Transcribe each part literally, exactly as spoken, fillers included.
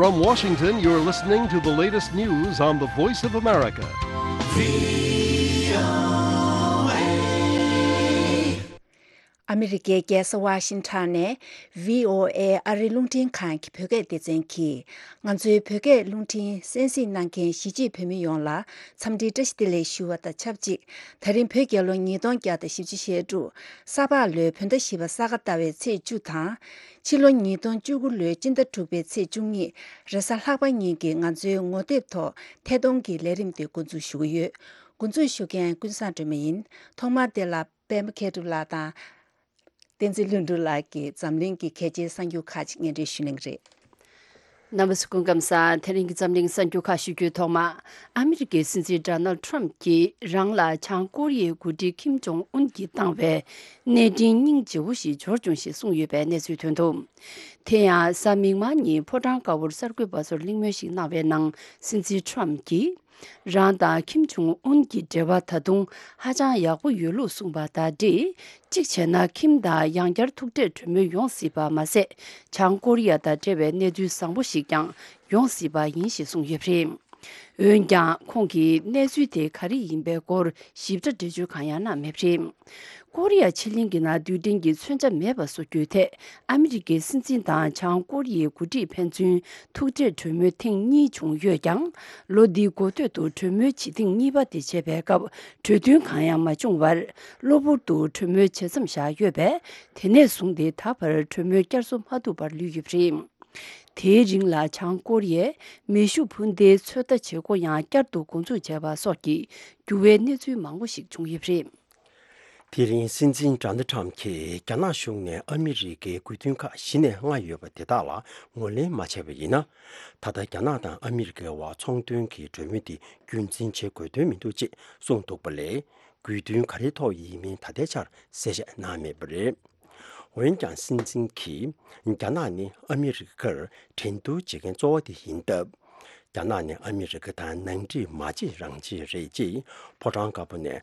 From Washington, you're listening to the latest news on the Voice of America. ཨ་མི་རི་ཀའི་རྒྱལ་ས་ཝ་ཤིང་ཊོན་ནས་བྷི་ཨོ་ཨེ་ཨ་རིའི་རླུང་འཕྲིན་ཁང་གི་བོད་སྐད་སྡེ་ཚན་གྱིས། ང་ཚོའི་བོད་སྐད་རླུང་འཕྲིན་གསན་གཟིགས་གནང་མཁན་གཞིས་བྱེས་བོད་མི་ཡོངས་ལ་འཚམས་འདྲི་བཀྲ་ཤིས་བདེ་ལེགས་ཞུ་བ་དང་ཆབས་ཅིག་ད་རིང་བོད་རྒྱལ་ལོ་ཉིས་སྟོང་བརྒྱ་དང་བཞི་བཅུ་ཞེ་དྲུག་ས་ཕག་ལོའི་བོད་ཟླ་བཞི་པ་ས་ག་ཟླ་བའི་ཚེས་བཅུ་དང་། ཕྱི་ལོ་ཉིས་སྟོང་བཅུ་དགུ་ལོའི་སྤྱི་ཟླ་དྲུག་པའི་ཚེས་བཅུ་གཉིས་རེས་གཟའ་ལྷག་པ་ཉིན་གྱི་ང་ཚོའི་ངོ་དེབ་ཐོག་ཐད་གཏོང་གི་ལས་རིམ་དེ་འགོ་འཛུགས་ཞུ་གི་ཡོད། འགོ་འཛུགས་ཞུ་མཁན་ཀུན་བཟང་སྒྲོལ་མ་ཡིན། ཐོག་མར་དེ་ལ་པད་མ་མཁས་གྲུབ་ལགས་དང་། བསྟན་འཛིན་ལྷུན་གྲུབ་ལགས་ཀྱིས་འཛམ་གླིང་གི་གལ་ཆེའི་གསར་འགྱུར་ཁག་ཅིག་སྙན་སྒྲོན་ཞུ་གནང་གི་རེད། རྣམ་པ་ཚོ་སྐུ་ཁམས་བཟང་། དེ་རིང་གི་འཛམ་གླིང་གསར་འགྱུར་ཁག་ཞུ་རྒྱུའི་ཐོག་མ། ཨ་མི་རི་ཀའི་སྲིད་འཛིན་ཌོ་ནལ་ཊྲམ་གྱིས་རང་ལ་བྱང་ཀོ་རི་ཡའི་འགོ་ཁྲིད་ཁིམ་ཇོང་ཨུན་གྱིས་བཏང་བའི་གནས་འཕྲིན་སྙིང་རྗེ་བོ་ཞིག་འབྱོར་བྱུང་ཞེས་གསུངས་ཡོད་པའི་གནས་ཚུལ་ཐོན་འདུག་དེ་ཡང་གཟའ་མིག་དམར་ཉིན་ཕོ་བྲང་དཀར་པོར་གསར་འགོད་པ་ཚོར་གླེང་མོལ་ཞིག་གནང་བའི་ནང་སྲིད་འཛིན་ཊྲམ་གྱིས། རང་དང་ཁིམ་ཇོང་ཨུན་གྱི་འབྲེལ་བ་ད་དུང་ཧ་ཅང་ཡག་པོ་ཡོད་ལུགས་གསུངས་པ་དང་འབྲེལ། གཅིག་བྱས་ན་ཁིམ་དང་ཡང་བསྐྱར་ཐུག་འཕྲད་གྲོས་མོལ་ཡོང་སྲིད་པ་མ་ཟད། བྱང་ཀོ་རི་ཡ་དང་འབྲེལ་བའི་གནས་ཚུལ་བཟང་པོ་ཞིག་ཀྱང་ཡོང་སྲིད་པ་ཡིན་ཞེས་གསུངས་ཡོད་པ་རེད། འོན་ཀྱང་ཁོང་གིས་གནས་ཚུལ་དེ་ག་རེ་ཡིན་པའི་སྐོར་ཞིབ་ཕྲ་འགྲེལ་བརྗོད་གང་ཡང་གནང་མེད་པ་རེད། ཀོ་རི་ཡ་ཕྱེད་གླིང་གི་ནང་རྡུལ་ཕྲན་གྱི་མཚོན་ཆ་མེད་པ་བཟོ་རྒྱུའི་ཐད་ཨ་མི་རི་ཀའི་སྲིད་འཛིན་དང་བྱང་ཀོ་རི་ཡའི་འགོ་ཁྲིད་ཕན་ཚུན་ཐུག་འཕྲད་གྲོས་མོལ་ཐེངས་གཉིས་བྱུང་ཡོད་ཀྱང་། ལོ་འདིའི་འགོ་སྟོད་དུ་གྲོས་མོལ་བྱེད་ཐེངས་གཉིས་པ་དེ་བྱེད་པའི་སྐབས་གྲོས་མཐུན་གང་ཡང་མ་བྱུང་བར། གློ་བུར་དུ་གྲོས་མོལ་བྱེད་མཚམས་བཞག་ཡོད་པས། དེ་ནས་བཟུང་སྟེ་ད་བར་གྲོས་མོལ་བསྐྱར་གསོ་མ་ཐུབ་པར་ལུས་ཡོད་པ་རེད། དེའི་རིང་ལ་བྱང་ཀོ་རི་ཡས་མེ་ཤུགས་འཕུར་མདེལ་ཚོད་ལྟ་བྱེད་སྒོ་ཡང་བསྐྱར་དུ་འགོ་འཛུགས་བྱས་པ་སོགས་ཀྱི་འགྱུར་བའི་གནས་ཚུལ་མང་པོ་ཞིག་བྱུང་ཡོད་པ་རེད། དེ་རིང་སྲིད་འཛིན་ཌོ་ནལ་ཊྲམ་གྱིས་རྒྱ་ནག་གཞུང་ནས་ཨ་མི་རི་ཀའི་དགོས་འདུན་ཁག་གཞི་ནས་ལྔ་ཡོད་པ་དེ་དག་ལ་ངོས་ལེན་མ་བྱས་པ་ཡིན་ན། ད་ལྟ་རྒྱ་ནག་དང་ཨ་མི་རི་ཀའི་བར་ཚོང་དོན་གྱི་གྲོས་མོལ་དེ་རྒྱུན་འཛིན་བྱེད་དགོས་དོན་མི་འདུག་ཅེས་གསུངས་འདུག་པ་ལས། དགོས་འདུན་ག་རེའི་ཐོག་ཡིན་མིན་ད་ལྟའི་ཆར་གསལ་བཤད་གནང་མེད་པ་རེད། འོན་ཀྱང་སྲིད་འཛིན་གྱིས་རྒྱ་ནག་ནི་ཨ་མི་རི་ཀར་འགྲན་བསྡུར་བྱེད་མཁན་གཙོ་བོ་དེ་ཡིན་སྟབས། རྒྱ་ནག་ནི་ཨ་མི་རི་ཀ་དང་ནང་འགྲིག་མ་བྱེད་རང་བྱེད་རེད་ཅེས་ཕོ་བྲང་དཀར་པོ་ནས་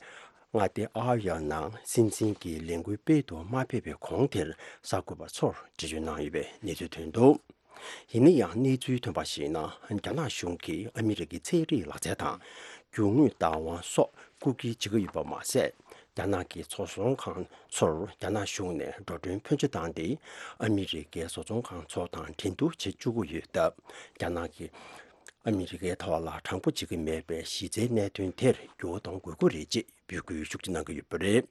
མངའ་སྡེ་ཨའོ་ཡའོ་ནང་སྲིད་འཛིན་གྱི་ལས་འགུལ་སྤེལ་དུ་མ་ཕེབས་པའི་གོང་དེར་གསར་འགོད་པ་ཚོར་འགྲེལ་བརྗོད་གནང་ཡོད་པའི་གནས་ཚུལ་ཐོན་འདུག་ཡིན་ན་ཡང་གནས་ཚུལ་ཐོན་པར་གཞིགས་ན། རྒྱ་ནག་གཞུང་གིས་ཨ་མི་རི་ཀའི་ཚན་རིག་ལག་རྩལ་དང་རྒྱུ་དངོས་བདག་དབང་སོགས་རྐུ་འཁྱེར་བྱེད་ཀྱི་ཡོད་པ་མ་ཟད། རྒྱ་ནག་གི་བཟོ་ཚོང་ཁང་ཚོར་རྒྱ་ནག་གཞུང་ནས་འགྲོ་གྲོན་ཕོན་ཆེ་བཏང་སྟེ། ཨ་མི་རི་ཀའི་བཟོ་ཚོང་ཁང་ཚོ་དང་འགྲན་བསྡུར་བྱེད་བཅུག་གི་ཡོད་སྟབས། རྒྱ་ནག་གིས་ཨ་མི་རི་ཀའི་ཐོག་ལ་དྲང་པོ་བྱེད་ཀྱི་མེད་པའི་གཞི་རྩའི་གནད་དོན་དེར་འགྱུར་བ་གཏོང་དགོས་ཀྱི་རེད་ཅེས་འབོད་སྐུལ་ཤུགས་ཆེ་གནང་གི་ཡོད་པ་རེད།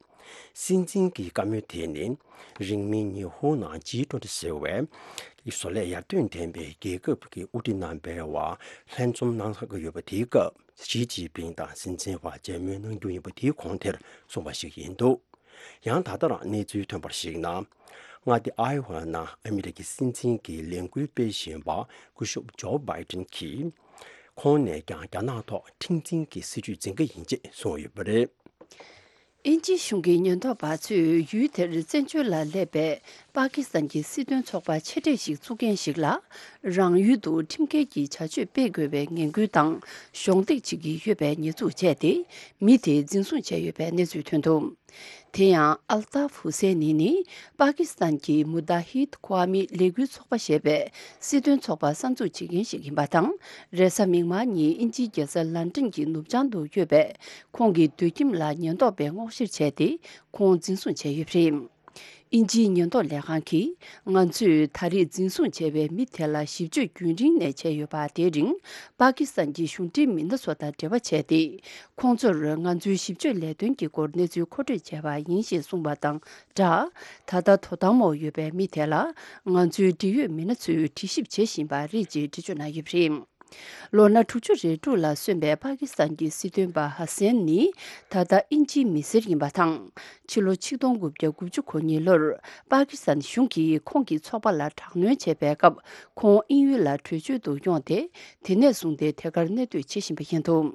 སྲིད་འཛིན་གྱི་བཀའ་མོལ་དེ་ནི། རིང་མིན་ཉི་ཧོང་ནང་ཇི་ཊུ་ཝེན་ཊི་ཟེར་བའི་བཟོ་ལས་ཡར་ཐོན་ལྡན་པའི་རྒྱལ་ཁབ་ཀྱི་དབུ་ཁྲིད་རྣམ་པའི་བར་ལྷན་འཛོམས་གནང་ཚར་གྱི་ཡོད་པ་དེའི་སྐབས། ཞི་ཅིན་ཕིང་དང་སྲིད་འཛིན་བར་མཇལ་མོལ་གནང་རྒྱུ་ཡིན་པ་དེའི་གོང་དེར་གསུངས་པ་ཞིག་ཡིན་འདུག་ཡང་ད་ལྟ་རང་གནས་ཚུལ་ཐོན་པར་གཞིགས་ན། མངའ་སྡེ་ཨའི་ཝ་ནང་ཨ་མི་རི་ཀའི་སྲིད་འཛིན་གྱི་ལས་འགུལ་སྤེལ་བཞིན་པ་སྐུ་ཞབས་ཇོ་བྷའི་ཏིན་གྱིས། ཁོང་ནས་ཀྱང་རྒྱ་ནག་ཐོག་མཁྲེགས་འཛིན་གྱི་སྲིད་ཇུས་འཛིན་གྱི་ཡིན་ཅེས་གསུངས་ཡོད་པ་རེད། དབྱིན་ཇིའི་གཞུང་གི་ཉེན་རྟོག་པ་ཚོས་ཡུལ་དེར་བཙན་བྱོལ་ལ་སླེབས་པའི་པ་ཀི་སི་ཐན་གྱི་སྲིད་དོན་ཚོགས་པ་ཆེ་གྲས་ཤིག་བཙུགས་མཁན་ཞིག་ལ། རང་ཡུལ་དུ་ཁྲིམས་འགལ་གྱི་བྱ་སྤྱོད་སྤེལ་དགོས་པའི་ངན་སྐུལ་དང་གཞོགས་འདེགས་བྱེད་ཀྱི་ཡོད་པའི་ཉེས་འཛུགས་བྱས་ཏེ། མི་དེ་འཛིན་བཟུང་བྱས་ཡོད་པའི་གནས་ཚུལ་ཐོན་འདུག་དེ་ཡང་། ཨལ་ཏཱབ་ཧུ་སེ་ནི་ནི། པ་ཀི་སི་ཐན་གྱི་མུ་ཏཱ་ཧིད་ཁོ་ཝ་མི་ལས་འགུལ་ཚོགས་པ་ཞེས་པའི་སྲིད་དོན་ཚོགས་པ་གསར་འཛུགས་བྱེད་མཁན་ཞིག་ཡིན་པ་དང་། རེས་གཟའ་མིག་དམར་ཉིན་དབྱིན་ཇིའི་རྒྱལ་ས་ལན་ཀྲན་གྱི་ནུབ་བྱང་དུ་ཡོད་པའི་ཁོང་གི་སྡོད་ཁྱིམ་ལ་ཉེན་རྟོག་པས་སྔོག་བཤེར་བྱས་ཏེ། ཁོང་འཛིན་བཟུང་བྱས་ཡོད་པ་རེད། དབྱིན་ཇིའི་ཉེན་རྟོག་ལས་ཁང་གིས། ང་ཚོས་ད་རེས་འཛིན་བཟུང་བྱས་པའི་མི་དེ་ལ་ཞིབ་དཔྱོད་རྒྱུན་རིང་ནས་བྱས་ཡོད་པ། དེའི་རིང་པ་ཀི་སི་ཐན་གྱི་གཞུང་འབྲེལ་མི་སྣ་ཚོ་དང་འབྲེལ་བ་བྱས་ཏེ། ཁོང་ཚོར་ང་ཚོའི་ཞིབ་དཔྱོད་ལས་དོན་གྱི་སྐོར་གནས་ཚུལ་མཁོ་སྤྲོད་བྱས་པ་ཡིན་ཞེས་གསུངས་པ་དང་སྦྲགས། ད་ལྟ་དོ་དམ་འོག་ཡོད་པའི་མི་དེ་ལ་ང་ཚོའི་འབྲེལ་ཡོད་མི་སྣ་ཚོས་དྲི་ཞིབ་བྱེད་བཞིན་པ་རེད་ཅེས་འགྲེལ་བརྗོད་གནང་ཡོད་པ་རེད། ལོ་ན་དྲུག་ཅུ་རེ་དྲུག་ལ་སོན་པའི་པ་ཀི་སི་ཐན་གྱི་སྲིད་དོན་པ་ཧ་སན་ནི་ད་ལྟ་དབྱིན་ཇིའི་མི་སེར་ཡིན་པ་དང་། ཕྱི་ལོ་ཆིག་སྟོང་དགུ་བརྒྱ་དགུ་བཅུ་གོ་གཉིས་ལོར་པ་ཀི་སི་ཐན་གཞུང་གིས་ཁོང་གི་ཚོགས་པ་ལ་དྲག་གནོན་བྱས་པའི་སྐབས། ཁོང་དབྱིན་ཡུལ་ལ་བྲོས་བྱོལ་དུ་ཡོང་སྟེ། དེ་ནས་བཟུང་སྟེ་དེ་གར་གནས་སྡོད་བྱེད་བཞིན་པ་ཡིན་འདུག་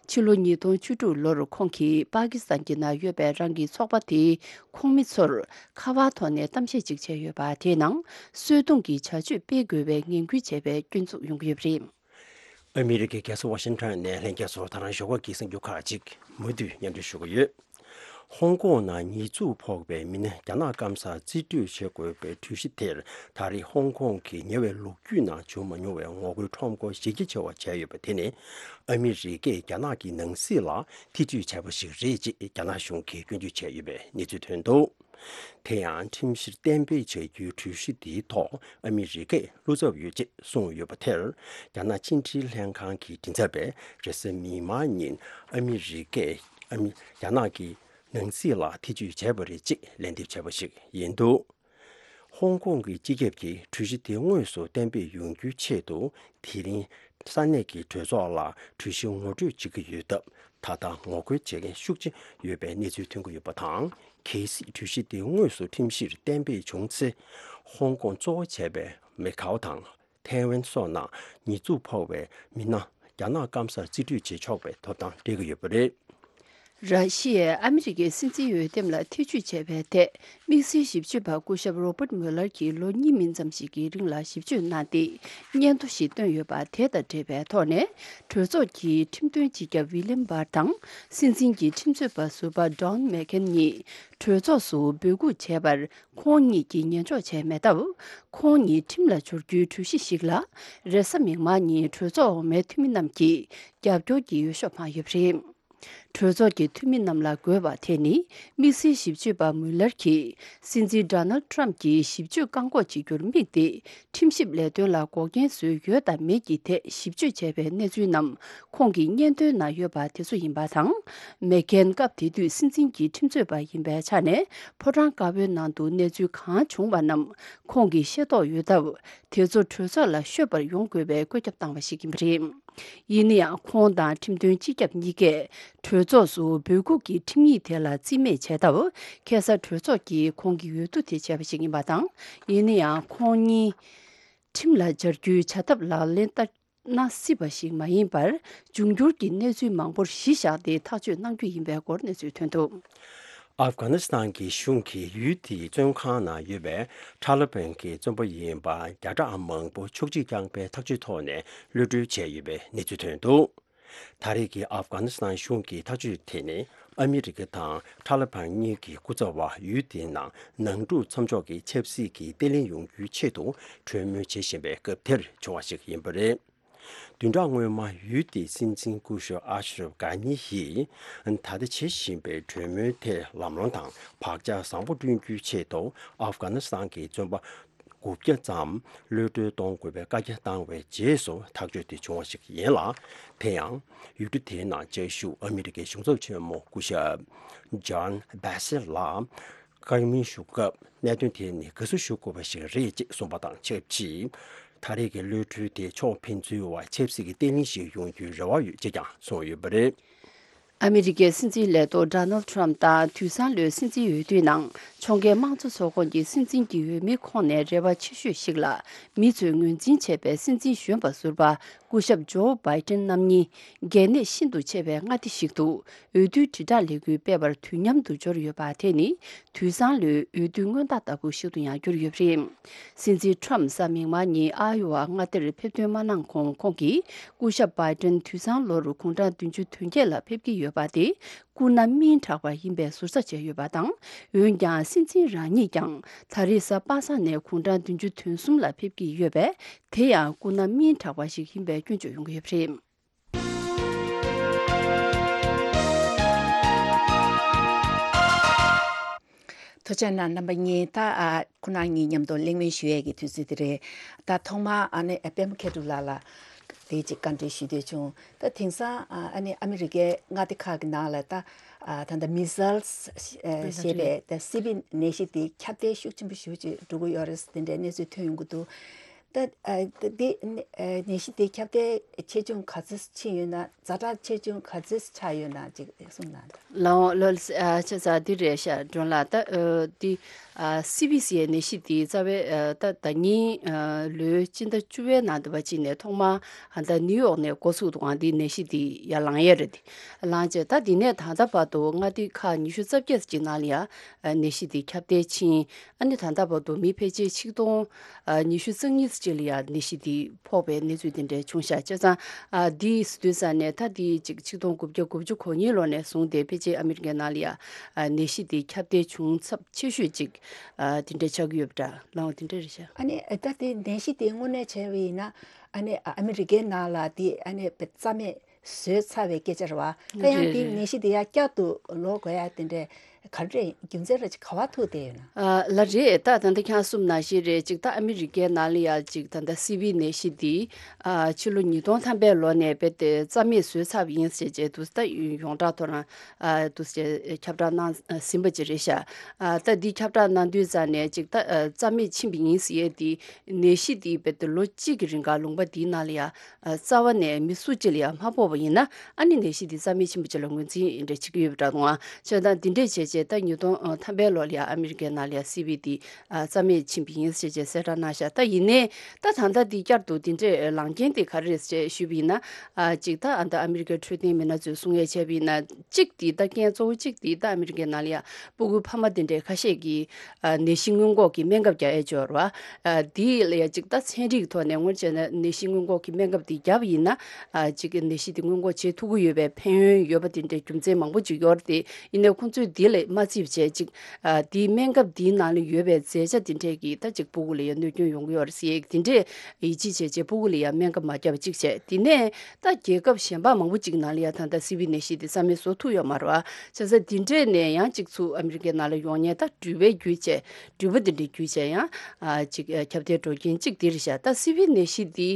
ཕྱི་ལོ་ཉིས་སྟོང་བཅུ་དྲུག་ལོར་ཁོང་གིས་པ་ཀི་སི་ཐན་གྱི་ནང་ཡོད་པའི་རང་གི་ཚོགས་པ་དེའི་ཁོངས་མི་ཚོར་ཁ་པར་ཐོག་ནས་གཏམ་བཤད་ཅིག་བྱས་ཡོད་པ། དེའི་ནང་གསོད་རྡུང་གི་བྱ་སྤྱོད་སྤེལ་དགོས་པའི་ངན་སྐུལ་བྱས་པའི་སྐྱོན་འཛུགས་ཡོང་གི་ཡོད་པ་རེད། ཨ་མི་རི་ཀའི་རྒྱལ་ས་ཝ་ཤིང་ཊོན་ནས་ལྷན་རྒྱས་ཚོར་ད་རང་ཞོགས་ཀ་གི་གསར་འགྱུར་ཁག་ཅིག་མུ་མཐུད་སྙན་སྒྲོན་ཞུ་གི་ཡོད། ཧོང་ཀོང་ནང་ཉེས་འཛུགས་ཕོག་པའི་མི་སྣ་རྒྱ་ནག་སྐམ་སར་རྩིས་སྤྲོད་བྱེད་དགོས་པའི་གྲོས་གཞི་དེར། ད་རེས་ཧོང་ཀོང་གི་ཉེ་བའི་ལོ་རྒྱུས་ནང་བྱུང་མ་མྱོང་བའི་ངོ་རྒོལ་ཁྲོམ་སྐོར་གཞི་རྒྱ་ཆེ་བ་བྱས་ཡོད་པ་དེ་ནི། ཨ་མི་རི་ཀས་རྒྱ་ནག་གི་ནང་སྲིད་ལ་ཐེ་བྱུས་བྱས་པ་ཞིག་རེད་ཅེས་རྒྱ་ནག་གཞུང་གིས་སྐྱོན་བརྗོད་བྱས་ཡོད་པའི་གནས་ཚུལ་ཐོན་འདུག་དེ་ཡང་ཁྲིམས་གཞིར་གཏན་འབེབས་བྱ་རྒྱུའི་གྲོས་གཞི་དེའི་ཐོག་ཨ་མི་རི་ཀས་བློ་འཚབ་ཡོད་ཅེས་གསུངས་ཡོད་པ་དེར། རྒྱ་ནག་ཕྱི་འབྲེལ་ལྷན་ཁང་གི་མགྲིན་ཚབ་པས་རེས་གཟའ་མིག་དམར་ཉིན་ཨ་མི་རི་ཀས་ཨ་མི་རྒྱ་ནག་གི་ནང་སྲིད་ལ་ཐེ་བྱུས་བྱས་པ་རེད་ཅེས་ལན་འདེབས་བྱས་པ་ཞིག་ཡིན་འདུག་ཧོང་ཀོང་གི་སྤྱི་ཁྱབ་ཀྱིས་གྲོས་གཞི་དེ་དངོས་སུ་གཏན་འབེབས་ཡོང་རྒྱུའི་ཆེད་དུ། དེ་རིང་ས་གནས་ཀྱི་གྲོས་ཚོགས་ལ་གྲོས་གཞི་ངོ་སྤྲོད་བྱེད་ཀྱི་ཡོད་སྟབས། ད་ལྟ་ངོ་རྒོལ་བྱེད་མཁན་ཤུགས་ཆེ་ཡོད་པའི་གནས་ཚུལ་ཐོན་གྱི་ཡོད་པ་དང་། གལ་སྲིད་གྲོས་གཞི་དེ་དངོས་སུ་ཁྲིམས་གཞིར་གཏན་འབེབས་བྱུང་ཚེ། ཧོང་ཀོང་གཙོ་བོ་བྱས་པའི་མེ་ཁའོ་དང་ཐའེ་ཝན་སོགས་ནང་ཉེས་འཛུགས་ཕོག་པའི་མི་སྣ་རྒྱ་ནག་སྐམ་སར་རྩིས་སྤྲོད་བྱེད་ཆོག་པའི་ཐོབ་ཐང་སྤྲད་ཀྱི་ཡོད་པ་རེད། ར་ཤི་ཡས་ཨ་མི་རི་ཀའི་སྲིད་འཛིན་འོས་འདེམས་ལ་ཐེ་བྱུས་བྱས་པའི་ཐད། དམིགས་བསལ་ཞིབ་དཔྱོད་པ་སྐུ་ཞབས་རོ་པར་མུ་ལར་གྱིས་ལོ་གཉིས་མིན་ཙམ་ཞིག་གི་རིང་ལ་ཞིབ་དཔྱོད་གནང་སྟེ། སྙན་ཐོ་ཞིག་བཏོན་ཡོད་པ་དེ་དང་འབྲེལ་བའི་ཐོག་ནས། གྲོས་ཚོགས་ཀྱི་ཁྲིམས་དོན་སྤྱི་ཁྱབ་ཝི་ལིམ་བར་དང་། སྲིད་འཛིན་གྱི་ཁྲིམས་རྩོད་པ་ཟུར་པ་ཌོན་མེག་ཁེན་གཉིས་གྲོས་ཚོགས་སུ་འབོད་འགུག་བྱས་པར། ཁོང་གཉིས་ཀྱིས་ཉན་འཇོག་བྱས་མེད་སྟབས། ཁོང་གཉིས་ཁྲིམས་ལ་སྦྱོར་རྒྱུའི་གྲོས་གཞི་ཞིག་ལ། རེས་གཟའ་མིག་དམར་ཉིན་གྲོས་ཚོགས་འོག་མའི་འཐུས་མི་རྣམས་ཀྱིས་རྒྱབ་སྐྱོར་གྱི་འོས་ཤོག་འཕངས་ཡོད་པ་རེད། གྲོས་ཚོགས་ཀྱི་འཐུས་མི་རྣམས་ལ་དགོས་པ་དེ་ནི། དམིགས་བསལ་ཞིབ་དཔྱོད་པ་མུ་ལར་གྱིས་སྲིད་འཛིན་ཌོ་ནལ་ཊམ་གྱི་ཞིབ་དཔྱོད་བཀག་འགོག་བྱེད་རྒྱུར་དམིགས་ཏེ། ཁྲིམས་ཞིབ་ལས་དོན་ལ་འགོག་རྐྱེན་བཟོས་ཡོད་དམ་མེད་ཀྱི་ཐད་ཞིབ་དཔྱོད་བྱས་པའི་གནས་ཚུལ་རྣམས་ཁོང་གིས་སྙན་ཐོའི་ནང་ཡོད་པ་དེ་ཚོ་ཡིན་པ་དང་། མེག་ཁེན་སྐབས་དེ་དུས་སྲིད་འཛིན་གྱི་ཁྲིམས་རྩོད་པ་ཡིན་པའི་ཆ་ནས། ཕོ་བྲང་དཀར་པོའི་ནང་དུ་གནས་ཚུལ་གང་བྱུང་བ་རྣམས་ཁོང་གིས་ཤེས་རྟོགས་ཡོད་སྟབས། དེ་ཚོ་གྲོས་ཚོགས་ལ་ཤོད་པར་ཡོང་དགོས་པའི་བཀོད་ཁྱབ་བཏང་བ་ཞིག་ཡིན་པ་རེད། ཡིན་ན་ཡང་། ཁོང་དང་ཁྲིམས་དོན་སྤྱི་ཁྱབ་གཉིས་ཀས་གྲོས་ཚོགས་སུ་འབོད་འགུག་གི་ཁྲིམས་ཡིག་དེ་ལ་རྩིས་མེད་བྱས་སྟབས། ཁ་སང་གྲོས་ཚོགས་ཀྱིས་ཁོང་གི་འོས་བསྡུ་དེ་བྱས་པ་ཞིག་ཡིན་པ་དང་། ཡིན་ན་ཡང་། ཁོང་གཉིས་ཁྲིམས་ལ་སྦྱར་རྒྱུའི་བྱ་ཐབས་ལག་ལེན་བསྟར་ན་སྲིད་པ་ཞིག་མ་ཡིན་པར། འབྱུང་འགྱུར་གྱི་གནས་ཚུལ་མང་པོར་གཞི་བཞག་སྟེ་ཐག་གཅོད་གནང་རྒྱུ་ཡིན་པའི་སྐོར་གནས་ཚུལ་ཐོན་འདུག་ཨབ་གྷ་ནི་སི་ཐན་གྱི་གཞུང་གིས་ཡུལ་དེའི་བཙོན་ཁང་ནང་ཡོད་པའི་ཐ་ལི་བན་གྱི་བཙོན་པ་ཡིན་པ་བརྒྱ་ཕྲག་མང་པོ་ཕྱོགས་བསྒྲིགས་བསྐྱངས་པའི་ཐག་གཅོད་ཐོག་ནས་གློད་གྲོལ་བྱས་ཡོད་པའི་གནས་ཚུལ་ཐོན་འདུག་ད་རེས་ཀྱི་ཨབ་གྷ་ནི་སི་ཐན་གཞུང་གི་ཐག་གཅོད་དེ་ནི། ཨ་མི་རི་ཀ་དང་ཐ་ལི་བན་གཉིས་ཀྱི་སྐུ་ཚབ་པ་ཡུལ་དེའི་ནང་ནང་འཁྲུག་མཚམས་འཇོག་གི་ཆབ་སྲིད་ཀྱི་བརྟན་ལྷིང་ཡོང་རྒྱུའི་ཆེད་དུ་གྲོས་མོལ་བྱེད་བཞིན་པའི་སྐབས་དེར་བྱུང་བ་ཞིག་ཡིན་པ་རེད། བདུན་ཕྲག་སྔོན་མ་ཡུལ་དེའི་སྲིད་འཛིན་སྐུ་ཞབས་ཨ་ཤ་རབ་གྷ་ནི་ཡིས། ད་ལྟ་བྱེད་བཞིན་པའི་གྲོས་མོལ་དེ་ལམ་ལྷོང་དང་བག་ཆགས་བཟང་པོ་བསྐྲུན་རྒྱུའི་ཆེད་དུ། ཨབ་གྷ་ནི་སི་ཐན་གྱི་བཙོན་པ་དགུ་བརྒྱ་ཙམ་གློད་གྲོལ་གཏོང་དགོས་པའི་བཀའ་རྒྱ་བཏང་བའི་རྗེས་སུ་ཐག་གཅོད་དེ་བྱུང་བ་ཞིག་ཡིན་ལ། དེ་ཡང་། ཡུལ་གྲུ་དེའི་ནང་བཅའ་བཞུགས་ཨ་མི་རི་ཀའི་གཞུང་ཚབ་ཆེན་མོ་སྐུ་ཞབས་ཇོན་བྷེ་སེལ་ལ། བཀའ་མོལ་ཞུ་སྐབས། གནད་དོན་དེ་ནི་དགའ་བསུ་ཞུ་དགོས་པ་ཞིག་རེད་ཅེས་གསུངས་པ་དང་ཆབས་ཅིག་ད་རེས་ཀྱི་གློད་གྲོལ་དེ་ཕྱོགས་ཕན་ཚུན་བར་ཆབ་སྲིད་ཀྱི་བརྟན་ལྷིང་ཞིག་ཡོང་རྒྱུའི་རེ་བ་ཡོད་ཅེས་ཀྱང་གསུངས་ཡོད་པ་རེད། ཨ་མི་རི་ཀའི་སྲིད་འཛིན་ལས་ཐོག་ཌོ་ནལ་ཊམ་དང་དུས་སང་ལོའི་སྲིད་འཛིན་འོས་བསྡུའི་ནང་། ཕྱོགས་འགལ་དམངས་གཙོ་ཚོགས་ཁོངས་ཀྱི་སྲིད་འཛིན་གྱི་འོས་མིའི་ཁོངས་ནས་རེ་བ་ཆེ་ཤོས་ཤིག་ལ། མི་ཚོས་ངོས་འཛིན་བྱས་པའི་སྲིད་འཛིན་གཞོན་པ་ཟུར་པ། སྐུ་ཞབས་ཇོ་བྷའི་ཏིན་རྣམ་གཉིས། གལ་གནད་ཤིན་ཏུ་ཆེ་བའི་མངའ་སྡེ་ཞིག་ཏུ། འོས་བསྡུའི་དྲིལ་བསྒྲགས་ལས་འགུལ་སྤེལ་བར་དུས་མཉམ་དུ་འབྱོར་ཡོད་པ་དེ་ནི། དུས་སང་ལོའི་འོས་བསྡུ་སྔོན་རྟགས་ལྟ་བུ་ཞིག་ཏུ་ཡང་གྱུར་ཡོད་པ་རེད། སྲིད་འཛིན་ཊམ་གཟའ་མིག་དམར་ཉིན་ཨ་ཡོ་ཝ་མངའ་སྡེར་ཕེབས་ཐོན་མ་གནང་གོང་། ཁོང་གིས་སྐུ་ཞབས་བྷའི་ཏིན་དུས་སང་ལོར་དགུང་གྲངས་བདུན་ཅུ་དོན་བརྒྱད་ལ་ཕེབས་ཀྱི་ཡོད་པ་དེ། སྐུ་ན་སྨིན་དྲགས་པ་ཡིན་པའི་ཟུར་ཟ་བྱས་ཡོད་པ་དང་། འོན་ཀྱང་། སྲིད་འཛིན་རང་ཉིད་ཀྱང་ད་རེས་གཟའ་པ་སངས་ནས་དགུང་གྲངས་བདུན་ཅུ་དོན་གསུམ་ལ་ཕེབས་ཀྱི་ཡོད་པས། དེ་ཡང་སྐུ་ན་སྨིན་དྲགས་པ་ཞིག་ཡིན་པའི་སྐྱོན་བརྗོད་ཡོང་གི་ཡོད་པ་རེད། ཐུགས་རྗེ་གནང་རྣམ་པ་གཉིས། ད་ཨ་ཁོ་རང་གཉིས་མཉམ་དུ་གླེང་མོལ་ཞུ་ཡས་ཀྱི་དུས་ཚོད་དེ་རེད། ད་ཐོག་མར་ཨ་ནི་ཨ་པད་མ་མཁས་གྲུབ་ལགས་ལ་དེ་ཅིག་བཀའ་འདྲི་ཞུ་འདོད་བྱུང་། ད་དེང་སང་ཨ་ནི་ཨ་མི་རི་ཀའི་མངའ་སྡེ་ཁག་གི་ནང་ལ་ད་ཨ་ད་ལྟ་མི་སལ་ཞེས་པའི་ད་སི་བི་ནད་གཞི་དེ་ཁྱབ་གདལ་ཤུགས་ཆེན་པོ་ཞེ་པོ་ཅིག་འགྲོ་གི་ཡོད་རེད། དེ་འདྲའི་གནས་ཚུལ་ཐོན་ཡོང་གི་འདུག་ད་ཨ་ད་འདི་ཨ་ནད་གཞི་དེ་ཁྱབ་གདལ་ཆེ་ཆུང་ག་ཚོད་ཕྱིན་ཡོད་ན། ཛ་དྲག་ཆེ་ཆུང་ག་ཚོད་ཆགས་ཡོད་ན་ཅིག་གསུངས་གནང་དང་། ལགས་འོང་། ལགས་ཨ་ཆ་ཚང་འདི་རེད་ཤག་སྒྲོན་ལགས། ད་ཨ་འདི་ཨ་སི་བི་སི་ཡའི་ནད་གཞི་འདི་རྩ་བའི་ཨ་ད་ཟླ་ཉིན་ཨ་ལོའི་སྤྱི་ཟླ་བཅུ་པའི་ནང་དུ་བ་ཅིག་ནས་ཐོག་མར་ཨ་ད་ནིའུ་ཡོག་ནས་འགོ་ཚུགས་འདུག་ག་འདི་ནད་གཞི་འདི་ཡར་ལངས་ཡས་རེད། འདི་ལངས་རྗེས་ད་འདི་ནས་ད་ལྟ་བར་དུ་མངའ་སྡེ་ཁག་ཉི་ཤུ་རྩ་བརྒྱད་ཅིག་ནང་ལ་ཡང་ཨ་ནད་གཞི་འདི་ཁྱབ་གདལ་ཕྱིན། ཨ་ནི་ད་ལྟ་བར་དུ་མི་ཕལ་ཆེར་ཆིག་སྟོང་ཨ་ཉི་ཤུ་རྩ་གཉིས་ ཅིག་ལ་ཡང་ནད་གཞི་འདི་ཕོག་པའི་གནས་ཚུལ་དེ་འདྲ་བྱུང་ཤག་བྱས་ཙང་ཨ་འདི་སི་དུས་ས་ནས་ད་འདི་ཅིག་ཆིག་སྟོང་དགུ་བརྒྱ་དགུ་བཅུ་གོ་གཉིས་ལོ་ནས་བཟུང་སྟེ་ཕལ་ཆེར་ཨ་མི་རི་ཀའི་ནང་ལ་ཡང་ཨ་ནད་གཞི་འདི་ཁྱབ་གདལ་བྱུང་ཚབས་ཆེ་ཤོས་ཅིག་ཨ་དེ་འདྲ་ཆགས་ཀྱི་ཡོད་པ་འདྲ་ལའང་དེ་འདྲ་རེད་ཤག་ཨ་ནི་ད་དེ་ནད་གཞི་དེ་དངོས་གནས་བྱས་པ་ཡིན་ན་ཨ་ནི་ཨ་མི་རི་ཀའི་ནང་ལ་དེ་ཨ་ནི་རྩ་མེད་བཟོས་ཚར་བའི་སྐད་ཆ་རེད་བ། ད་ཡང་རེད་དེ་རེད། ནད་གཞི་དེ་ཡང་བསྐྱར་དུ་ལོག་དགོས་ཡ་དེ་འདྲའི་ག་རེ་རེད། རྒྱུ་མཚན་ར་ཅིག་ག་བ་ཐུག་བསྡད་ཡོད་ན། ཨ་ལ་རེད། ད་ད་ལྟ་ཁྱེད་གསུམ་ནང་བཞིན་རེད། ཅིག་ད་ཨ་མི་རི་ཀའི་ནང་ལ་ཡ་ཅིག་ད་ལྟ་སི་བི་ནད་གཞི་འདི་ཨ་ཕྱི་ལོ་ཉིས་སྟོང་ཐམ་པའི་ལོ་ནས་རྦད་དེ་རྩ་མེད་བཟོས་ཚར་བ་ཡིན་ཟེར་བྱས་འདུག་ད་ཡོངས་གྲགས་ཐོག་རང་ཨ་འདུག་ཟེར་ཁྱབ་བསྒྲགས་གནང་ཟིན་པ་ཅིག་རེད་ཤག་ཨ་ད་འདི་ཁྱབ་བསྒྲགས་གནང་དུས་ཙང་ནས་ཅིག་ད་ཨ་རྩ་མེད་ཕྱིན་པ་ཡིན་ཟེར་ཡས་འདི་ནད་གཞི་འདི་རྦད་དེ་ལོ་གཅིག་གི་རིང་ག་ལུང་པ་འདིའི་ནང་ལ་ཡ་ཨ་རྩ་བ་ནས་མི་སུ་གཅིག་ལ་ཡང་མ་ཕོག་པ་ཡིན་ན་ཨ་ནི་ནད་གཞི་འདི་རྩ་མེད་ཕྱིན་པ་ཅིག་ལ་ངོས་འཛིན་འདྲ་བྱེད་ཀྱི་ཡོད་པ་འདྲ་འདུག་ཨ། བྱས་ཙང་འདི་འདྲས་བྱས་རྗེས་ད་ཉིས་སྟོང་ཐམ་པའི་ལོ་ལ་ཡང་ཨ་མི་རི་ཀའི་ནང་ལ་ཡང་སི་བི་འདི་ཨ་རྩ་མེད་ཕྱིན་པ་ཡིན་ཟེར་རྗེས་གསལ་བསྒྲགས་གནང་ཤག་ད་ཡིན་ནའི་ད་ད་ལྟ་འདི་བསྐྱར་དུ་འདི་འདྲས་ལངས་རྐྱེན་དེ་ག་རེ་རེད་ཅེས་ཞུས་པ་ཡིན་ན་ཨ་ཅིག་ད་ཨ་ད་ཨ་མི་རི་ཀའི་འཕྲོད་བསྟེན་མི་སྣ་ཚོས་གསུང་ཡས་བྱས་པ་ཡིན་ན་གཅིག་འདི་ད་རྐྱེན་གཙོ་བོ་གཅིག་འདི་ད་ཨ་མི་རི་ཀའི་ནང་ལ་ཡང་སྤུ་གུ་ཕ་མ་དེ་འདྲས་ཁ་ཤས་ཀྱིས་ཨ་ནད་གཞི་སྔོན་འགོག་གི་སྨན་ཁབ་རྒྱག་ཡས་ཅིག་ཡོད་རེད་བ། ཨ་འདི་ལ་ཡ་གཅིག་ད་ཚན་རིག་ཐོག་ནས་དངོས་བྱས་ན་ནད་གཞི་སྔོན་འགོག་གི་སྨན་ཁབ་འདི་བརྒྱབ་པ་ཡིན་ན་ཨ་གཅིག་ནད་གཞི་འདི་སྔོན་འགོག་བྱེད་ཐུབ་ཀྱི་ཡོད་པའི་ཕན་ཡོན་ཡོད་པ་དེ་འདྲའི་རྒྱུ་མཚན་མང་པོ་ཅིག་ཡོད་རེད་དེ། ཡིན་ནའི་ཁོང་ཚོས་འདི་ལ་མ་བརྩིས་པ་བྱས་གཅིག་ཨ་འདིའི་སྨན་ཁབ་འདིའི་ནང་ལ་ཡོད་པའི་རྫས་ཆ་དེ་འདྲས་ཀྱིས་ད་གཅིག་སྤུ་གུ་ལ་ཡ་གནོད་སྐྱོན་ཡོང་གི་ཡོད་རེད་ཟེར་ཡས་དེ་འདྲས་ཡིད་ཆེས་བྱས་བྱས་སྤུ་གུ་ལ་ཡ་སྨན་ཁབ་མ་བརྒྱབ་པ་གཅིག་བྱས། དེ་ནས་ད་རྒྱལ་ཁབ་གཞན་པ་མང་པོ་ཅིག་ནང་ལ་ཡ་ད་ལྟ་སི་བི་ནད་གཞི་དེ་རྩ་མེད་བཟོ་ཐུབ་ཡོད་མ་རེད་བ། བྱས་ཙང་དེ་འདྲས་ནས་ཡང་གཅིག་ཚུར་ཨ་མི་རི་ཀའི་ནང་ལ་ཡོང་མཁན་ད་འགྲུལ་པའི་བརྒྱུད་བྱས་འགྲུལ་པ་དེ་འདྲའི་བརྒྱུད་བྱས་ཡང་ཨ་ཅིག་ཨ་ཁྱབ་གདལ་འགྲོ་རྐྱེན་གཅིག་དེ་རེད་ཤག་ད་སི་བི་ནད་གཞི་འདི་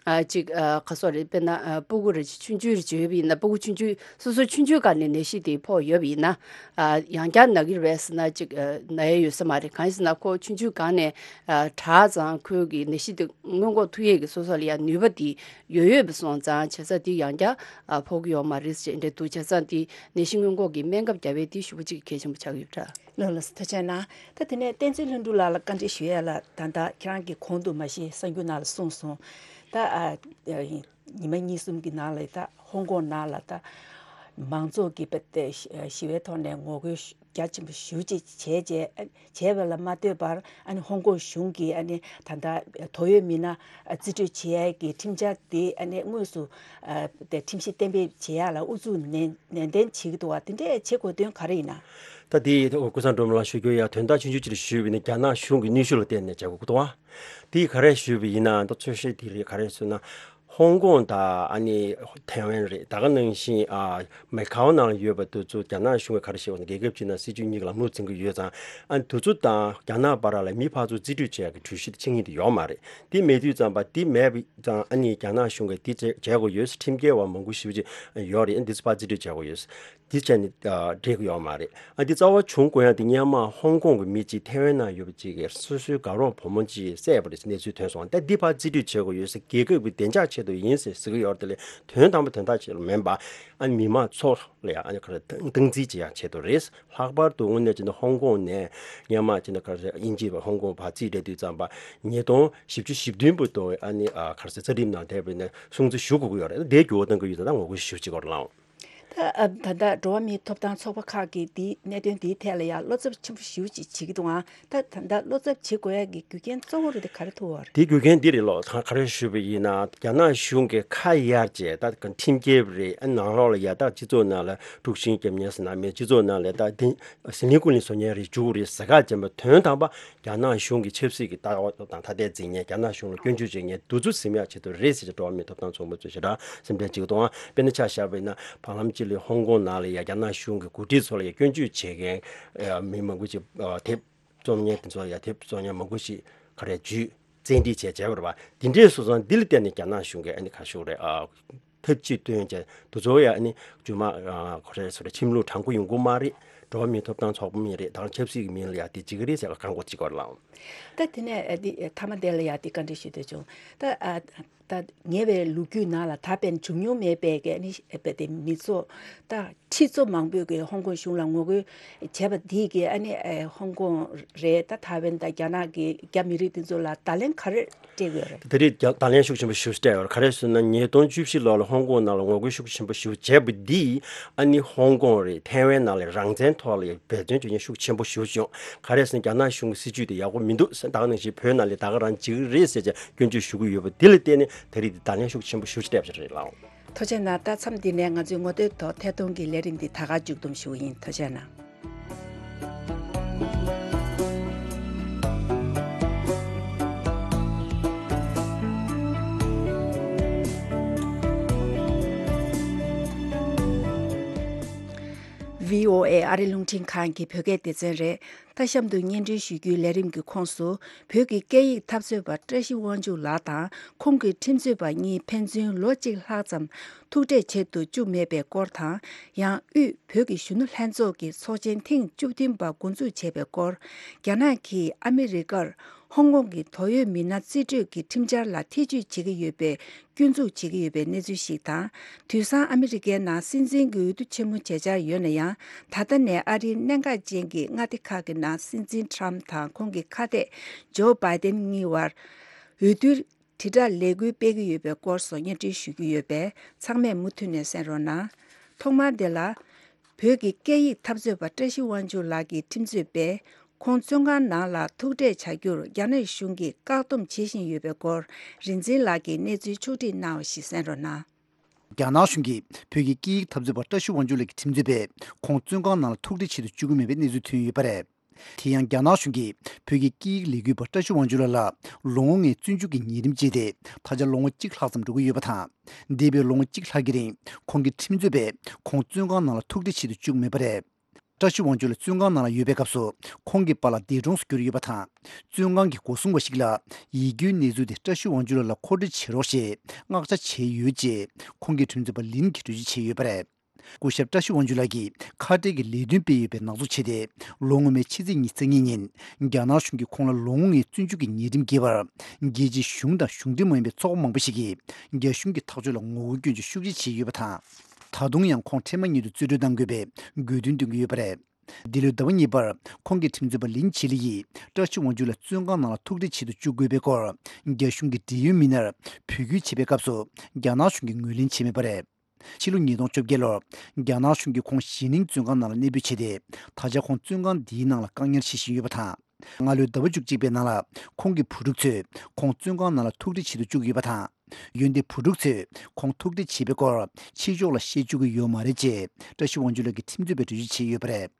ཨ་ཅིག་ཨ་ག་སོག་རེད། དཔེར་ན་ཨ་སྤུ་གུ་རེ་ཆུང་ཆུང་རེ་བརྗོད་པ་ཡིན་ན་སྤུ་གུ་ཆུང་ཆུང་སོ་སོ་ཆུང་ཆུང་སྒང་ནས་ནད་གཞི་དེ་ཕོག་ཡོད་པ་ཡིན་ན་ཨ་ཡང་བསྐྱར་ན་གི་རེད་པས་ཟེར་ན་ཅིག་ཨ་ན་ཡས་ཡོད་ས་མ་རེད། གང་ཡིན་ཟེར་ན་ཁོ་ཆུང་ཆུང་སྒང་ནས་ཨ་དྲག་ཙང་ཁོའི་གི་ནད་གཞི་དེ་སྔོན་འགོག་ཐུབ་ཡས་ཀྱི་སོ་སོ་ལ་ཡང་ནུས་པ་དེ་ཡོད་ཡོད་པ་སོང་ཙང་བྱས་ཙང་དེ་ཡང་བསྐྱར་ཨ་ཕོག་གི་ཡོད་མ་རེད་ཅེས་འདྲ་འདུག་བྱས་ཙང་དེ་ནད་གཞི་སྔོན་འགོག་གི་སྨན་ཁབ་བརྒྱབ་པས་དེ་ཞེ་པོ་ཅིག་གལ་ཆེན་པོ་ཆགས་ཀྱི་ཡོད་པ་འདྲ། ལགས་ལགས་སོ། ཐུགས་རྗེ་གནང་། ད་དེ་ནས་བསྟན་འཛིན་ལྷུན་གྲུབ་ལགས་ལ་བཀའ་འདྲི་ཞུ་ཡ་ལ་ད་ལྟ་ཁྱེད་རང་གིས་གོང་དུ་མ་གཞི་གསར་འགྱུར་ནང་ལ་གསུངས་སོང་། ད་ཨ་ཉི་མ་གཉིས་གསུམ་གྱི་ནང་ལ་ད་ཧོང་ཀོང་ནང་ལ་ད་མང་ཚོགས་ཀྱི་པ་དེ་ཞི་བའི་ཐོག་ནས་ངོ་རྒོལ་རྒྱ་ཆེན་པོ་ཞེ་པོ་ཅིག་བྱས་རྗེས་བྱས་པ་ལ་མ་ལྟོས་པར་ཨ་ནི་ཧོང་ཀོང་གཞུང་གིས་ཨ་ནི་ད་ལྟ་ཐོ་ཡོད་མི་སྣ་རྩིས་སྤྲོད་བྱེད་ཡ་གི་ཁྲིམས་འཆར་དེ་ཨ་ནི་དངོས་སུ་དེ་ཁྲིམས་གཞི་གཏན་འབེབས་བྱེད་ཡ་ལ་ཨུ་ཚུགས་ནན་ནན་ཏན་བྱེད་ཀྱི་འདུག་བ། དེ་འདྲས་བྱེད་དགོས་དོན་ག་རེ་ཡིན་ན། ད་དེ་ཀུན་བཟང་སྒྲོལ་མ་ལགས་ཞུ་རྒྱུ་ཡ་དོན་དག་ཆུང་ཆུང་ཅིག་ཞུས་པ་ཡིན་ན་རྒྱ་ནག་གཞུང་གི་ནུས་ཤུགས་ལ་བརྟེན་ནས་བྱེད་དགོས་ཀྱི་འདུག་བ། དེ་ག་རེ་ཞུས་པ་ཡིན་ན་ད་ཚོད་བཤད་དེ་རེད། ག་རེ་ཞུས་ན། ཧོང་ཀོང་དང་ཨ་ནི་ཐའེ་ཝན་རེད། ད་ག་ནང་བཞིན་ཨ་མེ་ཁའོ་ནང་ལ་ཡོད་པ་དེ་ཚོ་རྒྱ་ནག་གཞུང་གིས་ག་རེ་བྱས་པ་ན་རྒྱལ་ཁབ་གཅིག་ནང་སྲིད་ཇུས་གཉིས་ཀྱི་ལམ་ལུགས་འཛིན་གྱི་ཡོད་ཙང་ཨ་ནི་དེ་ཚོ་དང་རྒྱ་ནག་བར་ལ་མི་ཕར་ཚུར་རྩིས་སྤྲོད་བྱེད་ཡག་གི་གྲོས་གཞི་དེ་ཆིངས་ཡིག་དེ་ཡོད་མ་རེད། དེ་མེད་དུས་ཙམ་པ་དེ་མེད་པ་ཙང་ཨ་ནི་རྒྱ་ནག་གཞུང་གིས་དེ་བྱེད་བྱེད་དགོས་ཡོད། ཁྲིམས་འགལ་བ་མང་པོ་ཞེ་པོ་ཅིག་ཡོད་རེད། ཨ་ནི་དེ་ཚོ་ཕར་རྩིས་སྤྲོད་བྱེད་དགོས་ཡོད། དེ་བྱས་ནས་ཨ་འགྲིག་གི་ཡོད་མ་རེད། ཨ་འདི་རྩ་བ་བྱུང་དགོས་ཡག་དེ་སྔོན་མ་ཧོང་ཀོང་གི་མི་གཅིག་ཐའེ་ཝན་ནང་ཡོད་པ་གཅིག་གིས་སོ་སོའི་དགའ་རོགས་བུ་མོ་གཅིག་བསད་པ་རེད་ཟེར་གནས་ཚུལ་ཐོན་སོང་། ད་འདི་ཕར་རྩིས་སྤྲོད་བྱེད་དགོས་ཡོད་ཟེར། རྒྱལ་ཁབ་ཀྱི་བདེ་འཇགས་ཆེད་དུ་ཡིན་ཟེར་ཟེར་གྱི་ཡོད་རེད། དེ་ལས་དོན་དམ་པ་དོན་དག་ཆེད་དུ་མིན་པ་ཨ་ནི་མི་མང་ཚོ་ལ་ཡང་ཨ་ནི་ག་རེ་སྟངས་འཛིན་བྱེད་ཡག་ཆེད་དུ་རེད། ལྷག་པར་དུ་དངོས་གནས་བྱས་ན་ཧོང་ཀོང་ནས་སྔོན་མ་བྱས་ན་ག་རེ་དབྱིན་ཇི་བ་ཧོང་ཀོང་ཕར་རྩིས་སྤྲད་དུས་ཙམ་པ་ཉིས་སྟོང་བཞི་བཅུ་ཞེ་བདུན་བར་དུ་ཨ་ནི་ཨ་ག་རེ་ཟེར་རྩ་ཁྲིམས་ནང་བསྡད་པ་ཡིན་ན་སྲུང་བརྩི་ཞུ་དགོས་ཀྱི་ཡོད་རེད། དེ་འགྱུར་བ་གཏོང་གི་ཡོད་ཙང་ད་ངོ་རྒོལ་ཞུ་བྱེད་དགོས་རེད་ལགས། ད་ཨ་ད་ལྟ་འགྲོ་བ་མིའི་ཐོབ་ཐང་ཚོགས་པ་ཁག་གིས་འདིའི་གནད་དོན་འདིའི་ཐད་ལ་ཡང་བློ་འཚབ་ཆེན་པོ་ཞེ་པོ་ཅིག་བྱེད་ཀྱི་འདུག་ཨང་། ད་ད་ལྟ་བློ་འཚབ་བྱེད་དགོས་ཡ་གི་རྒྱུ་རྐྱེན་གཙོ་བོ་རེད་དེ་ག་རེ་ཐུག་པ་རེད། དེའི་རྒྱུ་རྐྱེན་འདི་རེད་ལོ། ད་ག་རེ་ཞུས་པ་ཡིན་ན་རྒྱ་ནག་གཞུང་གིས་ཁ་གཡར་བྱས་ད་ཁྲིམས་འགལ་རེད། ཨ་ནང་ལོགས་ལ་ཡ་ད་སྤྱི་ཚོགས་ནང་ལ་དཀྲུག་ཤིང་རྒྱབ་མཁན་ཟེར་ན་མེད། སྤྱི་ཚོགས་ནང་ལ་ད་དེ་ཟི་ལིང་ཀུ་ལིང་བཟོ་མཁན་རེ་འཇུག་རེད་ཟེར་ཁ་བྱས་པ་དོན་དམ་པ་རྒྱ་ནག་གཞུང་གི་ཆབ་སྲིད་ཀྱི་ལྟ་བ་དང་ཐ་དད་འཛིན་མཁན། རྒྱ་ནག་གཞུང་ལ་སྐྱོན་བརྗོད་བྱེད་མཁན་དེ་ཚོ་ཟིན་ཡག་ཆེད་དུ་རེད་ཟེར་ཏེ་འགྲོ་བ་མིའི་ཐོབ་ཐང་ཚོགས་པ་ཚོས་ཞེ་དྲག་སེམས་ཁྲལ་བྱེད་ཀྱི་འདུག་ཨང་། དཔེར་ན་ཆ་བཞག་པ་ཡིན་ན་བར་ལམ་གཅིག་ལ་ཧོང་ཀོང་ནང་ལ་ཡ་རྒྱ་ནག་གཞུང་གི་འགོ་ཁྲིད་ཚོ་ལ་ཡ་སྐྱོན་བརྗོད་བྱེད་མཁན་ཨ་མི་མང་པོ་ཞིག་ཨ་དེབ་རྩོམ་མཁན་དེ་ཚོ་ལ་ཡ་དེབ་རྩོམ་མཁན་མང་པོ་ཞིག་ག་རེ་བརྒྱུད་བཙན་ཁྲིད་བྱས་བྱས་པ་རེད་པ། དེ་འདྲས་སོང་ཙང་འདི་ལ་བརྟེན་ནས་རྒྱ་ནག་གཞུང་གིས་ཨ་ནི་ག་ཞུ་རེད་ཨ། ཐབས་ཇུས་བཏོན་བྱས་དེ་ཚོ་ཡང་ཨ་ནི་རྗེས་མ་ཨ་ག་རེ་ཟེར་རེད། ཁྲིམས་ལུགས་དྲང་པོ་ཡོང་གི་མ་རེད། འགྲོ་བ་མིའི་ཐོབ་ཐང་ཚོགས་པ་མིན་རེད། ད་ཆབ་སྲིད་ཀྱི་མིང་ལ་ཡ་དེ་བྱེད་ཀྱི་རེད་ཟེར་བཀག་འགོག་བྱེད་དགོས་རེད་ལགས། ད་དེ་ནས་ཨ་དེ་མཐའ་མ་དེ་ལ་ཡ་དེ་བཀའ་འདྲི་ཞུ་འདོད་བྱུང་། ད་ཨ་ ད་ཉེ་བའི་ལོ་རྒྱུས་ནང་ལ་ད་ཕན་བྱུང་མྱོང་མེད་པའི་གི་ཨ་ནི་ཨེ་པ་དེ་མི་ཚོ་ད་ཁྲི་ཚོ་མང་པོས་གི་ཧོང་ཀོང་གཞུང་ལ་ངོ་རྒོལ་བྱས་པ་འདིས་གི་ཨ་ནི་ཨེ་ཧོང་ཀོང་རེད། ད་ཐའེ་ཝན་དང་རྒྱ་ནག་གི་རྒྱ་མི་རིགས་དེ་ཚོ་ལ་བརྡ་ལན་ག་རེ་སྤྲད་ཡོད་རེད། ད་རེས་རྒྱ་བརྡ་ལན་ཤུགས་ཆེན་པོ་ཞེ་པོ་སྤྲད་ཡོད་རེད། ག་རེ་ཟེར་ན་ཉིས་སྟོང་བཅུ་བཞི་ལོ་ལ་ཧོང་ཀོང་ནང་ལ་ངོ་རྒོལ་ཤུགས་ཆེན་པོ་ཞེ་པོ་བྱས་པ་འདིས་ཨ་ནི་ཧོང་ཀོང་རེད་ཐའེ་ཝན་ནང་ལ་རང་བཙན་ཐོག་ལ་འབད་བརྩོན་བྱེད་མཁན་ཤུགས་ཆེན་པོ་ཞེ་པོ་བྱུང་། ག་རེ་ཟེར་ན་རྒྱ་ནག་གཞུང་གི་སྲིད་བྱུས་དེ་ཡག་པོ་མི་འདུག་ཟེར། ད་ག་ནང་བཞིན་བོད་ནང་ལ་ད་ག་རང་བྱེད་ཀྱི་རེད་ཟེར་བྱས་སྐྱོན་བརྗོད་ཞུ་གི་ཡོད་པ་འདི་ལ་བརྟེན་ནས་ད་རེས་འདི་བརྡ་ལན་ཤུགས་ཆེན་པོ་ཞེ་པོ་སྤྲད་པ་རེད་ལགས། ཐུགས་རྗེ་གནང་། ད་མཚམས་འདི་ནས་ང་ཚོའི་ངོ་སྤྲོད་ཐོག་ཐད་གཏོང་གི་ལས་རིམ་འདི་ད་ག་མཇུག་བསྡོམས་ཞུ་གི་ཡིན། ཐུགས་རྗེ་གནང་། ཝི་ཨོ་ཨེ་ཨ་རི་རླུང་འཕྲིན་ཁང་གི་བོད་སྐད་སྡེ་ཚན་རེད། ད་གཤམ་དུ་སྙན་སྒྲོན་ཞུ་རྒྱུའི་ལས་རིམ་གྱི་ཁོངས་སུ་བོད་ཀྱི་སྐད་ཡིག་འཐབ་རྩོད་པ་བཀྲ་ཤིས་དབང་ཕྱུག་ལགས་དང་ཁོང་གི་ཁྲིམས་རྩོད་པ་གཉིས་ཕན་ཚུན་ལོ་གཅིག་ལྷག་ཙམ་ཐུག་འཕྲད་བྱེད་དུ་བཅུག་མེད་པའི་སྐོར་དང་། ཡང་དབུས་བོད་ཀྱི་གཞོན་ནུ་ལྷན་ཚོགས་ཀྱི་ཚོགས་ཆེན་ཐེངས་བཅུ་བདུན་པ་འགོ་འཛུགས་བྱས་པའི་སྐོར། རྒྱ་ནག་གིས་ཨ་མི་རི་ཀར་ཧོང་ཀོང་གི་དོགས་ཡོད་མི་སྣ་རྩིས་སྤྲོད་ཀྱི་ཁྲིམས་འཆར་ལ་ཐེ་བྱུས་བྱེད་ཀྱི་ཡོད་པའི་སྐྱོན་འཛུགས་བྱེད་ཀྱི་ཡོད་པའི་གནས་ཚུལ་ཞིག་དང་། དུས་སང་ཨ་མི་རི་ཀའི་ནང་སྲིད་འཛིན་གྱི་འོས་བསྡུ་ཆེན་མོ་བྱེད་འཆར་ཡོད་ན་ཡང་། ད་ལྟ་ནས་ཨ་རིའི་གནད་འགག་ཅན་གྱི་མངའ་སྡེ་ཁག་གི་ནང་སྲིད་འཛིན་ཊམ་དང་ཁོང་གི་ཁ་གཏད་ཇོ་བྷའི་ཏན་གཉིས་བར་འོས་བསྡུའི་དྲིལ་བསྒྲགས་ལས་འགུལ་སྤེལ་གྱི་ཡོད་པའི་སྐོར་སོགས་སྙན་སྒྲོན་ཞུ་རྒྱུ་ཡོད་པས། ཚང་མས་མུ་མཐུད་ནས་གསན་རོགས་གནང་། ཐོག་མར་འདི་ལ། བོད་ཀྱི་སྐད་ཡིག་འཐབ་རྩོད་པ་བཀྲ་ཤིས་དབང་ཕྱུག་ལགས་ཀྱི་ཁྲིམས་རྩོད་པས་ཁོང་བཙོན་ཁང་ནང་ལ་ཐུག་འཕྲད་བྱ་རྒྱུར་རྒྱ་ནག་གཞུང་གིས་བཀག་སྡོམ་བྱེད་བཞིན་ཡོད་པའི་སྐོར། རིག་འཛིན་ལགས་ཀྱིས་གནས་ཚུལ་ཕྱོགས་སྒྲིག་གནང་བ་ཞིག་གསན་རོགས་གནང་། རྒྱ་ནག་གཞུང་གིས་བོད་ཀྱི་སྐད་ཡིག་འཐབ་རྩོད་པ་བཀྲ་ཤིས་དབང་ཕྱུག་ལགས་ཀྱི་ཁྲིམས་རྩོད་པས་ཁོང་བཙོན་ཁང་ནང་ལ་ཐུག་འཕྲད་བྱེད་དུ་བཅུག་གི་མེད་པའི་གནས་ཚུལ་ཐོན་ཡོད་པ་རེད། དེ་ཡང་རྒྱ་ནག་གཞུང་གིས་བོད་ཀྱི་སྐད་ཡིག་ལས་འགུལ་པ་བཀྲ་ཤིས་དབང་ཕྱུག་ལགས་ལ་ལོ་ངོ་ལྔའི་བཙོན་འཇུག་གི་ཉེས་རིམ་བཅད་དེ། ད་ཆ་ལོ་ངོ་གཅིག་ལྷག་ཙམ་འགྲོ་གི་ཡོད་པ་དང་། འདས་པའི་ལོ་ངོ་གཅིག་ལྷག་གི་རིང་ཁོང་གི་ཁྲིམས་རྩོད་པས་ཁོང་བཙོན་ཁང་ནང་ལ་ཐུག་འཕྲད་བྱེད་དུ་བཅུག་མེད་པ་རེད། བཀྲ་ཤིས་དབང་ཕྱུག་ལགས་བཙོན་ཁང་ནང་ལ་ཡོད་པའི་སྐབས་སུ་ཁོང་གི་པཱ་ལགས་འདས་གྲོངས་སུ་གྱུར་ཡོད་པ་དང་། བཙོན་ཁང་གི་སྒོ་སྲུང་བ་ཞིག་ལ་ཡིད་སྐྱོའི་གནས་ཚུལ་དེ་བཀྲ་ཤིས་དབང་ཕྱུག་ལགས་ལ་མཁོ་སྤྲོད་བྱེད་རོགས་ཞེས་མངགས་བྱ་བྱས་ཡོད་ཅེས་ཁོང་གི་ཁྲིམས་རྩོད་པ་ལིན་གྱིས་འགྲེལ་བརྗོད་བྱས་ཡོད་པ་རེད། སྐུ་ཞབས་བཀྲ་ཤིས་དབང་ཕྱུག་ལགས་ཀྱིས་ཁ་བྲལ་གྱི་ལས་དོན་སྤེལ་ཡོད་པའི་ནག་འཛུགས་བྱས་ཏེ། ལོ་སྔོན་མའི་ཕྱི་ཚེས་ཉི་ཤུ་རྩ་གཉིས་ཉིན་རྒྱ་ནག་གཞུང་གིས་ཁོང་ལ་ལོ་ངོ་ལྔའི་བཙོན་འཇུག་གི་ཉེས་རིམ་འགེལ་བར། རྒྱལ་སྤྱིའི་གཞུང་དང་གཞུང་འབྲེལ་མ་ཡིན་པའི་ཚོགས་པ་མང་པོ་ཞིག་གིས་རྒྱ་གཞུང་གི་ཐག་གཅོད་ལ་ངོ་རྒོལ་སྐྱོན་བརྗོད་ཤུགས་ཆེ་བྱས་ཡོད་པ་དང་། ད་དུང་ཡང་ཁོང་འཕྲལ་མ་ཉིད་དུ་རྩིས་སྤྲོད་གཏང་དགོས་པའི་དགོས་འདུན་བཏོན་གྱི་ཡོད་པ་རེད། འདི་ལོའི་ཟླ་བ་གཉིས་པར་ཁོང་གི་ཁྲིམས་རྩོད་པ་ལིན་ཆི་ལི་ཡིས་བཀྲ་ཤིས་དབང་ཕྱུག་ལགས་བཙོན་ཁང་ནང་ལ་ཐུག་འཕྲད་བྱེད་དུ་བཅུག་དགོས་པའི་སྐོར་རྒྱ་གཞུང་གི་འབྲེལ་ཡོད་མི་སྣར་འབོད་སྐུལ་བྱེད་པའི་སྐབས་སུ་རྒྱ་ནག་གཞུང་གིས་ངོས་ལེན་བྱས་མེད་པ་རེད། ཕྱི་ལོ་ཉིས་སྟོང་བཅོ་བརྒྱད་ལོར་རྒྱ་ནག་གཞུང་གིས་ཁོང་གཞེས་ནིང་བཙོན་ཁང་ནང་ལ་གནས་སྤོས་བྱས་ཏེ། ད་ཆ་ཁོང་བཙོན་ཁང་འདིའི་ནང་ལ་བཀག་ཉར་བྱེད་བཞིན་ཡོད་པ་དང་། སྔ་ལོའི་ཟླ་བ་བཅུ་གཅིག་པའི་ནང་ལ་ཁོང་གི་བུ་ཕྲུག་ཚོས་ཁོང་བཙོན་ཁང་ནང་ལ་ཐུག་འཕྲད་བྱེད་དུ་བཅུག་ཡོད་པ་དང་། འོན་ཏེ་བུ་ཕྲུག་ཚོས་ཁོང་ཐུག་འཕྲད་བྱས་པའི་སྐོར་ཕྱི་ཕྱོགས་ལ་བཤད་བཅུག་གི་ཡོད་མ་རེད་ཅེས་བཀྲ་ཤིས་དབང་ཕྱུག་ལགས་ཀྱི་ཁྲིམས་རྩོད་པས་འགྲེལ་བརྗོད་བྱས་ཡོད་པ་རེད།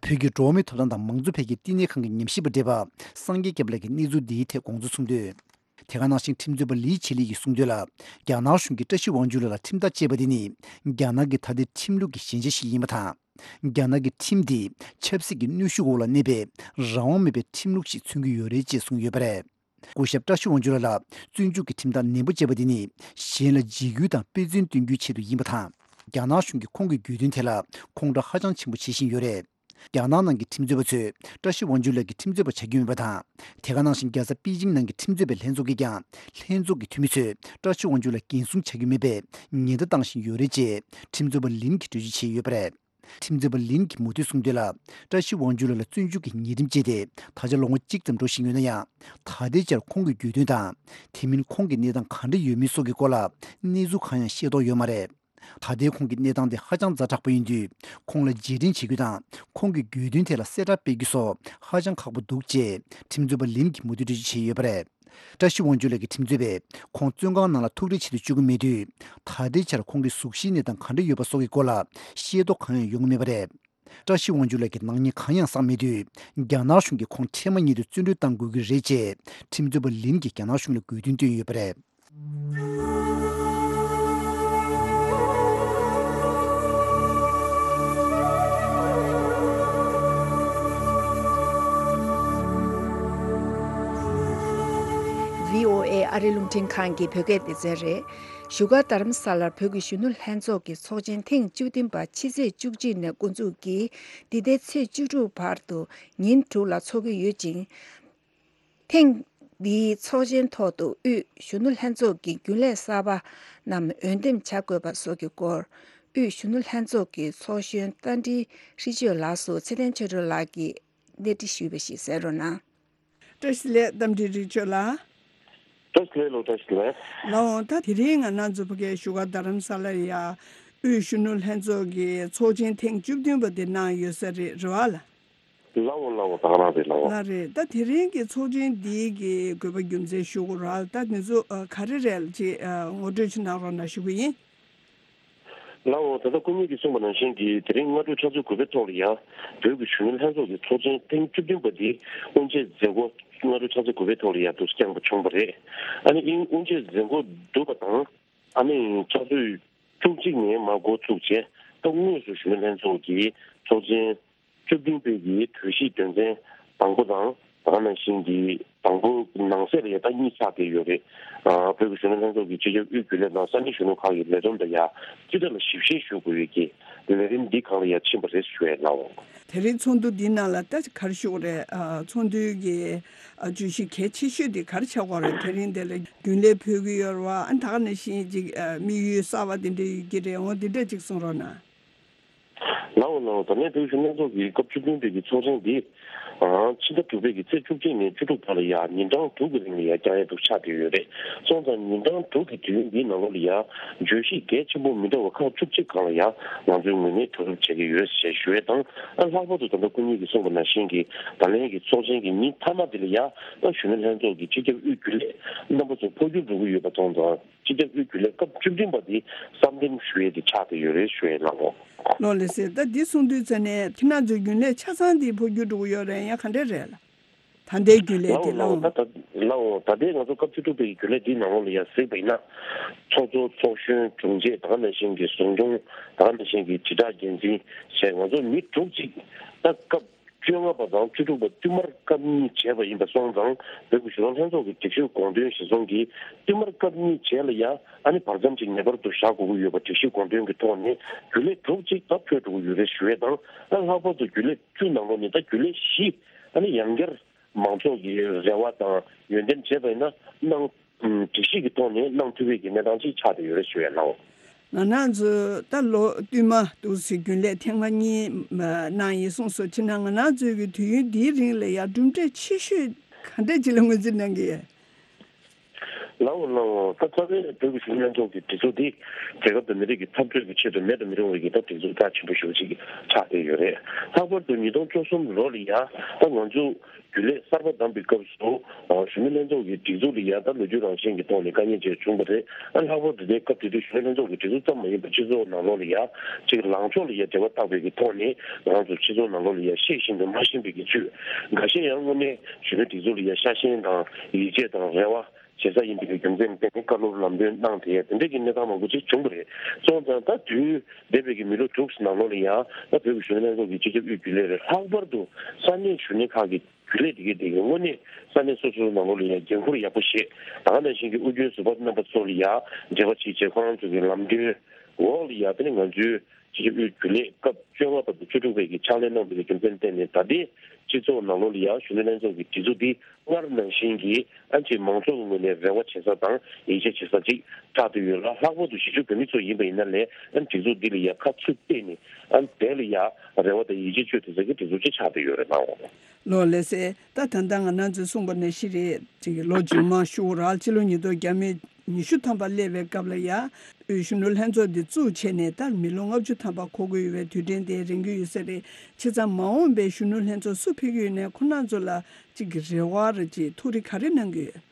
བོད་ཀྱི་འགྲོ་བ་མིའི་ཐོབ་ཐང་དང་མང་གཙོ་འཕེལ་རྒྱས་བསྟི་གནས་ཁང་གི་ཉམས་ཞིབ་པ་བགྲེས་པ་སངས་རྒྱས་སྐྱབས་ལགས་ཀྱིས་གནས་ཚུལ་འདིའི་ཐད་དགོངས་ཚུལ་གསུངས་དོན། དེ་ག་ནང་བཞིན་ཁྲིམས་རྩོད་པ་ལི་ཆི་ལི་ཡིས་གསུངས་དོན་ལ། རྒྱ་ནག་གཞུང་གིས་བཀྲ་ཤིས་དབང་ཕྱུག་ལགས་ལ་ཁྲིམས་ཐག་བཅད་པ་དེ་ནི། རྒྱ་ནག་གི་ད་ལྟའི་ཁྲིམས་ལུགས་ཀྱི་ཞན་ཆ་ཞིག་ཡིན་པ་དང་། རྒྱ་ནག་གི་ཁྲིམས་འདིས་ཆབ་སྲིད་ཀྱི་གནོན་ཤུགས་འོག་ལ་གནས་པའི་རང་དབང་མེད་པའི་ཁྲིམས་ལུགས་ཤིག་མཚོན་གྱི་ཡོད་རེད་ཅེས་གསུངས་ཡོད་པ་རེད། སྐུ་ཞབས་བཀྲ་ཤིས་དབང་ཕྱུག་ལགས་ལ་བཙོན་འཇུག་གི་ཁྲིམས་ཐག་ནན་པོ་བཅད་པ་དེ་ནི་གཞན་ལ་འཇིགས་སྐུལ་དང་དཔེ་མཚོན་སྟོན་རྒྱུའི་ཆེད་དུ་ཡིན་པ་དང་། རྒྱ་ནག་གཞུང་གིས་ཁོང་གི་དགོས་འདུན་དེ་ལ་ཁོང་ཁྲོ་ཧ་ཅང་ཆེན་པོ་བྱེད་བཞིན་ཡོད་རེད། རྒྱ་ནག་ནང་གི་ཁྲིམས་རྩོད་པ་ཚོས་བཀྲ་ཤིས་དབང་ཕྱུག་ལགས་ཀྱི་ཁྲིམས་རྩོད་པ་བྱ་རྒྱུ་མེད་པ་དང་། དེ་ག་ནང་བཞིན་རྒྱལ་ས་པེ་ཅིང་ནང་གི་ཁྲིམས་རྩོད་པའི་ལྷན་ཚོགས་ཀྱིས་ཀྱང་ལྷན་ཚོགས་ཀྱི་འཐུས་མི་ཚོས་བཀྲ་ཤིས་དབང་ཕྱུག་ལགས་འགན་སྲུང་བྱ་རྒྱུ་མེད་པའི་ཉེན་བརྡ་བཏང་བཞིན་ཡོད་རེད་ཅེས་ཁྲིམས་རྩོད་པ་ལིན་གྱིས་འགྲེལ་བརྗོད་བྱས་ཡོད་པ་རེད། ཁྲིམས་རྩོད་པ་ལིན་གྱིས་མུ་མཐུད་གསུངས་དོན་ལ། བཀྲ་ཤིས་དབང་ཕྱུག་ལགས་ལ་བཙོན་འཇུག་གི་ཉེས་ཁྲིམས་བཅད་དེ་ད་ཆ་ལོ་ངོ་གཅིག་ཙམ་འགྲོ་བཞིན་ཡོད་ན་ཡང་། ད་ལྟའི་ཆར་ཁོང་གི་དགོས་འདུན་དང་། དེ་མིན་ཁོང་གི་གནས་སྟངས་ག་འདྲ་ཡོད་མེད་སོགས་ཀྱི་སྐོར་ལ་གནས་ཚུལ་གང་ཡང་ཤེས་རྟོགས་ཡོད་མ་རེད། ད་ལྟའི་ཁོང་གི་གནས་སྟངས་དེ་ཧ་ཅང་ཛ་དྲག་པོ་ཡིན་དུས། ཁོང་ལ་རྗེས་དྲན་བྱེད་རྒྱུ་དང་། ཁོང་གི་དགོས་འདུན་ཐད་ལ་གསལ་བསྒྲགས་སྤེལ་རྒྱུ་སོགས་ཧ་ཅང་ཁག་པོ་འདུག་ཅེས་ཁྲིམས་རྩོད་པ་ལིན་གྱིས་མུ་མཐུད་འགྲེལ་བརྗོད་བྱས་ཡོད་པ་རེད། བཀྲ་ཤིས་དབང་ཕྱུག་ལགས་ཀྱི་ཁྲིམས་རྩོད་པས་ཁོང་བཙོན་ཁང་ནང་ལ་ཐུག་འཕྲད་བྱེད་དུ་བཅུག་གི་མེད་དུས། ད་ལྟའི་ཆར་ཁོང་གི་གཟུགས་གཞིའི་གནས་སྟངས་ག་འདྲ་ཡོད་པ་སོགས་ཀྱི་སྐོར་ལ་ཤེས་རྟོགས་གང་ཡང་ཡོང་གི་མེད་པ་རེད། བཀྲ་ཤིས་དབང་ཕྱུག་ལགས་ཀྱིས་ནག་ཉེས་གང་ཡང་བསགས་མེད་དུས། རྒྱ་ནག་གཞུང་གིས་ཁོང་འཕྲལ་མ་ཉིད་དུ་བཙོན་གྲོལ་གཏང་དགོས་ཀྱི་རེད་ཅེས་ཁྲིམས་རྩོད་པ་ལིན་གྱིས་རྒྱ་ནག་གཞུང་ལ་དགོས་འདུན་བཏོན་ཡོད་པ་རེད། ཝི་ཨོ་ཨེ་ཨ་རི་རླུང་འཕྲིན་ཁང་གི་བོད་སྐད་སྡེ་ཚན་རེད། བཞུགས་སྒར་རྡ་རམ་ས་ལར་བོད་ཀྱི་གཞོན་ནུ་ལྷན་ཚོགས་ཀྱི་ཚོགས་ཆེན་ཐེངས་བཅུ་བདུན་པ་ཕྱི་ཚེས་བཅུ་གཅིག་ནས་འགོ་འཛུགས་ཀྱིས་འདི་ཟླའི་ཚེས་བཅུ་དྲུག་བར་དུ་ཉིན་དྲུག་ལ་འཚོགས་ཀྱི་ཡོད་ཅིང་། ཐེངས་ འདིའི་ཚོགས་ཆེན་ཐོག་ཏུ་དབུས་གཞོན་ནུ་ལྷན་ཚོགས་ཀྱི་རྒྱུན་ལས་གསར་པ་རྣམས་འོས་འདེམས་བྱ་དགོས་པ་སོགས་ཀྱི་སྐོར། དབུས་གཞོན་ནུ་ལྷན་ཚོགས་ཀྱི་ཚོགས་གཞོན་རྟ་མགྲིན་ཧྲི་ཆོས་ལགས་སུ་ཚེ་བརྟན་ཆོས་སྒྲོན་ལགས་ཀྱིས་གནས་འདྲི་ཞུས་པ་ཞིག་གསན་རོགས་གནང་། བཀྲ་ཤིས་བདེ་ལེགས། རྟ་མགྲིན་ཧྲི་ཆོས་ལགས། བཀྲ་ཤིས་བདེ་ལེགས་ལགས། བཀྲ་ཤིས་བདེ་ལེགས། ལགས་འོང་། ད་དེ་རིང་ང་རང་ཚོ་ཕ་གིའི་བཞུགས་སྒར་རྡ་རམ་ས་ལར་ཡ་དབུས་གཞོན་ནུ་ལྷན་ཚོགས་ཀྱི་ཚོགས་ཆེན་ཐེངས་བཅུ་བདུན་པ་དེ་གནང་ཡོད་ས་རེད། རེད་བ་ལགས། ལགས་འོང་། ལགས་འོང་། ད་ག་རང་རེད། ལགས་འོང་། ལགས་རེད། ད་དེ་རིང་གི་ཚོགས་ཆེན་འདིའི་གི་དགོས་པ་རྒྱུ་མཚན་ཞུ་དགོས་ར། ད་འདི་ཚོ་ཨ་ག་རེ་རེད་ཅེས་ཨ་ངོ་སྤྲོད་ཅིག་གནང་རོགས་གནང་ཞུ་གི་ཡིན། ལགས་འོང་། ད་ལྟ་སྐུ་ཉིད་ཀྱིས་གསུངས་པ་ནང་བཞིན་གྱི་དེ་རིང་སྔ་དྲོ་ཆུ་ཚོད་དགུ་པའི་ཐོག་ལ་ཡ་བོད་ཀྱི་གཞོན་ནུ་ལྷན་ཚོགས་ཀྱི་ཚོགས་ཆེན་ཐེངས་བཅུ་བདུན་པ་འདི་དབུ་འབྱེད་མཛད་སྒོ་སྔ་དྲོ་ཆུ་ཚོད་དགུ་པའི་ཐོག་ལ་ཡ་འདུག་སེ་བསྐྱངས་པ་བྱུང་བ་རེད། ཨ་ནི་ཨིན་དབུ་འབྱེད་མཛད་སྒོ་བསྡུ་བ་དང་། ཨ་ནི་ཆུ་ཚོད་བཅུ་གཅིག་ནས་མར་འགོ་ཚུགས་བྱས། ད་དངོས་སུ་གཞོན་ནུ་ལྷན་ཚོགས་ཀྱི་ཚོགས་ཆེན་བཅུ་བདུན་པའི་གི་གྲོས་གཞི་དོན་ཚན་དང་པོ་དང་། ད་ག་ནང་བཞིན་གྱི་དང་པོ་ནང་གསེས་ལ་ཡ་ད་གཉིས་ཆགས་བསྡད་ཡོད་རེད། ཨ་བོད་ཀྱི་གཞོན་ནུ་ལྷན་ཚོགས་ཀྱི་སྤྱི་ཁྱབ་དབུས་རྒྱུན་ལས་དང་ས་གནས་གཞོན་ནུ་ཁག་གི་ལས་བསྡོམས་དང་ཡ་སྤྱི་བཏང་ལ་ཞིབ་བཤེར་ཞུ་དགོས་ཡོད་ཀྱི་ལས་རིམ་འདི་སྒང་ལ་ཡ་ཕྱིན་པ་རེད་ཞུ་ཡས་ལགས་འོང་། དེ་རིང་ཚོགས་འདུ་འདི་ནང་ལ་ད་ག་རེ་ཞུ་དགོས་རེད། ཨ་ཚོགས་འདུའི་གི་ཨ་བརྗོད་གཞི་གལ་ཆེ་ཤོས་དེ་ག་རེ་ཆགས་ཀྱི་ཡོད་རེད། དེ་རིང་འདི་ལ་རྒྱུན་ལས་ཕུད་ཀྱི་ཡོད་རེད་བ། ཨ་ད་ག་ནང་བཞིན་ཅིག་ཨ་དམིགས་ཡུལ་གསར་བ་དེ་འདྲ་ཡོད་ཀྱི་རེད། འོ་དེ་འདྲ་ཅིག་གསུང་རོགས་གནང་། ལགས་འོང་། ལགས་འོང་། ད་ལན་བོད་གཞོན་ལྷན་ཚོགས་ཀྱི་སྐབས་བཅུ་བདུན་པའི་གི་ཚོགས་ཆེན་འདི། ཨང་། ཕྱི་ཟླ་དྲུག་པའི་གི་ཚེས་བཅུ་གཅིག་ནས་བཅུ་དྲུག་བར་ལ་ཡ་ཉིན་གྲངས་དྲུག་གི་རིང་ལ་ཡ་བསྐྱང་ཡ་འདུག་ཆགས་བསྡད་ཡོད་རེད། སོང་ཙང་ཉིན་གྲངས་དྲུག་གི་དུས་ཡུན་འདིའི་ནང་ལོགས་ལ་ཡ་བརྗོད་གཞི་གལ་ཆེན་པོ་མི་འདྲ་བ་ཁག་བཅུ་གཅིག་སྒང་ལ་ཡ་ང་ཚོའི་ངོས་ནས་གྲོས་བསྡུར་བྱེད་ཀྱི་ཡོད་ཞེས་ཞུ་ཡས་དང་། ཨ་ལྷག་པར་དུ་ད་ལྟ་སྐུ་ཉིད་ཀྱིས་གསུངས་པ་ནང་བཞིན་གྱི་ད་ལན་གྱི་ཚོགས་ཆེན་གྱི་ཉིན་མཐའ་མ་འདི་ལ་ཡ་ད་གཞོན་ནུ་ལྷན་ཚོགས་ཀྱི་སྤྱི་ཁྱབ་དབུས་རྒྱུན་ལས་རྣམ་པ་ཚོ་འཕོ་འགྱུར་འགྲོ་གི་ཡོད་པ་མཐོང་ཙང་། སྤྱི་ཁྱབ་དབུས་རྒྱུན་ལས་སྐབས་བཅུ་བདུན་པ་འདི་གསར་འདེམས་ཞུ་ཡས་དེ་ཆགས་བསྡད་ཡོད་རེད་ཞུ་ཡས་ལགས་འོང་། ལགས་ལགས་སེ། ད་འདི་གསུང་དུས་ཙ་ནས་ཁྱེད་རང་ཚོའི་རྒྱུན་ལས་ཆ་ཚང་འདི་འཕོ་འགྱུར་འགྲོ་གི་ཡོད་རེད། ཡང་ག་འདྲས་རེད་ལགས། ད་ལྟའི་རྒྱུན་ལས་དེ་ལགས་འོང་། ལགས་འོང་། ད་ད་ལགས་འོང་། ད་ལྟའི་ང་ཚོ་སྐབས་བཅུ་དྲུག་པའི་རྒྱུན་ལས་འདིའི་ནང་ལོགས་ལ་ཡ་གཟིགས་པ་ཡིན་ན། ཚོགས་གཙོ། ཚོགས་གཞོན། དྲུང་ཆེ། ད་ག་ནང་བཞིན་གྱི་ཟུང་སྐྱོང་། ད་ག་ནང་བཞིན་གྱི་དྲིལ་བསྒྲགས་འགན་འཛིན་བྱས། ང་ཚོ་མི་དྲུག་ཅིག་ད་སྐབས་བཅོ་ལྔ་པ་དང་བཅུ་དྲུག་པ་བསྟུད་མར་སྐབས་གཉིས་བྱས་པ་ཡིན་པ་སོང་ཙང་། བོད་ཀྱི་གཞོན་ནུ་ལྷན་ཚོགས་ཀྱི་སྒྲིག་གཞི་དགོངས་དོན་གཞིར་བཟུང་གིས་བསྟུད་མར་སྐབས་གཉིས་བྱས་ལ་ཡ་ཨ་ནི་བར་མཚམས་ཅིག་ངེས་པར་དུ་བཞག་དགོས་ཀྱི་ཡོད་པ་སྒྲིག་གཞི་དགོངས་དོན་གྱི་ཐོག་ནས་རྒྱུན་ལས་དྲུག་ཅིག་ད་འཕོས་འགྲོ་གི་ཡོད་རེད་ཞུ་ཡས་དང་། ཨ་ལྷག་པར་དུ་རྒྱུན་ལས་བཅུ་ནང་ལོགས་ནས་ད་རྒྱུན་ལས་བཞི་ཨ་ནི་ཡང་བསྐྱར་མང་ཚོགས་ཀྱི་རེ་བ་དང་ཡོན་ཏན་བྱས་པ་ཡིན་ན་གནང་། སྒྲིག་གཞི་གི་ཐོག་ནས་གནང་ཐུབ་པའི་གི་གནས་སྟངས་ཅིག་ཆགས་བསྡད་ཡོད་རེད་ཞུ་ཡས་ལགས། ང་རང་ཚོ་ད་ལོ་བསྟུད་མ་འདུག་སེ་རྒྱུན་ལས་ཐེངས་མ་གཉིས་གནང་ཡིན་གསུངས་སོང་། ཕྱིན་ན་ང་རང་ཚོའི་གི་དུས་ཡུན་འདིའི་རིང་ལ་ཡང་གྲུབ་འབྲས་ཆེ་ཤོས་ག་འདྲས་ཅིག་ལ་ངོས་འཛིན་གནང་གི་ཡོད། ལགས་འོང་། ལགས་འོང་། ད་རྩ་བའི་བོད་ཀྱི་གཞོན་ནུ་ལྷན་ཚོགས་ཀྱི་སྒྲིག་འཛུགས་འདི་རྒྱལ་ཁབ་དང་མི་རིགས་ཀྱི་འཐབ་རྩོད་ཀྱི་ཆེད་དུ་མེད་དུ་མི་རུང་བའི་གི་ད་སྒྲིག་འཛུགས་རྩ་ཆེན་པོ་ཞེ་པོ་ཅིག་ཆགས་བསྡད་ཡོད་རེད། ལྷག་པར་དུ་ཉིས་སྟོང་བཅུ་གསུམ་ལོ་ལ་ཡ་ད་ང་ཚོ་རྒྱུན་ལས་གསར་པ་བདམས་པའི་སྐབས་སུ། ཨ་གཞོན་ནུ་ལྷན་ཚོགས་ཀྱི་སྒྲིག་འཛུགས་ལ་ཡ་ད་ལོ་རྒྱུས་རང་བཞིན་གྱི་ཐོག་ནས་དཀའ་ངལ་ཅིག་བྱུང་བ་རེད། ཨ་ལྷག་པར་དུ་དེའི་སྐབས་དེ་དུས་གཞོན་ནུ་ལྷན་ཚོགས་ཀྱི་སྒྲིག་འཛུགས་ཙམ་མ་ཡིན་པར་སྤྱི་ཚོགས་ནང་ལོགས་ལ་ཡ་ཅིག་ལངས་ཕྱོགས་ལ་ཡ་འབྲེལ་བ་བཏགས་པའི་གི་ཐོག་ནས་ང་ཚོ་སྤྱི་ཚོགས་ནང་ལོགས་ལ་ཡ་ཤེས་བཞིན་དུ་མ་ཤེས་པའི་གི་ཚུལ། འགའ་ཤས་ཡང་དངོས་གནས་གཞོན་ནུ་སྒྲིག་འཛུགས་ལ་ཡ་ཤ་ཞེན་དང་ཡིད་ཆེས་དང་རེ་བ་བྱེད་ས་ཡིན་པའི་གི་རྒྱུ་མཚན་བརྟེན་ནས་བཀའ་སློབ་ལམ་སྟོན་གནང་དེ་དེ་འདྲ་གི་གནས་སྟངས་མང་པོ་ཅིག་བྱུང་བ་རེད། སོང་ཙང་ད་དུས་འདས་པའི་གི་མི་ལོ་དྲུག་ནང་ལོགས་ལ་ཡ་ད་བོད་ཀྱི་གཞོན་ནུ་ལྷན་ཚོགས་ཀྱི་སྤྱི་ཁྱབ་དབུས་རྒྱུན་ལས་རེད། ལྷག་པར་དུ་ས་གནས་གཞོན་ནུ་ཁག་གི་རྒྱུན་ལས་དེ་གའི་དེ་གའི་དངོས་གནས་ས་གནས་སོ་སོའི་ནང་ལོགས་ལ་ཡང་འགན་ཁུར་ཡག་པོ་བཞེས། ད་ག་ནང་བཞིན་གྱི་ཨུ་རྒྱན་ཟུར་པ་རྣམ་པ་ཚོ་ལ་ཡང་འབྲེལ་བ་བྱེད་བྱེད་ཁོ་རང་ཚོ་གི་ལམ་སྟོན་འོག་ལ་ཡང་དེ་ནི་ང་ཚོའི་སྤྱི་ཁྱབ་དབུས་རྒྱུན་ལས་སྐབས་བཅོ་ལྔ་པ་དང་བཅུ་དྲུག་པའི་གི་ཕྱག་ལས་གནང་བའི་རྒྱུ་མཚན་བརྟེན་ནས་ད་ལྟའི་སྤྱི་ཚོགས་ནང་ལོགས་ལ་ཡང་གཞོན་ནུ་ལྷན་ཚོགས་ཀྱི་སྒྲིག་འཛུགས་འདི་སྔར་ནང་བཞིན་གྱི་ཨ་ཅེ་མང་ཚོགས་ཀྱི་ངོས་ནས་རེ་བ་བྱེད་ས་དང་ཡིད་ཆེས་བྱེད་ས་ཅིག་ཆགས་བསྡད་ཡོད་ལ། ལྷག་པར་དུ་གཞིས་བྱེས་བོད་མི་ཚོ་ཡིན་པ་ཡིན་ན་ལས་ཨ་སྒྲིག་འཛུགས་འདི་ལ་ཡང་ཁ་ཚུར་གཏད་ནས་ཨ་དེ་ལ་ཡང་རེ་བ་དང་ཡིད་ཆེས་བཅོལ་ཐུབ་ས་ཀྱི་སྒྲིག་འཛུགས་ཅིག་ཆགས་བསྡད་ཡོད་རེད་ལགས། ལགས་ལགས་སེ། ད་ད་ལྟ་ང་རང་ཚོས་གསུངས་པ་ནང་བཞིན་རེད། ཅིག་ལོ་རྗེས་མ་ཤུ་རག་སྤྱི་ལོ་ཉིས་སྟོང་ཉི་ཤུ་ཐམ་པ་སླེབས་པའི་སྐབས་ལ་ཡ་དབུས་གཞོན་ནུ་ལྷན་ཚོགས་འདི་བཙུགས་བྱས་ནས་ད་མི་ལོ་ལྔ་བཅུ་ཐམ་པ་འཁོར་གྱི་ཡོད་པའི་དུས་དྲན་དེ་རན་གྱི་ཡོད་ས་རེད། བྱས་ཙང་མ་འོངས་པའི་གཞོན་ནུ་ལྷན་ཚོགས་སུ་ཕེབས་ཀྱི་ཡོད་ནའི་ཁོ་རང་ཚོ་ལ་ཅིག་གི་རེ་བ་རེད་ཅིག་ཐུགས་རེ་ག་རེ་གནང་གི་ཡོད།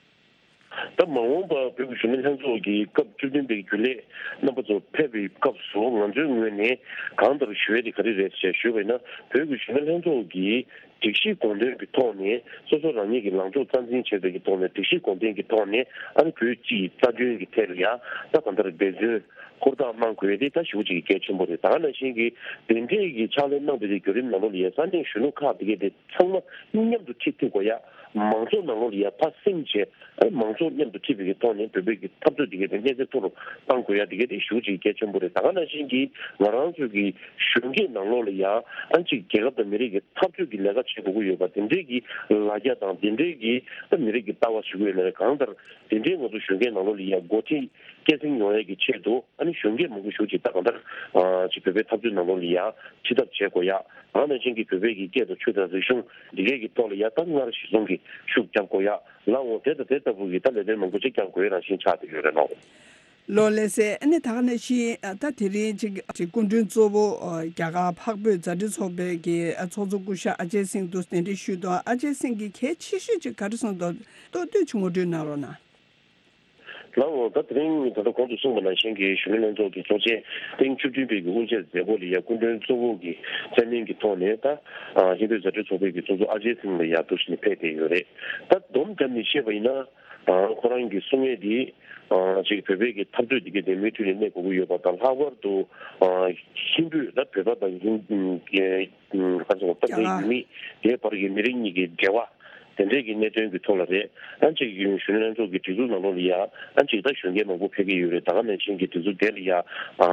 ད་མ་འོངས་པ་བོད་ཀྱི་གཞོན་ནུ་ལྷན་ཚོགས་ཀྱི་སྐབས་བཅུ་བདུན་པའི་རྒྱུན་ལས་རྣམ་པ་ཚོ་ཕེབས་པའི་སྐབས་སུ་ང་ཚོའི་ངོས་ནས་གང་ལྟར་ཞུ་ཡས་དེ་ག་རེ་རེད་ཅེས་ཞུས་པ་ཡིན་ན། བོད་ཀྱི་གཞོན་ནུ་ལྷན་ཚོགས་ཀྱི་སྒྲིག་གཞི་དགོངས་དོན་གྱི་ཐོག་ནས་སོ་སོ་རང་ཉིད་ཀྱི་ལངས་ཕྱོགས་རྩ་འཛིན་བྱས་པའི་གི་ཐོག་ནས་སྒྲིག་གཞི་དགོངས་དོན་གྱི་ཐོག་ནས་ཨ་ནི་བོད་སྤྱི་ཡི་རྩ་དོན་གྱི་ཐད་ལ་ཡང་ད་གང་ལྟར་འབད་བརྩོན་ཧུར་ཐག་གནང་དགོས་ཡས་དེ་ད་ཞེ་པོ་ཅིག་གལ་ཆེན་པོ་རེད། ད་ག་ནང་བཞིན་གྱི་དེ་འདྲའི་གི་ཕྱག་ལས་གནང་བའི་གི་བརྒྱུད་རིམ་ནང་ལོགས་ལ་ཡ་ས་གནས་གཞོན་ནུ་ཁག་དེ་གས་དེ་ཚང་མ་མཉམ་དུ་ཁྲིད་ཐུབ་དགོས་ཡ། མང་ཚོགས་ནང་ལོགས་ལ་ཡ་ཕར་སེམས་བྱས། ཨ་མང་ཚོགས་མཉམ་དུ་ཁྲིད་པའི་གི་ཐོག་ནས་བོད་པའི་གི་འཐབ་རྩོད་དེ་གས་དེ་གནས་ཚད་མཐོ་རུ་གཏང་དགོས་ཡ་དེ་གས་དེ་ཞེ་པོ་ཅིག་གལ་ཆེན་པོ་རེད། ད་ག་ནང་བཞིན་གྱི་ང་རང་ཚོའི་གི་གཞོན་སྐྱེས་ནང་ལོགས་ལ་ཡ་ཨ་ཅིག་རྒྱལ་ཁབ་དང་མི་རིགས་ཀྱི་འཐབ་རྩོད་ཀྱི་ལས་ཀ་ བྱེད་དགོས་ཀྱི་ཡོད་པ། དེ་འདྲའི་གི་ལ་རྒྱ་དང་དེ་འདྲའི་གི་ད་མི་རིགས་ཀྱི་ལྟ་བ་ཞིག་ཡོད་ན་རེད། གང་ལྟར་དེ་འདྲའི་ང་ཚོ་གཞོན་སྐྱེས་ནང་ལོགས་ལ་ཡ་འགོ་ཁྲིད་སྐྱེད་སྲིང་ཡོང་ཡས་ཀྱི་ཆེད་དུ་ཨ་ནི་གཞོན་སྐྱེས་མང་པོ་ཞིག་ཅིག་ད་གང་ལྟར་ཅིག་བོད་པའི་འཐབ་རྩོད་ནང་ལོགས་ལ་ཡ་ཁྲིད་ཐབས་བྱེད་དགོས་ཡ། ད་ག་ནང་བཞིན་གྱི་བོད་པའི་གི་སྐད་དང་ཆོས་དང་རིག་གཞུང་འདི་གས་ཀྱི་ཐོག་ལ་ཡ་ད་སྔར་གཞི་བཟུང་གི་ཤུགས་རྒྱབ་དགོས་ཡ། ལགས་འོང་། དེ་དང་དེ་ལྟ་བུ་གི་ད་ལས་དོན་མང་པོ་ཅིག་རྒྱབ་དགོས་ཡ་རང་བཞིན་ཆགས་བསྡད་ཡོད་རེད་ལགས། ལགས་ལགས་སེ། ཨ་ནི་ད་ག་ནང་བཞིན་ད་དེ་རིང་ཅིག་ཅིག་སྐུ་མགྲོན་གཙོ་བོ་རྒྱ་གར་འཕགས་བོད་མཛའ་འབྲེལ་ཚོགས་པའི་གི་ཚོགས་གཙོ་སྐུ་ཞབས་ཨ་ཇེ་སིང་དུ་གདན་འདྲེན་ཞུས་འདུག་ཨ་ཅེ་སིང་གིས་གལ་ཆེ་ཤོས་ཅིག་ག་རེ་གསུངས་འདུག་ཏོག་ཏོག་ཅིག་ངོ་སྤྲོད་གནང་རོགས་གནང་། ལགས་འོང་། ད་དེ་རིང་ད་ལྟ་གོང་དུ་གསུངས་པ་ནང་བཞིན་གྱི་གཞོན་ནུ་ལྷན་ཚོགས་ཀྱི་ཚོགས་ཆེན་ཐེངས་བཅུ་བདུན་པའི་གི་དབུ་འབྱེད་མཛད་སྒོ་ལ་ཡ་སྐུ་མགྲོན་གཙོ་བོ་གི་མཚན་གནས་ཀྱི་ཐོག་ནས་ད་ཨ་ཧིན་བོད་མཛའ་འབྲེལ་ཚོགས་པའི་གི་ཚོགས་གཙོ་ཨ་ཇེ་སིང་ལ་ཡ་འདུག་བཞིན་ཕེབས་བསྡད་ཡོད་རེད། ད་སྡོམ་བརྒྱབ་ནས་བཤད་པ་ཡིན་ན། ཨ་ཁོ་རང་གིས་གསུང་ཡས་དེ་ཨ་ཅིག་བོད་པའི་གི་འཐབ་རྩོད་དེ་གའི་དེ་མུ་མཐུད་ནས་གནས་དགོས་ཀྱི་ཡོད་པ་དང་། ལྷག་པར་དུ་ཨ་ཧིན་བོད་ད་བོད་པ་དང་ཧིན་ག་རེ་ཟེར་དགོས། ད་ལྟའི་ཡུལ་མི་དེའི་བར་གྱི་མི་རིགས་གཉིས་ཀྱི་འབྲེལ་བ་དེ་འདྲའི་གི་གནད་དོན་གྱི་ཐོག་ལ་རེད། ཨ་ཅིག་གཞོན་ནུ་ལྷན་ཚོགས་ཀྱི་སྒྲིག་འཛུགས་ནང་ལོགས་ལ་ཡ་ཨ་ཅིག་ད་གཞོན་སྐྱེས་མང་པོ་ཕེབས་ཀྱི་ཡོད་རེད། ད་ག་ནང་བཞིན་གྱི་སྒྲིག་འཛུགས་དེ་ལ་ཡ་ཨ་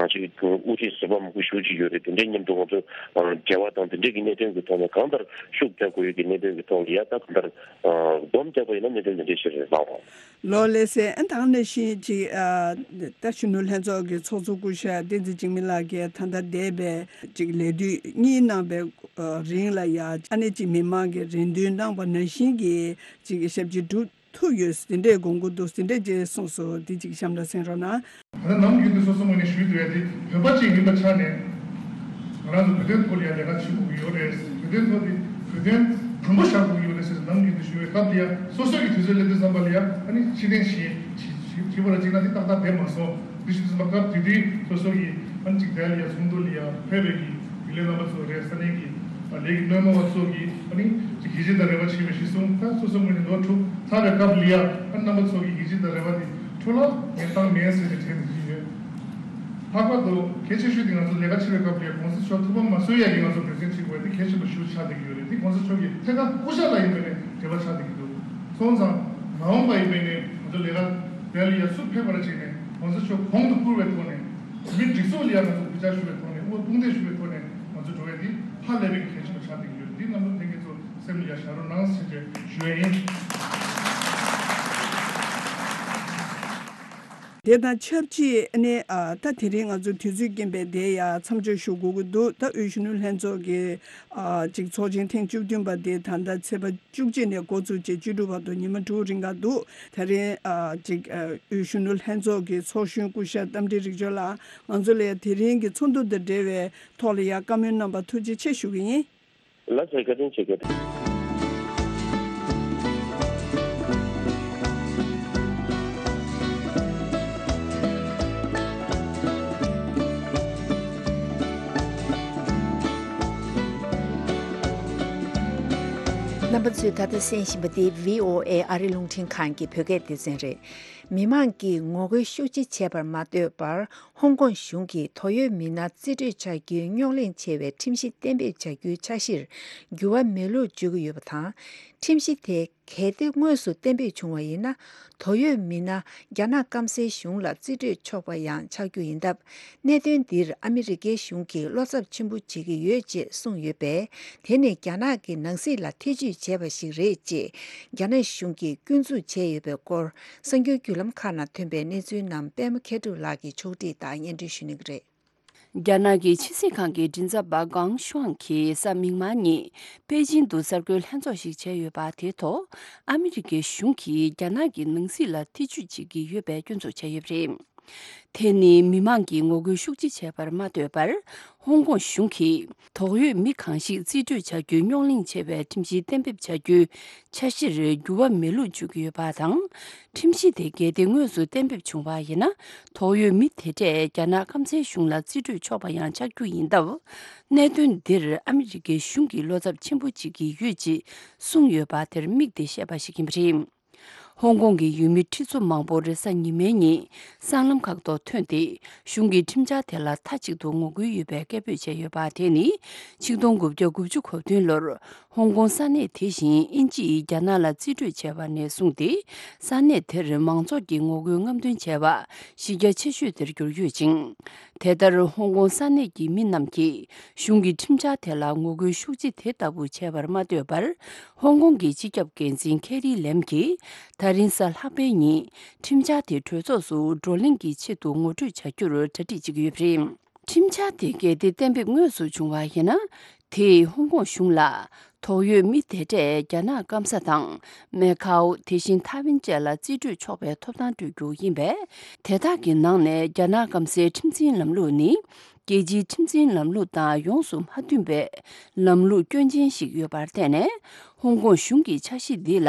ཅིག་དབུ་ཁྲིད་ཟུར་པ་མང་པོ་ཞེ་པོ་ཅིག་ཡོད་རེད། དེ་འདྲའི་མཉམ་དུ་ང་ཚོ་འབྲེལ་བ་དང་དེ་འདྲའི་གི་གནད་དོན་གྱི་ཐོག་ནས་གང་ལྟར་ཤུགས་རྒྱག་དགོས་ཡོད་ཀྱི་གནད་དོན་གྱི་ཐོག་ལ་ཡ་ད་གང་ལྟར་སྡོམ་བརྒྱབ་པ་ཡིན་ན་གནད་དོན་དེ་འདྲའི་ཞིག་རེད་ལགས། ལགས་ལགས་སེ། ཨ་ད་ག་ནང་བཞིན་ཅིག་ཨ་ད་གཞོན་ནུ་ལྷན་ཚོགས་ཀྱི་ཚོགས་གཙོ་སྐུ་ཞབས་བསྟན་འཛིན་འཇིགས་མེད་ལགས་ཀྱིས་ད་ལྟ་འདས་པའི་ཅིག་ལས་དུས་གཉིས་གནང་བའི་ཨ་རིང་ལ་ཡ་ཨ་ནི་ཅིག་མི་མང་གི་རེ་འདུན་གནང་བ་ནང་བཞིན་གྱི་ཅིག་ཞབས་ཕྱི་སྒྲུབ་ཐུབ་ཡོད་དེ་འདྲའི་དགོངས་མཁོ་འདུག་དེ་འདྲའི་ཅིག་གསུངས་སོང་། འདི་ཅིག་གཤམ་ལ་གསན་རོགས་གནང་། ད་ནམ་རྒྱུན་དུ་སོ་སོ་ངོས་ནས་ཞུས་འདུག་ཡ་དེ་བོད་པ་ཅིག་ཡིན་པའི་ཆ་ནས་ང་རང་ཚོ་བོད་དོན་ཐོག་ལ་ཡ་ལས་ཀ་བྱེད་དགོས་ཀྱི་ཡོད་རེད། བོད་དོན་ཐོག་དེ་བོད་དོན་དམ་པོ་བཞག་དགོས་ཀྱི་ཡོད་རེད་ཟེར་ནམ་རྒྱུན་དུ་ཞུ་བའི་སྐབས་དེ་ཡ་སོ་སོ་གི་དུས་ཚོད་སླེབས་དུས་ཙམ་པ་ལ་ཡ་ཨ་ནི་ཕྱི་ཐེངས་གཞན་བྱེད་པ་ལ་གཅིག་ན་དེ་ཏག་ཏག་བསྡད་མ་སོང་། དེ་བཞིན་དུ་སྐབས་དེ་དུས་སོ་སོ་གི་ཨ་ནི་གཅིག་དེ་ལ་ཡ་ཚོགས་འདུ་ལ་ཡ་ཕེབས་པའི་གི་རྒྱུན་ལས་རྣམ་པ་ཚོ་རེད། ས་གནས་ཀྱི་ལས་ཀྱི་སྣེ་མོ་བ་ཚོ་གིས་ཨ་ནི་ཅིག་ཡིད་ཆེས་དང་རེ་བ་བྱེད་པའི་གཞི་བཟུང་། ད་སོ་སོ་ངོས་ནས་ལོ་དྲུག་ཚར་བའི་སྐབས་ལ་ཡ་ཨ་རྣམ་པ་ཚོ་གི་ཡིད་ཆེས་དང་རེ་བ་དེ་འཕྲོ་བརླག་ངས་བཏང་མེད་ཟེར་ནས་དྲན་བསྡད་ཀྱི་ཡོད། ལྷག་པར་དུ་གལ་ཆེ་ཤོས་དེ་ང་ཚོ་ལས་ཀ་བྱེད་པའི་སྐབས་ལ་ཡ་གོང་ས་མཆོག་ཐུགས་ཕམ་མ་བཟོ་ཡ་གི་ང་ཚོ་འབད་བརྩོན་བྱེད་དགོས་པ་དེ་གལ་ཆེན་པོ་ཞིག་ཆགས་བསྡད་ཀྱི་ཡོད་རེད། དེ་གོང་ས་མཆོག་གི་ཐད་ཀར་སྐུ་ཞབས་ལ་ཡིན་པའི་ནས་འབྲེལ་བ་ཆགས་བསྡད་ཀྱི་འདུག་སོང་ཙང་མ་འོངས་པ་ཡིན་པའི་ནས་ང་ཚོ་ལས་ཀ་དེ་ལ་ཡ་སུ་ཕེབས་པ་ལ་བྱས་ནས་གོང་ས་མཆོག་གོང་དུ་བཀུར་བའི་ཐོག་ནས་མི་སྒྲིག་འཛུགས་ལ་ཡ་ང་ཚོ་གུས་ཕྱག་ཞུ་བའི་ཐོག་ནས་དབུ་དཔུང་འདེགས་ཞུ་བའི་ཐོག་ནས་ང་ཚོ་འགྲོ་བའི་དེ་ཧ་ལས་པའི་གལ་ཆེན་པོ་ཆགས་བསྡད་ཀྱི་ཡོད། འདི་རྣམ་པ་ལྷན་རྒྱས་ཚོ་སེམས་ལ་ཡ་བཞག་རོགས་གནང་ཟེར་བྱས་ཞུ་ཡ་ཡིན། དེ་དང་ཆབས་ཅིག་ཨ་ནི་ཨ་ད་དེ་རིང་ང་ཚོ་དུས་ཚོད་རྐྱེན་པས་དེ་ཡ་མཚམས་འཇོག་ཞུ་དགོས་ཀྱི་འདུག་ད་དབུས་གཞོན་ནུ་ལྷན་ཚོགས་ཀྱི་ཨ་ཅིག་ཚོགས་ཆེན་ཐེངས་བཅུ་བདུན་པ་དེ་ད་ལྟ་ཚེས་པ་བཅུ་གཅིག་ནས་འགོ་བཙུགས་བྱས་བཅུ་དྲུག་བར་དུ་ཉི་མ་དྲུག་རིང་ག་འདུག་ད་རིང་ཨ་ཅིག་ཨ་དབུས་གཞོན་ནུ་ལྷན་ཚོགས་ཀྱི་ཚོགས་གཞོན་སྐུ་ཞབས་རྟ་མགྲིན་རིག་འབྱོར་ལགས་ང་ཚོ་ལ་དེ་རིང་གི་ཚོགས་འདུ་དང་འབྲེལ་བའི་ཐོག་ལ་ཡ་བཀའ་མོལ་གནང་བར་ཐུགས་རྗེ་ཆེ་ཞུ་གི་ཡིན། ལགས་སོ། བཀའ་དྲིན་ཆེ། བཀའ་དྲིན། རྣམ་པ་ཚོས་ད་ལྟ་གསན་བཞིན་པ་འདི་བྷི་ཨོ་ཨེ་ཨ་རི་རླུང་འཕྲིན་ཁང་གི་བོད་སྐད་སྡེ་ཚན་རེད། མི་མང་གིས་ངོ་རྒོལ་ཤུགས་ཆེ་བྱས་པར་མ་ལྟོས་པར། ཧོང་ཀོང་གཞུང་གིས་དོགས་ཡོད་མི་སྣ་རྩིས་སྤྲོད་བྱ་རྒྱུའི་རྙོག་གླེང་ཆེ་བའི་ཁྲིམས་གཞི་གཏན་འབེབས་བྱ་རྒྱུའི་འཆར་གཞིར་འགྱུར་བ་མེད་ལུགས་བརྗོད་ཀྱི་ཡོད་པ་དང་། ཁྲིམས་གཞི་དེ་གལ་ཏེ་དངོས་སུ་གཏན་འབེབས་བྱུང་བ་ཡིན་ན། དོགས་ཡོད་མི་སྣ་རྒྱ་ནག་སྐམ་སའི་གཞུང་ལ་རྩིས་སྤྲོད་ཆོག་པ་ཡང་ཆགས་རྒྱུ་ཡིན་སྟབས། གནད་དོན་འདིར་ཨ་མི་རི་ཀའི་གཞུང་གིས་བློ་འཚབ་ཆེན་པོ་བྱེད་ཀྱི་ཡོད་ཅེས་གསུངས་ཡོད་པས། དེ་ནི་རྒྱ་ནག་གི་ནང་སྲིད་ལ་ཐེ་ཇུས་བྱས་པ་ཞིག་རེད་ཅེས་རྒྱ་ནག་གཞུང་གིས་སྐྱོན་འཛུགས་བྱས་ཡོད་པའི་སྐོར། གསར་འགྱུར་བརྒྱུད་ལམ་ཁག་ནང་ཐོན་པའི་གནས་ཚུལ་རྣམས་པད་མ་མཁས་གྲུབ་ལགས་ཀྱིས་ཕྱོགས་སྒྲིག་དང་སྙན་སྒྲོན་ཞུ་གནང་གི་རེད། རྒྱ་ནག་གི་ཕྱི་སྲིད་ཁང་གི་མགྲིན་ཚབ་པ་ཀང་ཤུའང་གིས་གཟའ་མིག་དམར་ཉིན་པེ་ཅིང་དུ་གསར་འགོད་ལྷན་ཚོགས་ཤིག་བྱས་ཡོད་པ། དེའི་ཐོག་ཨ་མི་རི་ཀའི་གཞུང་གིས་རྒྱ་ནག་གི་ནང་སྲིད་ལ་ཐེ་ཇུས་བྱེད་ཀྱི་ཡོད་པའི་སྐྱོན་འཛུགས་བྱས་ཡོད་པ་རེད། དེ་ནི་མི་མང་གིས་ངོ་རྒོལ་ཤུགས་ཆེ་བྱས་པར་མ་ལྟོས་པར། ཧོང་ཀོང་གཞུང་གིས་དོགས་ཡོད་མི་གང་ཞིག་རྩིས་སྤྲོད་བྱ་རྒྱུའི་རྙོག་གླེང་ཆེ་བའི་ཁྲིམས་གཞི་གཏན་འབེབས་བྱ་རྒྱུའི་འཆར་གཞིར་འགྱུར་བ་མེད་ལུགས་བརྗོད་ཀྱི་ཡོད་པ་དང་། ཁྲིམས་གཞི་དེ་གལ་ཏེ་དངོས་སུ་གཏན་འབེབས་བྱུང་བ་ཡིན་ན། དོགས་ཡོད་མི་དེ་འདྲས་རྒྱ་ནག་སྐམ་སའི་གཞུང་ལ་རྩིས་སྤྲོད་ཆོག་པ་ཡང་ཆགས་རྒྱུ་ཡིན་སྟབས། གནད་དོན་འདིར་ཨ་མི་རི་ཀའི་གཞུང་གིས་བློ་འཚབ་ཆེན་པོ་བྱེད་ཀྱི་ཡོད་ཅེས་གསུངས་ཡོད་པ་དེར་དམིགས་ཏེ་བཤད་པ་ཞིག་ཡིན་པ་རེད། ཧོང་ཀོང་གི་ཡུལ་མི་ཁྲི་ཚོ་མང་པོ་རེས་གཟའ་ཉི་མའི་ཉིན་སྲང་ལམ་ཁག་ཏུ་ཐོན་ཏེ། གཞུང་གི་ཁྲིམས་འཆར་དེ་ལ་མཐའ་གཅིག་ཏུ་ངོ་རྒོལ་ཡོད་པའི་སྐད་འབོད་བྱས་ཡོད་པ། དེ་ནི་ཆིག་སྟོང་དགུ་བརྒྱ་དགུ་བཅུ་གོ་བདུན་ལོར་ཧོང་ཀོང་ས་གནས་དེ་བཞིན་དབྱིན་ཇིས་རྒྱ་ནག་ལ་རྩིས་སྤྲོད་བྱས་པ་ནས་བཟུང་སྟེ། ས་གནས་དེར་མང་ཚོགས་ཀྱིས་ངོ་རྒོལ་རྔམ་སྟོན་བྱས་པ་གཞི་རྒྱ་ཆེ་ཤོས་དེར་གྱུར་ཡོད་ཅིང་། དེ་ལྟར་ཧོང་ཀོང་ས་གནས་ཀྱི་མི་རྣམས་ཀྱིས་གཞུང་གི་ཁྲིམས་འཆར་དེ་ལ་ངོ་རྒོལ་ཤུགས་ཆེ་དེ་ལྟ་བུ་བྱས་པར་མ་ལྟོས་པར། ཧོང་ཀོང་གི་སྤྱི་ཁྱབ་འགན་འཛིན་ཁེ་རི་ལེམ་གྱིས་ད་རིང་གཟའ་ལྷག་པའི་ཉིན་ཁྲིམས་འཆར་དེ་གྲོས་ཚོགས་སུ་བགྲོ་གླེང་གི་ཆེད་དུ་ངོ་སྤྲོད་བྱ་རྒྱུར་གྲ་སྒྲིག་བྱེད་ཀྱི་ཡོད་པ་རེད། ཁྲིམས་འཆར་དེ་གལ་ཏེ་གཏན་འབེབས་དངོས་སུ་བྱུང་བ་ཡིན་ན། དེས་ཧོང་ཀོང་གཞུང་ལ་དོགས་ཡོད་མི་དེ་འདྲས་རྒྱ་ནག་སྐམ་ས་དང་མེ་ཁའོ། དེ་བཞིན་ཐའེ་ཝན་བཅས་ལ་རྩིས་སྤྲོད་ཆོག་པའི་ཐོབ་ཐང་སྤྲོད་རྒྱུ་ཡིན་པས། དེ་དག་གི་ནང་ནས་རྒྱ་ནག་སྐམ་སའི་ཁྲིམས་འཛིན་ལམ་ལུགས་ནི་རྒྱལ་སྤྱིའི་ཁྲིམས་འཛིན་ལམ་ལུགས་དང་ཡོངས་སུ་མ་མཐུན་པའི་ལམ་ལུགས་སྐྱོན་ཅན་ཞིག་ཡོད་པར་བརྟེན་ནས། ཧོང་ཀོང་གཞུང་གི་འཆར་གཞི་འདི་ལ་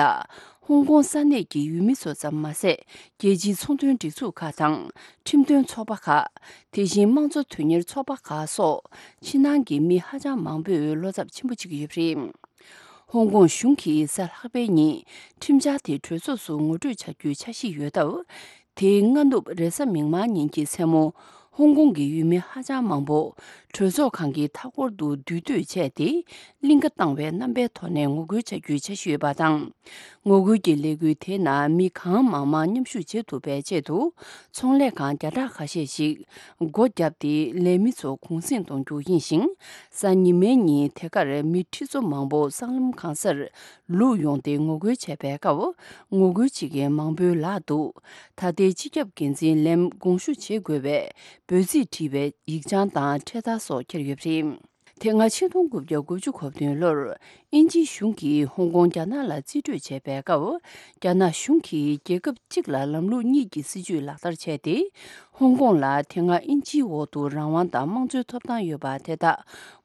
ཧོང་ཀོང་ས་གནས་ཀྱི་ཡུལ་མི་ཚོ་ཙམ་མ་ཟད། རྒྱལ་སྤྱིའི་ཚོང་དོན་སྒྲིག་འཛུགས་ཁག་དང་། ཁྲིམས་དོན་ཚོགས་པ་ཁག་དེ་བཞིན་དམངས་གཙོ་དོན་གཉེར་ཚོགས་པ་ཁག་སོགས་ཕྱི་ནང་གི་མི་ཧ་ཅང་མང་པོས་བློ་འཚབ་ཆེན་པོ་བྱེད་ཀྱི་ཡོད་པ་རེད། ཧོང་ཀོང་གཞུང་གིས་གཟའ་ལྷག་པའི་ཉིན་ཁྲིམས་འཆར་དེ་གྲོས་ཚོགས་སུ་ངོ་སྤྲོད་བྱ་རྒྱུའི་འཆར་གཞི་ཡོད་སྟབས། དེའི་སྔ་ནུབ་རེས་གཟའ་མིག་དམར་ཉིན་གྱི་མཚན་མོ། ཧོང་ཀོང་གི་ཡུལ་མི་ཧ་ཅང་མང་པོ་གྲོས་ཚོགས་ཁང་གི་མཐའ་འཁོར་དུ་འདུས་སྡོད་བྱས་ཏེ། གླིང་ག་བཏང་བའི་རྣམ་པའི་ཐོག་ནས་ངོ་རྒོལ་བྱ་རྒྱུའི་འཆར་གཞི་ཡོད་པ་དང་། ངོ་རྒོལ་གྱི་ལས་འགུལ་དེའི་ནང་མི་གང་མང་མང་མཉམ་ཞུགས་བྱེད་ཐུབ་པའི་ཆེད་དུ། ཚོང་ལས་ཁང་བརྒྱ་ཕྲག་ཁ་ཤས་ཤིག་སྒོ་བརྒྱབ་སྟེ། ལས་མི་ཚོ་གུང་གསེང་གཏོང་རྒྱུ་ཡིན་ཞིང་། གཟའ་ཉི་མའི་ཉིན་དེ་གར་མི་ཁྲི་ཚོ་མང་པོ་སྲང་ལམ་གང་སར་ལུག་ཡོང་སྟེ་ངོ་རྒོལ་བྱས་པའི་སྐབས། ངོ་རྒོལ་བྱེད་མཁན་མང་པོའི་ལག་ཏུ་ད་ལྟའི་སྤྱི་ཁྱབ་འགན་འཛིན་ལེམ་དགོངས་ཞུ་བྱེད་དགོས་པའི་འབོད་ཚིག་བྲིས་པའི་ཡིག་ཆ་དང་འཕྲེད་དར་སོགས་འཁྱེར་ཡོད་པ་རེད། དེ་སྔ་ཕྱི་ལོ་གཅིག་སྟོང་དགུ་བརྒྱ་དགུ་བཅུ་གོ་བདུན་ལོར་དབྱིན་ཇིའི་གཞུང་གིས་ཧོང་ཀོང་རྒྱ་ནག་ལ་རྩིས་སྤྲོད་བྱས་པའི་སྐབས། རྒྱ་ནག་གཞུང་གིས་རྒྱལ་ཁབ་གཅིག་ལ་ལམ་ལུགས་གཉིས་ཀྱི་སྲིད་ཇུས་ལག་བསྟར་བྱས་ཏེ། ཧོང་ཀོང་ལ་དེ་སྔ་དབྱིན་ཇིའི་འོག་ཏུ་རང་དབང་དང་དམངས་གཙོའི་ཐོབ་ཐང་ཡོད་པ་དེ་དག་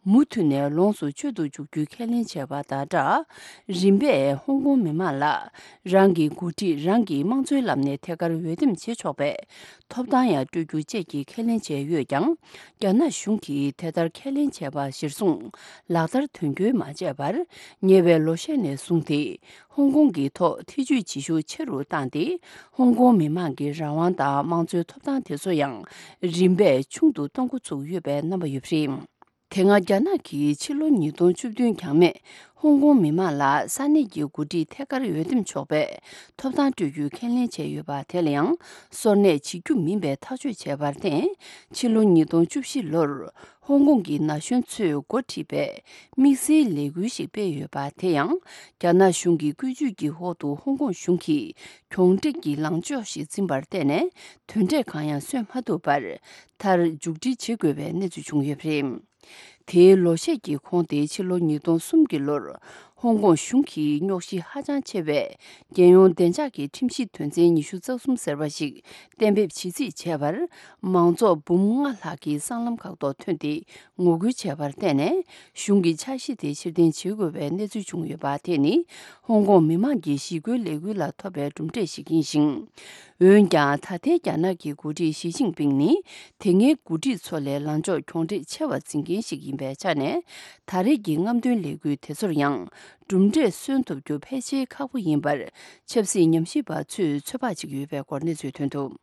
མུ་མཐུད་ནས་ལོངས་སུ་སྤྱོད་དུ་འཇུག་རྒྱུའི་ཁས་ལེན་བྱས་པ་དང་སྦྲགས། རིམ་པས་ཧོང་ཀོང་མི་མང་ལ་རང་གི་འགོ་ཁྲིད་རང་གི་དམངས་གཙོའི་ལམ་ནས་ཐད་ཀར་འོས་འདེམས་བྱེད་ཆོག་པའི་ཐོབ་ཐང་ཡང་སྤྲོད་རྒྱུ་བཅས་ཀྱི་ཁས་ལེན་བྱས་ཡོད་ཀྱང་། རྒྱ་ནག་གཞུང་གིས་དེ་ལྟར་ཁས་ལེན་བྱས་པ་གཞིར་བཟུང་ལག་བསྟར་དོན་འཁྱོལ་མ་བྱས་པར། ཉེ་བའི་ལོ་ཤས་ནས་བཟུང་སྟེ། ཧོང་ཀོང་གི་ཐོག་ཐེ་ཇུས་བྱེད་ཤུགས་ཆེ་རུ་བཏང་སྟེ། ཧོང་ཀོང་མི་མང་གི་རང་དབང་དང་དམངས་གཙོའི་ཐོབ་ཐང་དེ་ཚོ་ཡང་རིམ་པས་ཆུང་དུ་གཏོང་འགོ་ཚུགས་ཡོད་པའི་རྣམ་པ་ཡོད་པ་རེད། དེ་སྔ་རྒྱ་ནག་གིས་ཕྱི་ལོ་ཉིས་སྟོང་བཅུ་བདུན་འགྱངས་མེད་ཧོང་ཀོང་མི་མང་ལ་ས་གནས་ཀྱི་འགོ་ཁྲིད་ཐད་ཀར་འོས་འདེམས་ཆོག་པའི་ཐོབ་ཐང་སྤྲོད་རྒྱུའི་ཁས་ལེན་བྱས་ཡོད་པ་དེ་ལ་ཡང་སོར་གནས་བྱེད་རྒྱུ་མིན་པའི་ཐག་གཅོད་བྱས་པར་བརྟེན། ཕྱི་ལོ་ཉིས་སྟོང་བཅུ་བཞི་ལོར་ཧོང་ཀོང་གི་ན་གཞོན་ཚོས་འགོ་ཁྲིད་པའི་དམིགས་བསལ་ལས་འགུལ་ཞིག་སྤེལ་ཡོད་པ་དེ་ཡང་རྒྱ་ནག་གཞུང་གི་བཀོད་ཇུས་ཀྱི་འོག་ཏུ་ཧོང་ཀོང་གཞུང་གིས་གྱོང་སྤྲད་ཀྱི་ལངས་ཕྱོགས་ཤིག་འཛིན་པར་བརྟེན་ནས། དོན་འབྲས་གང་ཡང་སོན་མ་ཐུབ་པར། མཐར་མཇུག་སྒྲིལ་བྱེད་དགོས་པའི་གནས་ཚུལ་བྱུང་ཡོད་པ་རེད། དེའི་ལོ་ཤས་ཀྱི་གོང་དེ་ཕྱི་ལོ་ཉིས་སྟོང་གསུམ་གྱི་ལོར། ཧོང་ཀོང་གཞུང་གིས་རྙོག་གཞི་ཧ་ཅང་ཆེ་བའི་རྒྱལ་ཡོངས་བདེ་འཇགས་ཀྱི་ཁྲིམས་གཞི་དོན་ཚན་ཉི་ཤུ་རྩ་གསུམ་ཟེར་བ་ཞིག་གཏན་འབེབས་བྱེད་རྩིས་བྱས་པར། མང་ཚོགས་འབུམ་ལྔ་ལྷག་གིས་སྲང་ལམ་ཁག་ཏུ་ཐོན་ཏེ་ངོ་རྒོལ་བྱས་པར་བརྟེན་ནས། གཞུང་གི་འཆར་གཞི་དེ་ཕྱིར་འཐེན་བྱེད་དགོས་པའི་གནས་ཚུལ་བྱུང་ཡོད་པ་དེ་ནི། ཧོང་ཀོང་མི་མང་གི་ཞི་རྒོལ་ལས་འགུལ་ལ་ཐོབ་པའི་གྲུབ་འབྲས་ཤིག་ཡིན་ཞིང་། འོན་ཀྱང་། ད་ལྟའི་རྒྱ་ནག་གི་འགོ་ཁྲིད་ཞི་ཅིན་ཕིང་ནི། དེ་སྔའི་འགོ་ཁྲིད་ཚོ་ལས་ལངས་ཕྱོགས་གྱོང་འཕྲད་ཆེ་བ་འཛིན་མཁན་ཞིག་ཡིན་པའི་ཆ་ནས། ད་རེས་ཀྱི་རྔམ་སྟོན་ལས་འགུལ་དེ་ཚོར་ཡང་། གྲུབ་འབྲས་སོན་ཐུབ་རྒྱུ་ཕལ་ཆེར་ཁག་པོ་ཡིན་པར། ཆབ་སྲིད་ཉམས་ཞིབ་པ་ཚོས་ཚོད་དཔག་བྱེད་ཀྱི་ཡོད་པའི་སྐོར་གནས་ཚུལ་ཐོན་འདུག་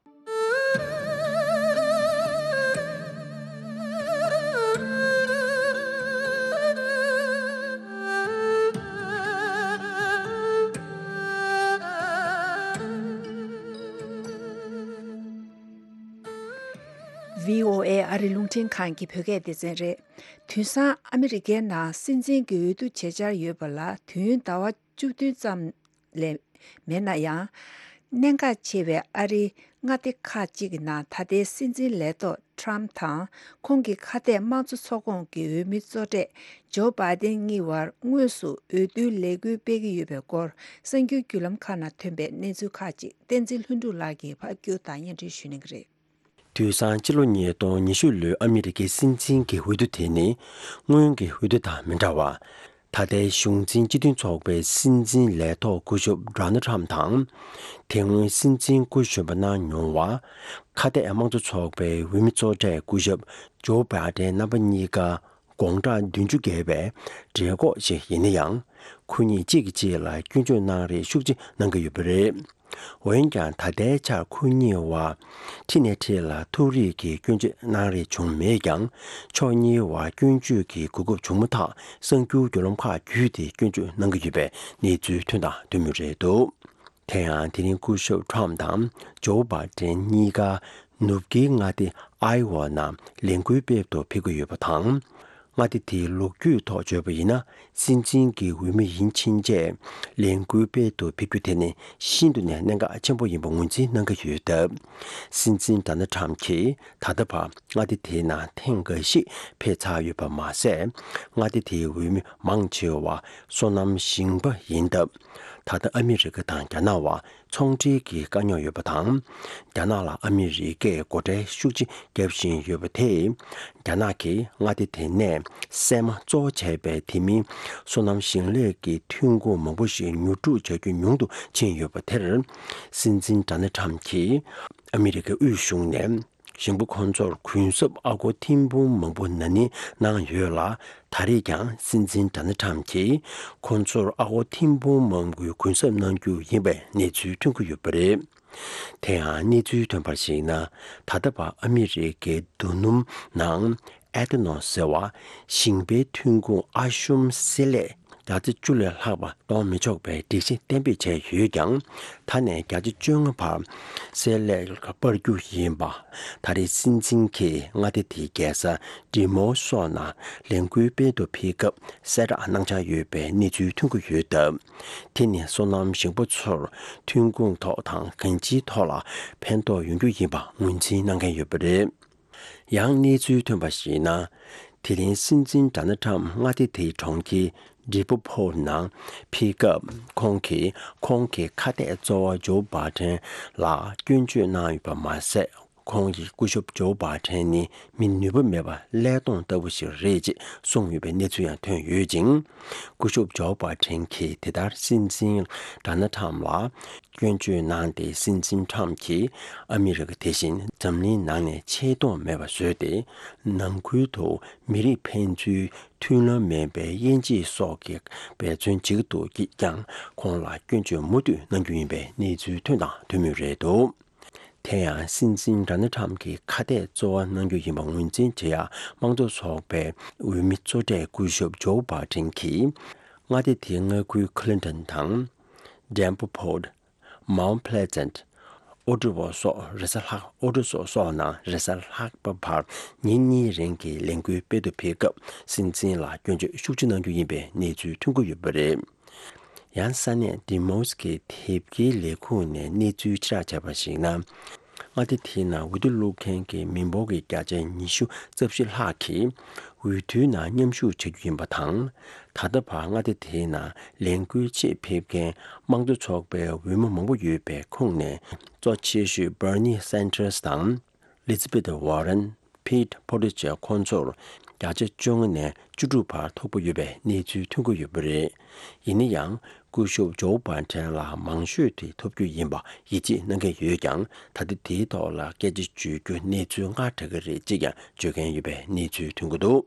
བྷི་ཨོ་ཨེ་ཨ་རི་རླུང་འཕྲིན་ཁང་གི་བོད་སྐད་སྡེ་ཚན་རེད། དེང་སང་ཨ་མི་རི་ཀའི་ནང་སྲིད་འཛིན་གྱི་འོས་བསྡུ་བྱེད་འཆར་ཡོད་པ་ལ་དུས་ཡུན་ཟླ་བ་བཅུ་བདུན་ཙམ་ལས་མེད་ན་ཡང་། གནད་འགག་ཆེ་བའི་ཨ་རིའི་མངའ་སྡེ་ཁག་ཅིག་གི་ནང་ད་ལྟའི་སྲིད་འཛིན་ལས་ཐོག་ཊམ་དང་ཁོང་གི་ཁ་གཏད་དམངས་གཙོ་ཚོགས་ཁོངས་ཀྱི་འོས་མི་གཙོ་གྲས་ཇོ་བྷའི་ཏན་གཉིས་བར་དངོས་སུ་འོས་བསྡུའི་ལས་འགུལ་སྤེལ་གྱི་ཡོད་པའི་སྐོར་གསར་འགྱུར་བརྒྱུད་ལམ་ཁག་ནང་ཐོན་པའི་གནས་ཚུལ་ཁག་ཅིག་བསྟན་འཛིན་ལྷུན་གྲུབ་ལགས་ཀྱིས་ཕབ་སྒྱུར་དང་སྙན་སྒྲོན་ཞུ་གནང་གི་རེད། དུས་སང་ཕྱི་ལོ་ཉིས་སྟོང་ཉི་ཤུ་ལོའི་ཨ་མི་རི་ཀའི་སྲིད་འཛིན་གྱི་འོས་བསྡུ་དེ་ནི་སྔོན་གྱི་འོས་བསྡུ་དང་མི་འདྲ་བར། ད་ལྟའི་གཞུང་འཛིན་སྤྱི་མཐུན་ཚོགས་པའི་སྲིད་འཛིན་ལས་ཐོག་སྐུ་ཞབས་ཌོ་ནལ་ཊམ་དང་། དེ་སྔོན་སྲིད་འཛིན་སྐུ་གཞོན་པ་གནང་མྱོང་བ། ཁ་གཏད་དམངས་གཙོ་ཚོགས་པའི་འོས་མི་གཙོ་གྲས་སྐུ་ཞབས་ཇོ་བྷའི་ཏན་རྣམ་པ་གཉིས་ཀ་དགོང་གྲངས་བདུན་ཅུ་བརྒལ་བའི་གྲོད་ཁོག་ཅིག་ཡིན་ན་ཡང་། ཁོ་གཉིས་གཅིག་གིས་གཅིག་ལ་སྐྱོན་བརྗོད་གནང་རེས་ཤུགས་ཆེ་གནང་གི་ཡོད་པ་རེད། འོན་ཀྱང་། ད་ལྟའི་ཆར་ཁོ་གཉིས་བར་འཁྲིས་ནས་འཁྲིས་ལ་ཐུག་རེས་ཀྱི་སྐྱོན་བརྗོད་གནང་རེས་བྱུང་མེད་ཀྱང་། ཕྱོགས་གཉིས་བར་སྐྱོན་བརྗོད་ཀྱི་གོ་སྐབས་བྱུང་མ་ཐག་གསར་འགྱུར་བརྒྱུད་ལམ་ཁག་བརྒྱུད་དེ་སྐྱོན་བརྗོད་གནང་གི་ཡོད་པའི་གནས་ཚུལ་ཐོན་དང་ཐོན་མུས་རེད་འདུག་དེ་ཡང་དེ་རིང་སྐུ་ཞབས་ཊམ་དང་ཇོ་བྷའི་ཏན་གཉིས་ཀ་ ནུབ་ཀྱི་མངའ་སྡེ་ཨའི་ཝ་ནང་ལས་འགུལ་སྤེལ་དུ་ཕེབས་ཀྱི་ཡོད་པ་དང་། མངའ་སྡེ་དེའི་ལོ་རྒྱུས་ཐོག་བརྗོད་པ་ཡིན་ན། སྲིད་འཛིན་གྱི་འོས་མི་ཡིན་ཕྱིན་ཆད་ལས་འགུལ་སྤེལ་དུ་ཕེབས་རྒྱུ་དེ་ནི་ཤིན་ཏུ་ནས་གནད་འགག་ཆེན་པོ་ཡིན་པ་ངོས་འཛིན་གནང་གི་ཡོད་སྟབས། སྲིད་འཛིན་ཌོ་ནལ་ཁྲམ་གྱིས་ད་ལྟ་བར་མངའ་སྡེ་དེའི་ནང་ཐེངས་འགའ་ཞིག་ཕེབས་ཚར་ཡོད་པ་མ་ཟད། མངའ་སྡེ་དེའི་འོས་མི་མང་ཆེ་བ་སོ་ནམ་ཞིང་པ་ཡིན་སྟབས། ད་ལྟ་ཨ་མི་རི་ཀ་དང་རྒྱ་ནག་བར་ཚོང་འབྲེལ་གྱི་དཀའ་རྙོག་ཡོད་པ་དང་། རྒྱ་ནག་ལ་ཨ་མི་རི་ཀས་སྒོ་ཁྲལ་ཤུགས་ཆེ་བརྒྱབ་བཞིན་ཡོད་པ་དེས། རྒྱ་ནག་གིས་མངའ་སྡེ་དེ་ནས་སྲན་མ་གཙོ་བོ་བྱས་པའི་དེ་མིན་སོ་ནམ་ཞིང་ལས་ཀྱི་ཐོན་ཁུངས་མང་པོ་ཞིག་ཉོ་སྒྲུག་བྱ་རྒྱུ་ཉུང་དུ་ཕྱིན་ཡོད་པ་དེར། སྲིད་འཛིན་ཌོ་ནལ་ཁྲམ་གྱིས་ཨ་མི་རི་ཀའི་དབུས་གཞུང་ནས་ཞིང་པ་ཁོང་ཚོར་གུན་གསབ་ཨ་སྒོར་ཐེར་འབུམ་མང་པོ་ན་ནིང་གནང་ཡོད་ལ། ད་རེས་ཀྱང་སྲིད་འཛིན་ཌོ་ནལ་ཁྲམ་གྱིས་ཁོང་ཚོར་ཨ་སྒོར་ཐེར་འབུམ་མང་པོའི་གུན་གསབ་གནང་རྒྱུ་ཡིན་པའི་གནས་ཚུལ་ཐོན་གྱི་ཡོད་པ་རེད། དེ་ཡང་གནས་ཚུལ་ཐོན་པར་གཞིགས་ན། ད་ལྟ་བར་ཨ་མི་རི་ཀའི་རྡོ་སྣུམ་ནང་ཨེ་ཐ་ནོལ་ཟེར་བ་ཞིང་པའི་ཐོན་ཁུངས་ཨ་ཤུམ་བསྲེ་ལྷད་བརྒྱ་ཆ་བཅུ་ལས་ལྷག་པ་གཏོང་མི་ཆོག་པའི་སྒྲིག་གཞི་གཏན་འབེབས་བྱས་ཡོད་ཀྱང་། ད་ནས་བརྒྱ་ཆ་བཅོ་ལྔ་བར་བསྲེ་ལྷད་སྤར་རྒྱུ་ཡིན་པ། ད་རེས་སྲིད་འཛིན་གྱིས་མངའ་སྡེ་དེའི་རྒྱལ་ས་ཌི་མོ་སོགས་ནང་ལས་འགུལ་སྤེལ་དུ་ཕེབས་སྐབས་གསལ་བསྒྲགས་གནང་འཆར་ཡོད་པའི་གནས་ཚུལ་ཐོན་གྱི་ཡོད་སྟབས། དེ་ནི་སོ་ནམ་ཞིང་པ་ཚོར་ཐོན་ཁུངས་ཐོག་དང་གང་ཅིའི་ཐོག་ལ་ཕན་ཐོགས་ཡོང་རྒྱུ་ཡིན་པ་ངོས་འཛིན་གནང་མཁན་ཡོད་པ་རེད། ཡང་གནས་ཚུལ་ཐོན་པར་གཞིགས་ན། དེ་རིང་སྲིད་འཛིན་ཌོ་ནལ་ཁྲམ་མངའ་སྡེ་དེའི་གྲོང་ཁྱེར་ཌི་པོ་ཕོར་ནང་ཕེབས་སྐབས། ཁོང་གིས་ཁོང་གི་ཁ་གཏད་གཙོ་བོ་ཇོ་བྷའི་ཌེན་ལ་སྐྱོན་བརྗོད་གནང་ཡོད་པ་མ་ཟད། ཁོང་གིས་སྐུ་ཞབས་ཇོ་བྷའི་ཌེན་ནི་མི་ནུས་པ་མེད་པ་ཀླད་སྟོང་ལྟ་བུ་ཞིག་རེད་ཅེས་གསུངས་ཡོད་པའི་གནས་ཚུལ་ཡང་ཐོན་ཡོད་ཅིང་། སྐུ་ཞབས་ཇོ་བྷའི་ཌེན་གྱིས་དེ་ལྟར་སྲིད་འཛིན་ཌོ་ནལ་ཁྲམ་ལ་སྐྱོན་བརྗོད་གནང་སྟེ། སྲིད་འཛིན་ཁྲམ་གྱིས་ཨ་མི་རི་ཀ་དེ་བཞིན་འཛམ་གླིང་ནང་ནས་ཆེ་མཐོང་མེད་པ་བཟོས་ཏེ། ནང་ཁུལ་དུ་མི་རིགས་ཕན་ཚུན་མཐུན་ལམ་མེད་པའི་དབྱེ་འབྱེད་སོགས་ཀྱི་འབད་བརྩོན་བྱེད་ཀྱི་འདུག་ཀྱང་། ཁོང་ལ་སྐྱོན་བརྗོད་མུ་མཐུད་གནང་རྒྱུ་ཡིན་པའི་གནས་ཚུལ་ཐོན་དང་ཐོན་མུས་རེད་འདུག་དེ་ཡང་སྲིད་འཛིན་ཌོ་ནལ་ཁྲམ་གྱི་ཁ་གཏད་གཙོ་བོ་གནང་རྒྱུ་ཡིན་པ་ངོས་འཛིན་བྱེད་ཡག་དམངས་གཙོ་ཚོགས་པའི་འོས་མི་གཙོ་གྲས་སྐུ་ཞབས་ཇོ་བྷའི་ཌེན་གྱིས། མངའ་སྡེ་དེའི་མངའ་ཁུལ་ཁི་ལིན་ཏོན་དང་། ཌེམ་པོ་ཕོར། མའོན་ཕེ་ལེ་ཛེན། ཨོ་ཀྲི་ཝོ་སོགས་རེས་གཟའ་ལྷག་ཨོ་ཀྲི་ཝོ་སོགས་ནང་རེས་གཟའ་ལྷག་པ་བར་ཉིན་གཉིས་རིང་གི་ལས་འགུལ་སྤེལ་དུ་ཕེབས་སྐབས། སྲིད་འཛིན་ལ་སྐྱོན་བརྗོད་ཤུགས་ཆེ་གནང་རྒྱུ་ཡིན་པའི་གནས་ཚུལ་ཐོན་གྱི་ཡོད་པ་རེད། ཡང་ས་གནས་ཌི་མོ་སི་ཀོའི་དེབ་སྐྱེལ་ལས་ཁུངས་ནས་གནས་ཚུལ་ཕྱིར་བསྒྲགས་བྱས་པར་གཞིགས་ན། མངའ་སྡེ་དེའི་ནང་འོས་བསྡུ་བླུག་མཁན་གྱི་མི་འབོར་གྱི་བརྒྱ་ཆ་ཉི་ཤུ་རྩ་བཞི་ལྷག་གིས་འོས་བསྡུའི་ནང་མཉམ་ཞུགས་བྱ་རྒྱུ་ཡིན་པ་དང་། ད་ལྟ་བར་མངའ་སྡེ་དེའི་ནང་ལས་འགུལ་ཆེད་ཕེབས་མཁན་དམངས་གཙོ་ཚོགས་པའི་འོས་མི་མང་པོ་ཡོད་པའི་ཁོངས་ནས། གཙོ་ཆེ་ཤོས་Bernie Sanders་དང་། Elizabeth Warren། Pete Buttigieg་ཁོང་ཚོར་བརྒྱ་ཆ་བཅོ་ལྔ་ནས་བཅུ་དྲུག་བར་ཐོབ་ཀྱི་ཡོད་པའི་གནས་ཚུལ་ཐོན་གྱི་ཡོད་པ་རེད། ཡིན་ན་ཡང་། སྐུ་ཞབས་ཇོ་བྷའི་ཌེན་ལ་མང་ཤོས་དེ་ཐོབ་རྒྱུ་ཡིན་པ་ཡིད་ཆེས་གནང་མཁན་ཡོད་ཀྱང་། ད་ལྟ་དེའི་ཐོག་ལ་སྐད་ཆ་བརྗོད་རྒྱུ་གནས་ཚུལ་སྔ་དྲགས་ཀྱི་རེད་ཅེས་ཀྱང་བརྗོད་མཁན་ཡོད་པའི་གནས་ཚུལ་ཐོན་གྱི་འདུག་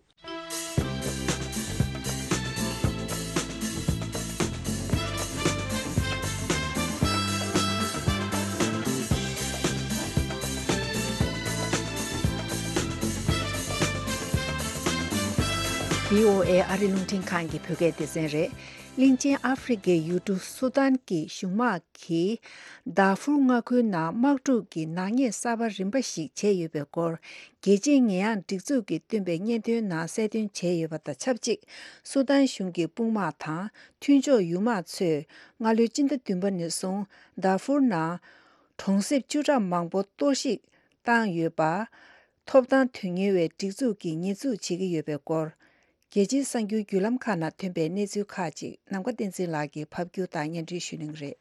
བྷི་ཨོ་ཨེ་ཨ་རི་རླུང་འཕྲིན་ཁང་གི་བོད་སྐད་སྡེ་ཚན་རེད། གླིང་ཆེན་ཨ་ཧྥེ་རི་ཁའི་ཡུལ་གྲུ་སུ་དཱན་གྱི་གཞུང་དམག་གིས་དཱ་ཧྥུར་མངའ་ཁུལ་ནང་དམག་འཁྲུག་གི་ནག་ཉེས་གསར་པ་རིམ་པ་ཞིག་བྱས་ཡོད་པའི་སྐོར། རྒྱལ་སྤྱིའི་ཉེས་ཡངས་སྒྲིག་འཛུགས་ཀྱིས་བཏོན་པའི་སྙན་ཐོའི་ནང་གསལ་སྟོན་བྱས་ཡོད་པ་དང་ཆབས་ཅིག་སུ་དཱན་གཞུང་གི་དཔུང་དམག་དང་མཐུན་ཕྱོགས་ཡུལ་དམག་ཚོས་སྔ་ལོའི་སྤྱི་ཟླ་བདུན་པ་ནས་བཟུང་དཱ་ཧྥུར་ནང་གྲོང་གསེབ་བཅུ་ཕྲག་མང་པོ་གཏོར་བཤིག་བཏང་ཡོད་པ། ཐོབ་ཐང་དོན་གཉེར་བའི་སྒྲིག་འཛུགས་ཀྱིས་ཉེས་འཛུགས་བྱེད་ཀྱི་ཡོད་པའི་སྐོར། རྒྱལ་སྤྱིའི་གསར་འགྱུར་བརྒྱུད་ལམ་ཁག་ནང་ཐོན་པའི་གནས་ཚུལ་ཁག་ཅིག་ནམ་མཁའ་བསྟན་འཛིན་ལགས་ཀྱིས་ཕབ་སྒྱུར་དང་སྙན་སྒྲོན་ཞུ་གནང་གི་རེད།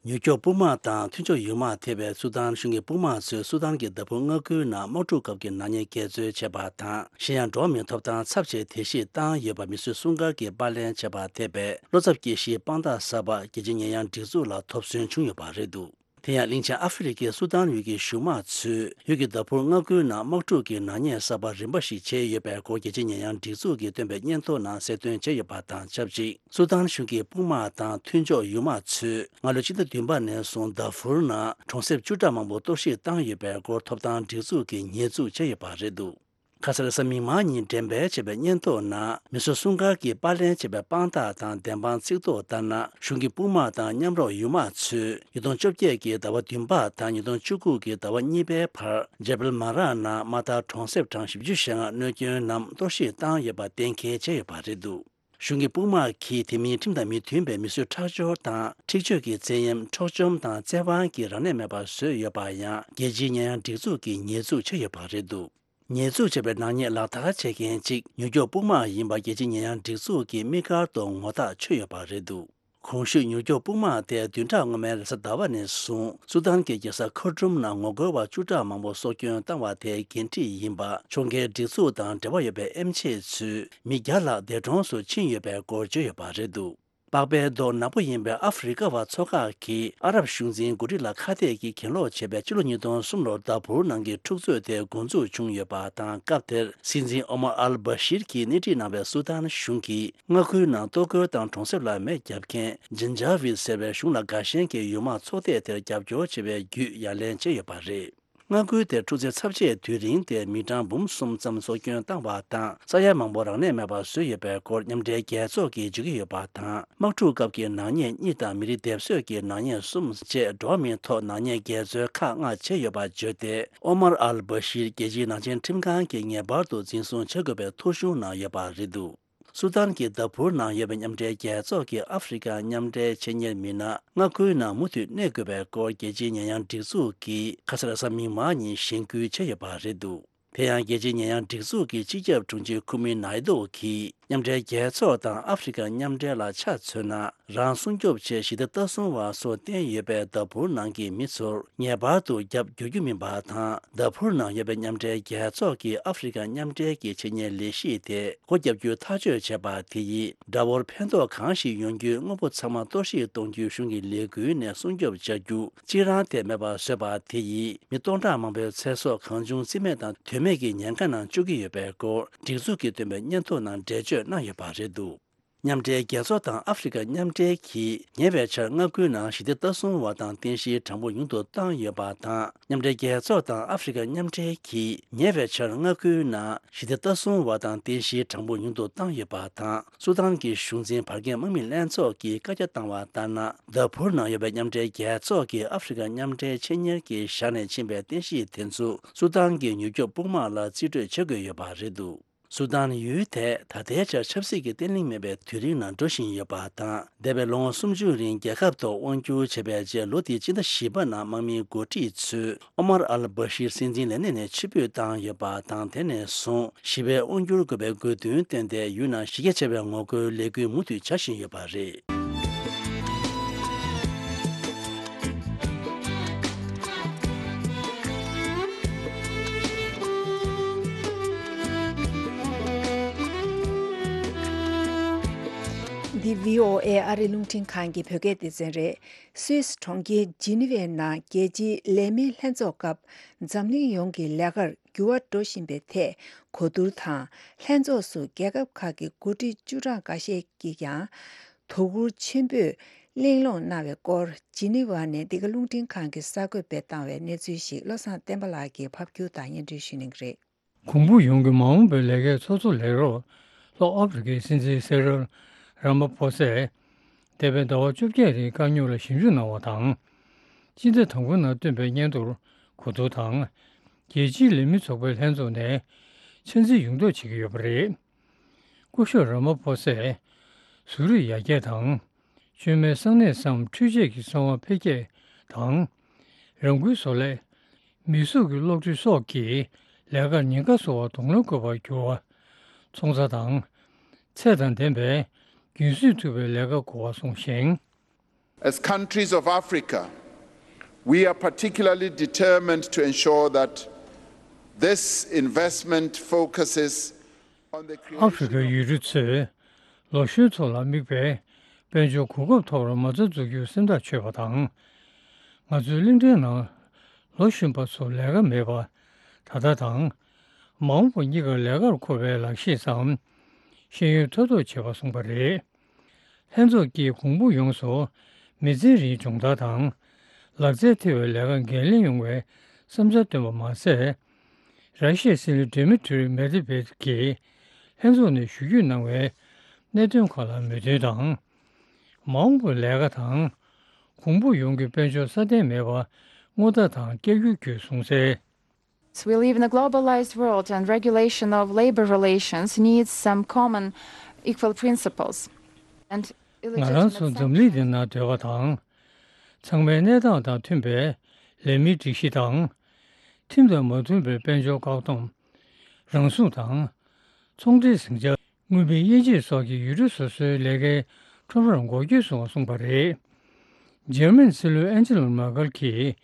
ནུབ་ཕྱོགས་དཔུང་དམག་དང་མཐུན་ཕྱོགས་ཡུལ་དམག་ཐེ་བའི་སུ་དཱན་གཞུང་གི་དཔུང་དམག་ཚོས་སུ་དཱན་གྱི་དཱ་ཕུར་མངའ་ཁུལ་ནང་དམག་འཁྲུག་སྐབས་ཀྱི་ནག་ཉེས་འགལ་འཛོལ་བྱས་པ་དང་། གཞན་ཡང་འགྲོ་བ་མིའི་ཐོབ་ཐང་ཚབས་ཆེའི་དེད་གཞི་བཏང་ཡོད་པ་མི་སེར་སྲུང་སྐར་གྱིས་པར་ལེན་བྱས་པ་ཐེ་བའི་བློ་འཚབ་སྐྱེ་གཞིའི་དཔང་རྟགས་གསར་པ་རྒྱལ་སྤྱིའི་ཉེས་ཡངས་སྒྲིག་འཛུགས་ལ་ཐོབ་སོན་བྱུང་ཡོད་པ་རེད་འདུག་དེ་ཡང་གླིང་ཆེན་ཨ་ཧྥེ་རི་ཁའི་སུ་དཱན་ཡུལ་གྱི་གཞུང་དམག་ཚོས་ཡུལ་གྱི་དཱ་ཕུར་མངའ་ཁུལ་ནང་དམག་འཁྲུག་གི་ནག་ཉེས་གསར་པ་རིམ་པ་ཞིག་བྱས་ཡོད་པའི་སྐོར་རྒྱལ་སྤྱིའི་ཉེས་ཡངས་སྒྲིག་འཛུགས་ཀྱིས་བཏོན་པའི་སྙན་ཐོ་ནང་གསལ་སྟོན་བྱས་ཡོད་པ་དང་ཆབས་ཅིག་སུ་དཱན་གཞུང་གི་དཔུང་དམག་དང་མཐུན་ཕྱོགས་ཡུལ་དམག་ཚོས་སྔ་ལོའི་ཕྱི་ཟླ་བདུན་པ་ནས་བཟུང་དཱ་ཕུར་ནང་གྲོང་གསེབ་བཅུ་ཕྲག་མང་པོ་གཏོར་བཤིག་བཏང་ཡོད་པའི་སྐོར་ཐོབ་ཐང་སྒྲིག་འཛུགས་ཀྱིས་ཉེས་འཛུགས་བྱས་ཡོད་པ་རེད་འདུག་ཁ་སང་རེས་གཟའ་མིག་དམར་ཉིན་འགྲེམས་སྤེལ་བྱས་པའི་སྙན་ཐོ་ནང་། མི་སེར་སྲུང་སྐར་གྱིས་པར་ལེན་བྱས་པའི་དཔང་རྟགས་དང་བདེན་དཔང་ཚིག་ཐོ་ལྟར་ན། གཞུང་གི་དཔུང་དམག་དང་མཉམ་རོགས་ཡུལ་དམག་ཚོས་ཉིས་སྟོང་བཅོ་བརྒྱད་ཀྱི་ཟླ་བ་བདུན་པ་དང་ཉིས་སྟོང་བཅུ་དགུ་གི་ཟླ་བ་གཉིས་པའི་བར་ཇེ་བལ་མ་རག་ནང་མ་མཐའ་གྲོང་གསེབ་གྲངས་བཞི་བཅུ་ཞེ་ལྔ་གནོད་སྐྱོན་ནམ་གཏོར་བཤིག་བཏང་ཡོད་པ་གཏན་འཁེལ་བྱས་ཡོད་པ་རེད་འདུག་གཞུང་གི་དཔུང་དམག་གིས་དེ་མིན་ཁྲིམས་དང་མི་མཐུན་པའི་མི་གསོད་ཁྲག་སྦྱོར་དང་འཁྲིག་སྤྱོད་ཀྱི་བཙན་གཡེམ། འཕྲོག་བཅོམ་དང་བཙན་དབང་གིས་རང་གནས་མེད་པར་བཟོས་ཡོད་པར་ཡང་རྒྱལ་སྤྱིའི་ཉེས་ཡངས་སྒྲིག་འཛུགས་ཀྱིས་ཉེས་འཛུགས་བྱས་ཡོད་པ་རེད་འདུག་ཉེས་འཛུགས་བྱས་པའི་ནག་ཉེས་ལག་བསྟར་བྱེད་མཁན་གཅིག་མྱུར་སྐྱོབ་དཔུང་དམག་ཡིན་པ་རྒྱལ་སྤྱིའི་ཉེས་ཡངས་སྒྲིག་འཛུགས་ཀྱིས་དམིགས་བཀར་དུ་ངོ་ཐག་ཆོད་ཡོད་པ་རེད་འདུག་གོང་ཞུས་མྱུར་སྐྱོབ་དཔུང་དམག་དེ་བདུན་ཕྲག་སྔོན་མའི་རེས་གཟའ་ཟླ་བ་ནས་བཟུང་སུ་དཱན་གྱི་རྒྱལ་ས་ཁར་ཊུམ་ནང་ངོ་རྒོལ་བ་བཅུ་ཕྲག་མང་པོ་སྲོག་སྐྱོན་བཏང་བ་དེའི་འགན་འཁྲི་ཡིན་པ། ཕྱོགས་འགལ་སྒྲིག་འཛུགས་དང་འབྲེལ་བ་ཡོད་པའི་ཨེམ་ཆི་ཚོས་མི་བརྒྱ་ལྷག་འདས་གྲོངས་སུ་ཕྱིན་ཡོད་པའི་སྐོར་བརྗོད་ཡོད་པ་རེད་འདུག་པགས་པའི་མདོག་ནག་པོ་ཡིན་པའི་ཨ་ཧྥེ་རི་ཀ་བ་ཚོ་ཁག་གིས་ཨ་རབ་གཞུང་འཛིན་འགོ་ཁྲིད་ལ་ཁ་གཏད་ཀྱིས་གྱེན་ལོག་བྱས་པའི་ཕྱི་ལོ་ཉིས་སྟོང་གསུམ་ལོར་དཱ་ཕུར་ནང་གི་འཁྲུག་རྩོད་དེ་འགོ་འཛུགས་བྱུང་ཡོད་པ་དང་། སྐབས་དེར་སྲིད་འཛིན་ཨོ་མར་ཨལ་བྷ་ཤིར་གྱིས་སྣེ་ཁྲིད་གནང་བའི་སུ་དཱན་གཞུང་གིས་མངའ་ཁུལ་ནང་གཏོར་རྒོལ་དང་གྲོང་གསེབ་ལ་མེ་བརྒྱབ་མཁན་ཇན་ཇཱ་ཝིད་ཟེར་བའི་གཞུང་ལ་དགའ་ཞེན་གྱི་ཡུལ་དམག་ཚོགས་སྡེ་དེར་རྒྱབ་སྐྱོར་བྱེད་པའི་བརྒྱུད་ཡ་ལན་བྱས་ཡོད་པ་རེད། མངའ་ཁུལ་དེར་འཁྲུག་རྩོད་ཚབས་ཆེའི་དུས་རིང་དེར་མི་གྲངས་འབུམ་གསུམ་ཙམ་སྲོག་སྐྱོན་བཏང་བ་དང་། ས་ཡ་མང་པོ་རང་གནས་མེད་པར་བཟོས་ཡོད་པའི་སྐོར་མཉམ་འབྲེལ་རྒྱལ་ཚོགས་ཀྱིས་བརྗོད་ཀྱི་ཡོད་པ་དང་། དམག་འཁྲུག་སྐབས་ཀྱི་ནག་ཉེས་གཉིས་དང་མི་རིགས་སྡེབ་གསོད་ཀྱི་ནག་ཉེས་གསུམ་བཅས་འགྲོ་བ་མིའི་ཐོག་ནག་ཉེས་འགལ་འཛོལ་ཁག་ལྔ་བྱས་ཡོད་པ་བརྗོད་དེ། ཨོ་མར་ཨལ་བྷ་ཤིར་རྒྱལ་སྤྱིའི་ནག་ཅན་ཁྲིམས་ཁང་གིས་ངེས་པར་དུ་འཛིན་བཟུང་བྱེད་དགོས་པའི་ཐོ་གཞུང་གནང་ཡོད་པ་རེད་འདུག་སུ་དཱན་གྱི་དཱ་ཕུར་ནང་ཡོད་པའི་མཉམ་འབྲེལ་རྒྱལ་ཚོགས་ཀྱི་ཨ་ཧྥེ་རི་ཀ་མཉམ་འབྲེལ་ཆེད་གཉེར་མི་སྣ་མངའ་ཁུལ་ནང་མུ་མཐུད་གནས་དགོས་པའི་སྐོར་རྒྱལ་སྤྱིའི་ཉེས་ཡངས་སྒྲིག་འཛུགས་ཀྱིས་ཁ་སང་རེས་གཟའ་མིག་དམར་ཉིན་གཞེན་སྐུལ་བྱས་ཡོད་པ་རེད་འདུག་དེ་ཡང་རྒྱལ་སྤྱིའི་ཉེས་ཡངས་སྒྲིག་འཛུགས་ཀྱི་སྤྱི་ཁྱབ་དྲུང་ཆེ་ཁུ་མི་ནཱི་ཏོ་གིས་མཉམ་འབྲེལ་རྒྱལ་ཚོགས་དང་ཨ་ཧྥེ་རི་ཀ་མཉམ་འབྲེལ་ལ་ཆ་མཚོན་ན། རང་སྲུང་སྐྱོབ་ཆེད་ཞི་བདེ་ལྟ་སྲུང་བ་སོགས་བསྟེན་ཡོད་པའི་དཱ་ཕུར་ནང་གི་མི་ཚོར་ངེས་པར་དུ་རྒྱབ་སྐྱོར་རྒྱུ་མིན་པ་དང་། དཱ་ཕུར་ནང་ཡོད་པའི་མཉམ་འབྲེལ་རྒྱལ་ཚོགས་ཀྱི་ཨ་ཧྥེ་རི་ཀ་མཉམ་འབྲེལ་གྱི་ཆེད་གཉེར་ལས་གཞི་དེ་སྒོ་བརྒྱབ་རྒྱུའི་ཐག་གཅོད་བྱས་པ་དེ་ཡིས། དགྲ་བོར་ཕན་ཐོགས་གང་ཞིག་ཡོང་རྒྱུའི་དངོས་པོ་ཚང་མ་གཏོར་བཤིག་གཏོང་རྒྱུའི་གཞུང་གི་ལས་འགུལ་ནས་སྲུང་སྐྱོབ་བྱ་རྒྱུ་གཅིག་རང་དེ་མེད་པར་བཟོས་པ་དེ་ཡིས། མི་སྟོང་ཕྲག་མང་པོའི་ཚེ་སྲོག་གང་བྱུང་རྩིས་མེད་དང་དོན་མེད་ཀྱི་ཉེན་ཁ་ནང་བཅུག་གི་ཡོད་པའི་སྐོར་སྒྲིག་འཛུགས་ཀྱིས་བཏོན་པའི་སྙན་ཐོ་ནང་འགྲེལ་བརྗོད་གནང་ཡོད་པ་རེད་འདུག་མཉམ་འབྲེལ་རྒྱལ་ཚོགས་དང་ཨ་ཧྥེ་རི་ཀ་མཉམ་འབྲེལ་གྱིས་ཉེ་བའི་ཆར་མངའ་ཁུལ་ནང་ཞི་བདེ་ལྟ་སྲུང་བ་དང་རྟེན་གཞིའི་གྲངས་འབོར་ཉུང་དུ་བཏང་ཡོད་པ་དང་། མཉམ་འབྲེལ་རྒྱལ་ཚོགས་དང་ཨ་ཧྥེ་རི་ཀ་མཉམ་འབྲེལ་གྱིས་ཉེ་བའི་ཆར་མངའ་ཁུལ་ནང་ཞི་བདེ་ལྟ་སྲུང་བ་དང་རྟེན་གཞིའི་གྲངས་འབོར་ཉུང་དུ་བཏང་ཡོད་པ་དང་། སུ་དཱན་གྱི་གཞུང་འཛིན་བར་བརྒལ་དམག་མི་ལྷན་ཚོགས་ཀྱིས་བཀའ་རྒྱ་བཏང་བ་ལྟར་ན། དཱ་ཕུར་ནང་ཡོད་པའི་མཉམ་འབྲེལ་རྒྱལ་ཚོགས་ཀྱི་ཨ་ཧྥེ་རི་ཀ་མཉམ་འབྲེལ་ཆེད་གཉེར་གྱིས་བཞག་ནས་ཕྱིན་པའི་རྟེན་གཞི་དེ་ཚོ་སུ་དཱན་གྱི་མྱུར་སྐྱོབ་དཔུང་དམག་ལ་རྩིས་སྤྲོད་བྱེད་དགོས་ཡོད་པ་རེད་འདུག་སུ་དཱན་ཡུལ་དེ་ད་ལྟའི་ཆར་ཆབ་སྲིད་ཀྱི་བརྟན་ལྷིང་མེད་པའི་དུས་རིང་ནང་འགྲོ་བཞིན་ཡོད་པ་དང་། འདས་པའི་ལོ་ངོ་སུམ་ཅུ་རིང་རྒྱལ་ཁབ་ཐོག་དབང་བསྒྱུར་བྱས་པའི་རྗེས། ལོ་འདིའི་སྤྱི་ཟླ་བཞི་པ་ནང་དམག་མིའི་འགོ་ཁྲིད་ཚོས་ཨོ་མར་ཨལ་བྷ་ཤིར་སྲིད་འཛིན་ལས་གནས་ནས་ཕྱིར་འབུད་བཏང་ཡོད་པ་དང་། དེ་ནས་བཟུང་ཞི་བའི་དབང་བསྒྱུར་དགོས་པའི་དགོས་འདུན་བཏོན་ཏེ། ཡུལ་ནང་གཞི་རྒྱ་ཆེ་བའི་ངོ་རྒོལ་ལས་འགུལ་མུ་མཐུད་བྱ་བཞིན་ཡོད་པ་རེད། འདི་བྷི་ཨོ་ཨེ་ཨ་རིའི་རླུང་འཕྲིན་ཁང་གི་བོད་སྐད་སྡེ་ཚན་རེད། སུད་སི་གྲོང་ཁྱེར་ཇི་ནི་ཝའི་ནང་རྒྱལ་སྤྱིའི་ལས་མིའི་ལྷན་ཚོགས་སྐབས་འཛམ་གླིང་ཡོངས་ཀྱི་ལས་ཀར་འགྱུར་བ་འགྲོ་བཞིན་པའི་ཐད་གོ་བསྡུར་དང་། ལྷན་ཚོགས་སུ་རྒྱལ་ཁབ་ཁག་གི་འགོ་ཁྲིད་བཅུ་གྲངས་འགའ་ཤས་ཀྱིས་ཀྱང་དོ་ཁུར་ཆེན་པོས་གླེང་སློང་གནང་བའི་སྐོར། ཇི་ནི་ཝ་ནས་འདི་ག་རླུང་འཕྲིན་ཁང་གིས་གསར་འགོད་སྤེལ་བཏང་བའི་གནས་ཚུལ་ཞིག་བློ་བཟང་བསྟན་པ་ལགས་ཀྱིས་ཕབ་སྒྱུར་དང་སྙན་སྒྲོན་ཞུ་གནང་གི་རེད། གོང་བུ་ཡོངས་ཀྱི་མ་འོངས་པའི་ལས་ཀའི་ཚོགས་གཙོ་ལས་རོགས་ལྷོ་ཨ་ཧྥེ་རི་ཁའི་སྲིད་འཛིན་སེ་རིལ་ར་མ་ཕོ་སས། འདས་པའི་ཟླ་བ་བཅོ་བརྒྱད་རིང་དཀའ་རྙོག་ལ་ཞིབ་འཇུག་གནང་བ་དང་། སྤྱི་ཟླ་དང་པོའི་ནང་བཏོན་པའི་སྙན་ཐོར་གོ་བསྡུར་དང་། རྒྱལ་སྤྱིའི་ལས་མི་ཚོགས་པའི་ལྷན་ཚོགས་ནས་ཆ་འཛིན་ཡོང་ཐབས་བྱེད་ཀྱི་ཡོད་པ་རེད། སྐུ་ཞབས་ར་མ་ཕོ་སས་བཟོ་རིག་ཡར་རྒྱས་དང་། བཅོས་མའི་གསང་གནས་སམ་འཕྲུལ་ཆས་ཀྱི་གསང་བ་འཕེལ་རྒྱས་དང་། རང་འགུལ་བཟོ་ལས། མིག་གཟུགས་ཀྱི་གློག་འཕྲུལ་སོགས་ཀྱིས་ལས་ཀར་ཉེན་ཁ་བཟོ་བར་གདོང་ལེན་དགོས་པར་གྱུར་བ། ཚོང་རྩ་དང་། ཚད་དང་ལྡན་པའི་རྒྱུན་སྲིང་ཐུབ་པའི་ལས་ཀ་དགོས་པ་གསུངས་ཤིང་། As countries of Africa, we are particularly determined to ensure that this investment focuses on the ཨ་ཧྥེ་རི་ཁའི་ཡུལ་གྲུ་ཚོས་ལོ་གཞོན་ཚོ་ལ་དམིགས་པའི་དཔལ་འབྱོར་གོ་སྐབས་ཐོག་ལ་མ་རྩ་འཛུགས་རྒྱུར་སེམས་ཐག་ཆོད་པ་དང་། ང་ཚོའི་གླིང་ཕྲན་ནང་ལོ་གཞོན་པ་ཚོར་ལས་ཀ་མེད་པ་ད་ལྟ་དང་། མ་འོངས་པ་གཉིས་ཀར་ལས་ཀར་མཁོ་བའི་ལག་ཤེས་སམ་ཤེས་ཡོན་མཐོར་གཏོང་བྱེད་པ་གསུངས་པ་རེད། ལྷན་ཚོགས་ཀྱིས་གོང་བུ་ཡོངས་སུ་མི་ཚེ་རིང་སྦྱོང་བརྡར་དང་། ལག་རྩལ་ཐེ་བའི་ལས་ཀ་འགན་ལེན་ཡོང་བའི་བསམ་འཆར་བཏོན་པ་མ་ཟད། ར་ཤི་ཡའི་སྲིད་བློན་སྡེ་མི་ཏྲི་མེད་ཝེ་ཌེབ་ཀྱིས་ལྷན་ཚོགས་ནས་ཞུ་སྐུལ་གནང་བའི་གནད་དོན་ཁག་ལ་མོས་མཐུན་དང་། མ་འོངས་པའི་ལས་ཀ་དང་། གོང་བུ་ཡོང་རྒྱུའི་དཔལ་འབྱོར་སྲ་བརྟན་མེད་པར་སྔོན་བརྡ་དང་བསྐྱར་སྐྱོང་བརྒྱུད་གསུངས་གསལ། We live in a globalized world and regulation of labor relations needs some common equal principles. And ང་རང་ཚོ་འཛམ་གླིང་འདི་ན་སྡོད་པ་དང་། ཚང་མའི་གནས་སྟངས་དང་མཐུན་པའི་ལས་མིའི་སྒྲིག་གཞི་དང་། ཁྲིམས་དང་མ་མཐུན་པའི་དཔལ་འབྱོར་བཀག་སྡོམ། རང་སྲུང་དང་། ཚོང་འབྲེལ་ཟིང་ཆ། དངུལ་མིའི་དབྱེ་འབྱེད་སོགས་ཀྱི་ཡུལ་གྲུ་སོ་སོའི་ལས་ཀའི་ཁྲོམ་རར་འགོག་རྒྱུ་སོགས་གསུངས་པ་རེད། འཇར་མན་སྲིད་བློན་ཨན་ཇེ་ལ་མར་ཀལ་གྱིས།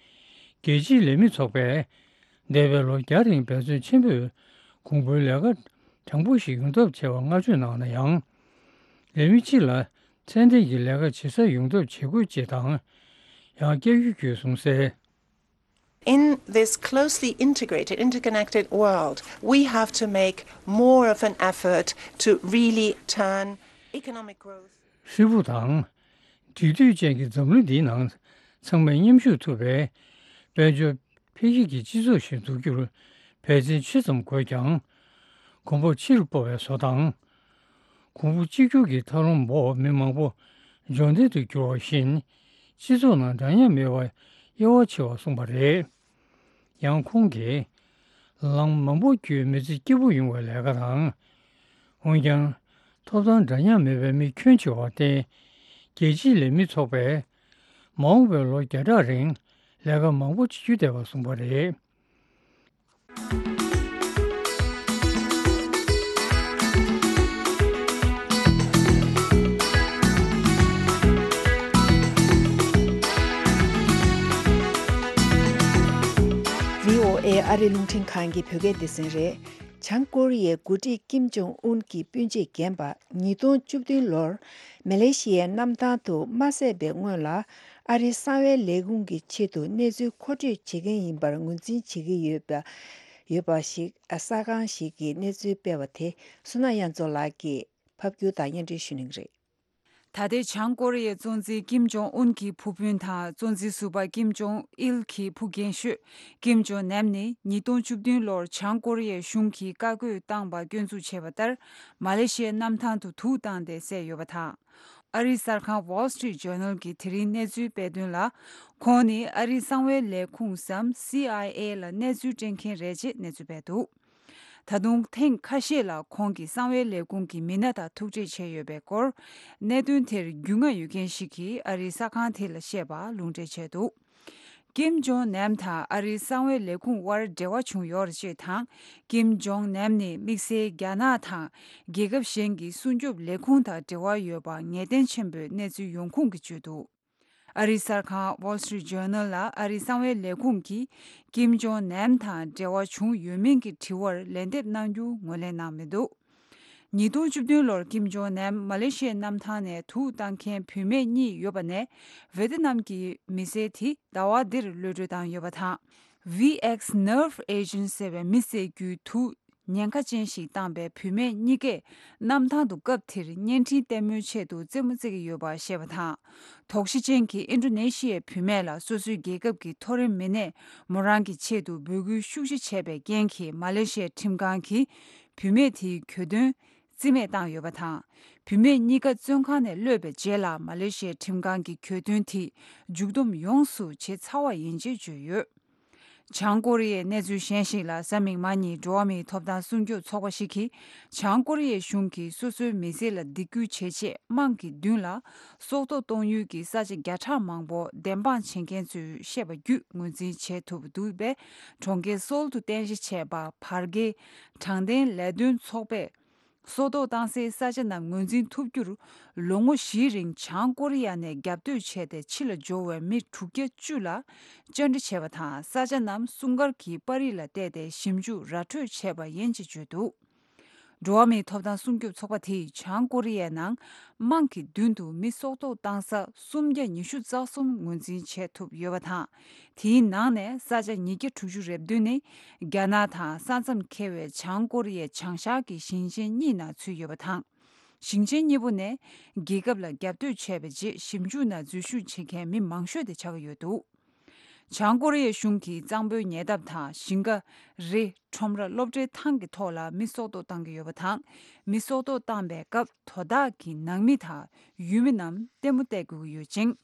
རྒྱལ་སྤྱིའི་ལས་མི་ཚོགས་པས་འདས་པའི་ལོ་བརྒྱ་རིང་འབད་བརྩོན་ཆེན་པོས་གོང་བུའི་ལས་ཀ་དྲང་པོ་ཞིག་ཡོང་ཐབས་བྱས་པར་བསྔགས་བརྗོད་གནང་ན་ཡང་། ལས་མི་སྤྱི་ལ་ཚད་ལྡན་གྱི་ལས་ཀ་བྱེད་ས་ཡོང་ཐབས་བྱེད་དགོས་ཅེས་དང་། ཡང་བསྐྱར་ཡོད་སྐྱོད་གསུངས་གསལ། In this closely integrated, interconnected world, we have to make more of an effort to really turn economic growth. ཧྲིལ་པོ་དང་། འབྲེལ་མཐུད་ཅན་གྱི་འཛམ་གླིང་འདིའི་ནང་ཚང་མས་མཉམ་ཞུགས་ཐུབ་པའི་དཔལ་འབྱོར་འཕེལ་རྒྱས་ཀྱི་སྤྱི་ཚོགས་ཤིག་འཛུགས་རྒྱུར་འབད་བརྩོན་ཆེ་ཙམ་དགོས་ཀྱང་། གོང་འཕེལ་ཕྱིར་སྤོ་བའི་བཟོ་དང་། གོང་བུ་གཅིག་གྱུར་གྱི་ཐབས་ལམ་འོག་མི་མང་པོ་འབྱོར་ལྡན་དུ་གྱུར་བ་བཞིན། སྤྱི་ཚོགས་ནང་འདྲ་མཉམ་མེད་པར་དབྱེ་བ་ཕྱེ་བ་གསུངས་པ་རེད། ཡང་ཁོང་གིས། ལམ་མང་པོ་བརྒྱུད་མི་ཚེ་སྐྱིད་པོ་ཡོང་བའི་ལས་ཀ་དང་། འོན་ཀྱང་། ཐོབ་ཐང་འདྲ་མཉམ་མེད་པའི་མི་ཁྱོན་ཆེ་བར་བརྟེན། རྒྱལ་སྤྱིའི་ལས་མི་ཚོགས་པས། མ་འོངས་པའི་ལོ་བརྒྱ་ཕྲག་རིང་ལས་ཀ་མང་པོ་བྱེད་རྒྱུ་བསྡད་པ་གསུངས་པ་རེད། བྷི་ཨོ་ཨེ་ཨ་རི་རླུང་འཕྲིན་ཁང་གི་བོད་སྐད་སྡེ་ཚན་རེད། བྱང་ཀོ་རི་ཡའི་འགོ་ཁྲིད་ཀིམ་ཇོང་ཨུན་གྱི་སྤུན་མཆེད་རྒན་པ་ཉིས་སྟོང་བཅུ་བདུན་ལོར་མ་ལེ་ཤི་ཡའི་གནམ་ཐང་དུ་མ་བསད་པའི་སྔོན་ལ། ཨ་རིའི་གསང་བའི་ལས་ཁུངས་ཀྱི་ཆེད་དུ་གནས་ཚུལ་མཁོ་སྤྲོད་བྱེད་མཁན་ཡིན་པར་ངོས་འཛིན་བྱེད་ཀྱི་ཡོད་པ། ཡོད་པ་ཞིག་གསར་ཁང་ཞིག་གིས་གནས་ཚུལ་སྤེལ་བ་དེ་བསོད་ནམས་དབྱངས་མཚོ་ལགས་ཀྱིས་ཕབ་སྒྱུར་དང་སྙན་སྒྲོན་ཞུ་གནང་གི་རེད། ད་ལྟའི་བྱང་ཀོ་རི་ཡའི་གཙོ་འཛིན་ཀིམ་ཇོང་ཨུན་གྱི་བུ་སྤུན་དང་། གཙོ་འཛིན་ཟུར་པ་ཀིམ་ཇོང་ཨིལ་གྱི་བུ་རྒན་ཤོས་ཀིམ་ཇོང་ནམ་ནི་ཉིས་སྟོང་བཅུ་བདུན་ལོར་བྱང་ཀོ་རི་ཡའི་གཞུང་གིས་བཀའ་བཀོད་བཏང་བ་སྐྱོན་འཛུགས་བྱས་པ་ལྟར། མ་ལེ་ཤི་ཡའི་གནམ་ཐང་དུ་དུག་བཏང་སྟེ་བསད་ཡོད་པ་དང་། ཨ་རིའི་གསར་ཁང་Wall Street Journal གྱིས་དེ་རིང་གནས་ཚུལ་སྤེལ་དོན་ལ། ཁོང་ནི་ཨ་རིའི་གསང་བའི་ལས་ཁུངས་སམ། སི་ཨའི་ཨེ་ལ་གནས་ཚུལ་སྤྲད་མཁན་རེད་ཅེས་གནས་ཚུལ་སྤེལ་འདུག་ད་དུང་ཐེངས་ཁ་ཤས་ལ་ཁོང་གིས་གསང་བའི་ལས་ཁུངས་ཀྱི་མི་སྣ་དང་ཐུག་འཕྲད་བྱས་ཡོད་པའི་སྐོར། གནད་དོན་དེར་རྒྱུས་མངའ་ཡོད་མཁན་ཞིག་གིས་ཨ་རིའི་གསར་ཁང་དེ་ལ་བཤད་པ་ལུང་འདྲེན་བྱས་འདུག་ཀིམ་ཇོང་ནམ་དང་ཨ་རིའི་གསང་བའི་ལས་ཁུངས་དབར་འབྲེལ་བ་བྱུང་ཡོད་རེད་ཅེས་དང་། ཀིམ་ཇོང་ནམ་ནི་དམིགས་བསལ་རྒྱ་ནག་དང་རྒྱལ་ཁབ་གཞན་གྱི་སྲུང་སྐྱོབ་ལས་ཁུངས་དང་འབྲེལ་བ་ཡོད་པ་ངེས་གཏན་ཆེན་པོའི་གནས་ཚུལ་ཡོང་ཁུངས་ཀྱིས་བརྗོད་འདུག་ཨ་རིའི་གསར་ཁང་Wall Street Journal ལ་ཨ་རིའི་གསང་བའི་ལས་ཁུངས་ཀྱིས་ཀིམ་ཇོང་ནམ་དང་འབྲེལ་བ་བྱུང་ཡོད་མིན་གྱི་དྲི་བར་ལན་འདེབས་གནང་རྒྱུ་ངོས་ལེན་གནང་མི་འདུག་ཉིས་སྟོང་བཅུ་བདུན་ལོར་ཀིམ་ཇོང་ནམ་མ་ལེ་ཤི་ཡའི་གནམ་ཐང་ནས་དུག་བཏང་མཁན་བུད་མེད་གཉིས་ཡོད་པ་ནས། ཝེ་ཏི་ནམ་གྱི་མི་སེར་དེ་ཟླ་བ་འདིར་གློད་གྲོལ་བཏང་ཡོད་པ་དང་། ཝི་ཨེགས་Nerve Agent ཟེར་བའི་མི་བསད་རྒྱུའི་དུག་ཉེན་ཁ་ཅན་ཞིག་བཏང་པའི་བུད་མེད་གཉིས་ཀས་གནམ་ཐང་དུ་སྐབས་དེར་བརྙན་འཕྲིན་ལྟད་མོའི་ཆེད་དུ་རྩེད་མོ་རྩེ་གི་ཡོད་པ་བཤད་པ་དང་། དོགས་གཞི་ཅན་གྱི་ཨིན་ཌོ་ནེ་ཤི་ཡའི་བུད་མེད་ལ་སོ་སོའི་རྒྱལ་ཁབ་ཀྱི་མཐོ་རིམ་མི་སྣས་མོ་རང་གི་ཆེད་དུ་འབོད་སྐུལ་ཤུགས་ཆེ་བྱས་པའི་རྐྱེན་གྱིས། མ་ལེ་ཤི་ཡའི་ཁྲིམས་ཁང་གིས་བུད་མེད་དེའི་གྱོད་དོན་རྩིས་མེད་བཏང་ཡོད་པ་དང་། བུད་མེད་གཉིས་ཀ་བཙོན་ཁང་ནས་གློད་པའི་རྗེས་ལ། མ་ལེ་ཤི་ཡའི་ཁྲིམས་ཁང་གིས་གྱོད་དོན་དེ་མཇུག་བསྡོམས་ཡོངས་སུ་བྱེད་ཚར་བ་ཡིན་ཅེས་བརྗོད་ཡོད། བྱང་ཀོ་རི་ཡའི་གནས་ཚུལ་གཞན་ཞིག་ལ། གཟའ་མིག་དམར་ཉིན་འགྲོ་བ་མིའི་ཐོབ་ཐང་སྲུང་སྐྱོབ་ཚོགས་པ་ཞིག་གིས། བྱང་ཀོ་རི་ཡའི་གཞུང་གིས་སོ་སོའི་མི་སེར་ལ་སྡིགས་སྐུལ་བྱེད་ཆེད། དམག་གི་མདུན་ལ་སྲོག་ཐོག་གཏོང་ཡུལ་གྱི་ས་ཆ་བརྒྱ་ཕྲག་མང་པོ་བདེན་དཔང་བྱེད་མཁན་ཚོས་བཤད་པ་བརྒྱུད་ངོས་འཛིན་བྱེད་ཐུབ་འདུག་པས། གྲོང་ཁྱེར་སོལ་དུ་རྟེན་གཞི་བྱས་པ་བར་བརྒལ་དྲང་བདེན་ལས་དོན་ཚོགས་པས། སྲོག་ཐོག་བཏང་སའི་ས་ཆ་རྣམས་ངོས་འཛིན་ཐུབ་རྒྱུར། ལོ་ངོ་བཞིའི་རིང་བྱང་ཀོ་རི་ཡ་ནས་རྒྱབ་གཏོད་བྱས་ཏེ་ཕྱི་ལ་འབྱོར་བའི་མི་དྲུག་བརྒྱ་བཅུ་ལ་བཅར་འདྲི་བྱས་པ་དང་། ས་ཆ་རྣམས་སྲུང་སྐར་གྱི་པར་རིས་ལ་བལྟས་ཏེ་ཞིབ་འཇུག་ར་འཕྲོད་བྱས་པ་ཡིན་ཅེས་བརྗོད་འདུག་འགྲོ་བ་མིའི་ཐོབ་ཐང་སྲུང་སྐྱོབ་ཚོགས་པ་དེས་བྱང་ཀོ་རི་ཡའི་ནང་དམག་གི་མདུན་དུ་མི་སྲོག་ཐོག་བཏང་ས་སུམ་བརྒྱ་ཉི་ཤུ་རྩ་གསུམ་ངོས་འཛིན་བྱེད་ཐུབ་ཡོད་པ་དང་། དེའི་ནང་ནས་ས་ཆ་ཉིས་བརྒྱ་དྲུག་ཅུ་རེ་བདུན་ནི་རྒྱ་ནག་དང་ས་མཚམས་ཁེལ་བའི་བྱང་ཀོ་རི་ཡའི་བྱང་ཤར་གྱི་ཞིང་ཆེན་གཉིས་ནང་ཚུད་ཡོད་པ་དང་། ཞིང་ཆེན་གཉིས་པོ་ནས་རྒྱལ་ཁབ་ལ་རྒྱབ་གཏོད་བྱས་པའི་རྗེས། ཞིབ་འཇུག་ནང་འཛུལ་ཞུགས་བྱེད་མཁན་མི་མང་ཤོས་དེ་ཆགས་ཀྱི་ཡོད་འདུག་བྱང་ཀོ་རི་ཡའི་གཞུང་གིས་གཙང་པོའི་ཉེ་འདབས་དང་ཞིང་ཁ། རི། ཁྲོམ་ར། སློབ་གྲྭའི་ཐང་གི་ཐོག་ལ་མི་སྲོག་ཐོག་བཏང་གི་ཡོད་པ་དང་། མི་སྲོག་ཐོག་བཏང་པའི་སྐབས་དོ་བདག་གི་ནང་མི་དང་ཡུལ་མི་རྣམས་ལྟད་མོ་བལྟ་དགོས་ཀྱི་ཡོད་ཅིང་།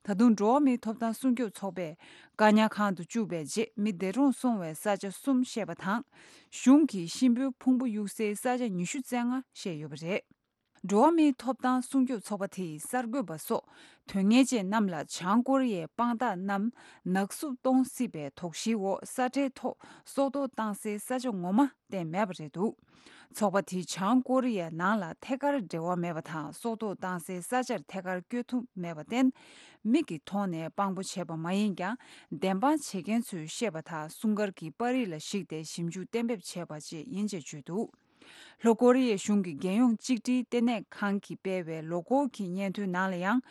ད་དུང་འགྲོ་བ་མིའི་ཐོབ་ཐང་སྲུང་སྐྱོབ་ཚོགས་པས་བཀག་ཉར་ཁང་དུ་བཅུག་པའི་རྗེས་མི་འདས་གྲོངས་སོང་བའི་ས་ཆ་གསུམ་བཤད་པ་དང་། གཞུང་གིས་གཤིན་པོའི་ཕུང་པོ་གཡུག་སའི་ས་ཆ་ཉི་ཤུ་རྩ་ལྔ་བཤད་ཡོད་པ་རེད། འགྲོ་བ་མིའི་ཐོབ་ཐང་སྲུང་སྐྱོབ་ཚོགས་པ་དེས་གསར་འགོད་པ་སོགས་དོན་གཉེར་ཅན་རྣམས་ལ་བྱང་ཀོ་རི་ཡའི་དཔང་རྟགས་རྣམས་ནག་བསུབ་གཏོང་སྲིད་པའི་དོགས་གཞིའི་འོག་ས་ཁྲའི་ཐོག་སྲོག་ཐོག་བཏང་སའི་ས་ཆ་ངོ་མ་བསྟན་མེད་པ་རེད་འདུག་ཚོགས་པ་དེས་བྱང་ཀོ་རི་ཡའི་ནང་ལ་ཐད་ཀར་འབྲེལ་བ་མེད་པ་དང་སྲོག་ཐོག་བཏང་སའི་ས་ཆར་ཐད་ཀར་བསྐྱོད་ཐུབ་མེད་པར་བརྟེན། མིག་གི་ཐོག་ནས་དཔང་པོ་བྱས་པ་མ་ཡིན་ཀྱང་བདེན་དཔང་བྱེད་མཁན་ཚོས་བཤད་པ་དག་སྲུང་སྐར་གྱི་པར་རིས་ལ་གཞིགས་ཏེ་ཞིབ་འཇུག་གཏན་འབེབས་བྱས་པ་བཅས་ཡིན་ཅེས་བརྗོད་འདུག་ལྷོ་ཀོ་རི་ཡའི་གཞུང་གི་རྒྱལ་ཡོངས་གཅིག་སྒྲིལ་ལྟེ་གནས་ཁང་གིས་སྤེལ་བའི་ལོ་འཁོར་གྱི་སྙན་ཐོའི་ནང་ལ་ཡང་།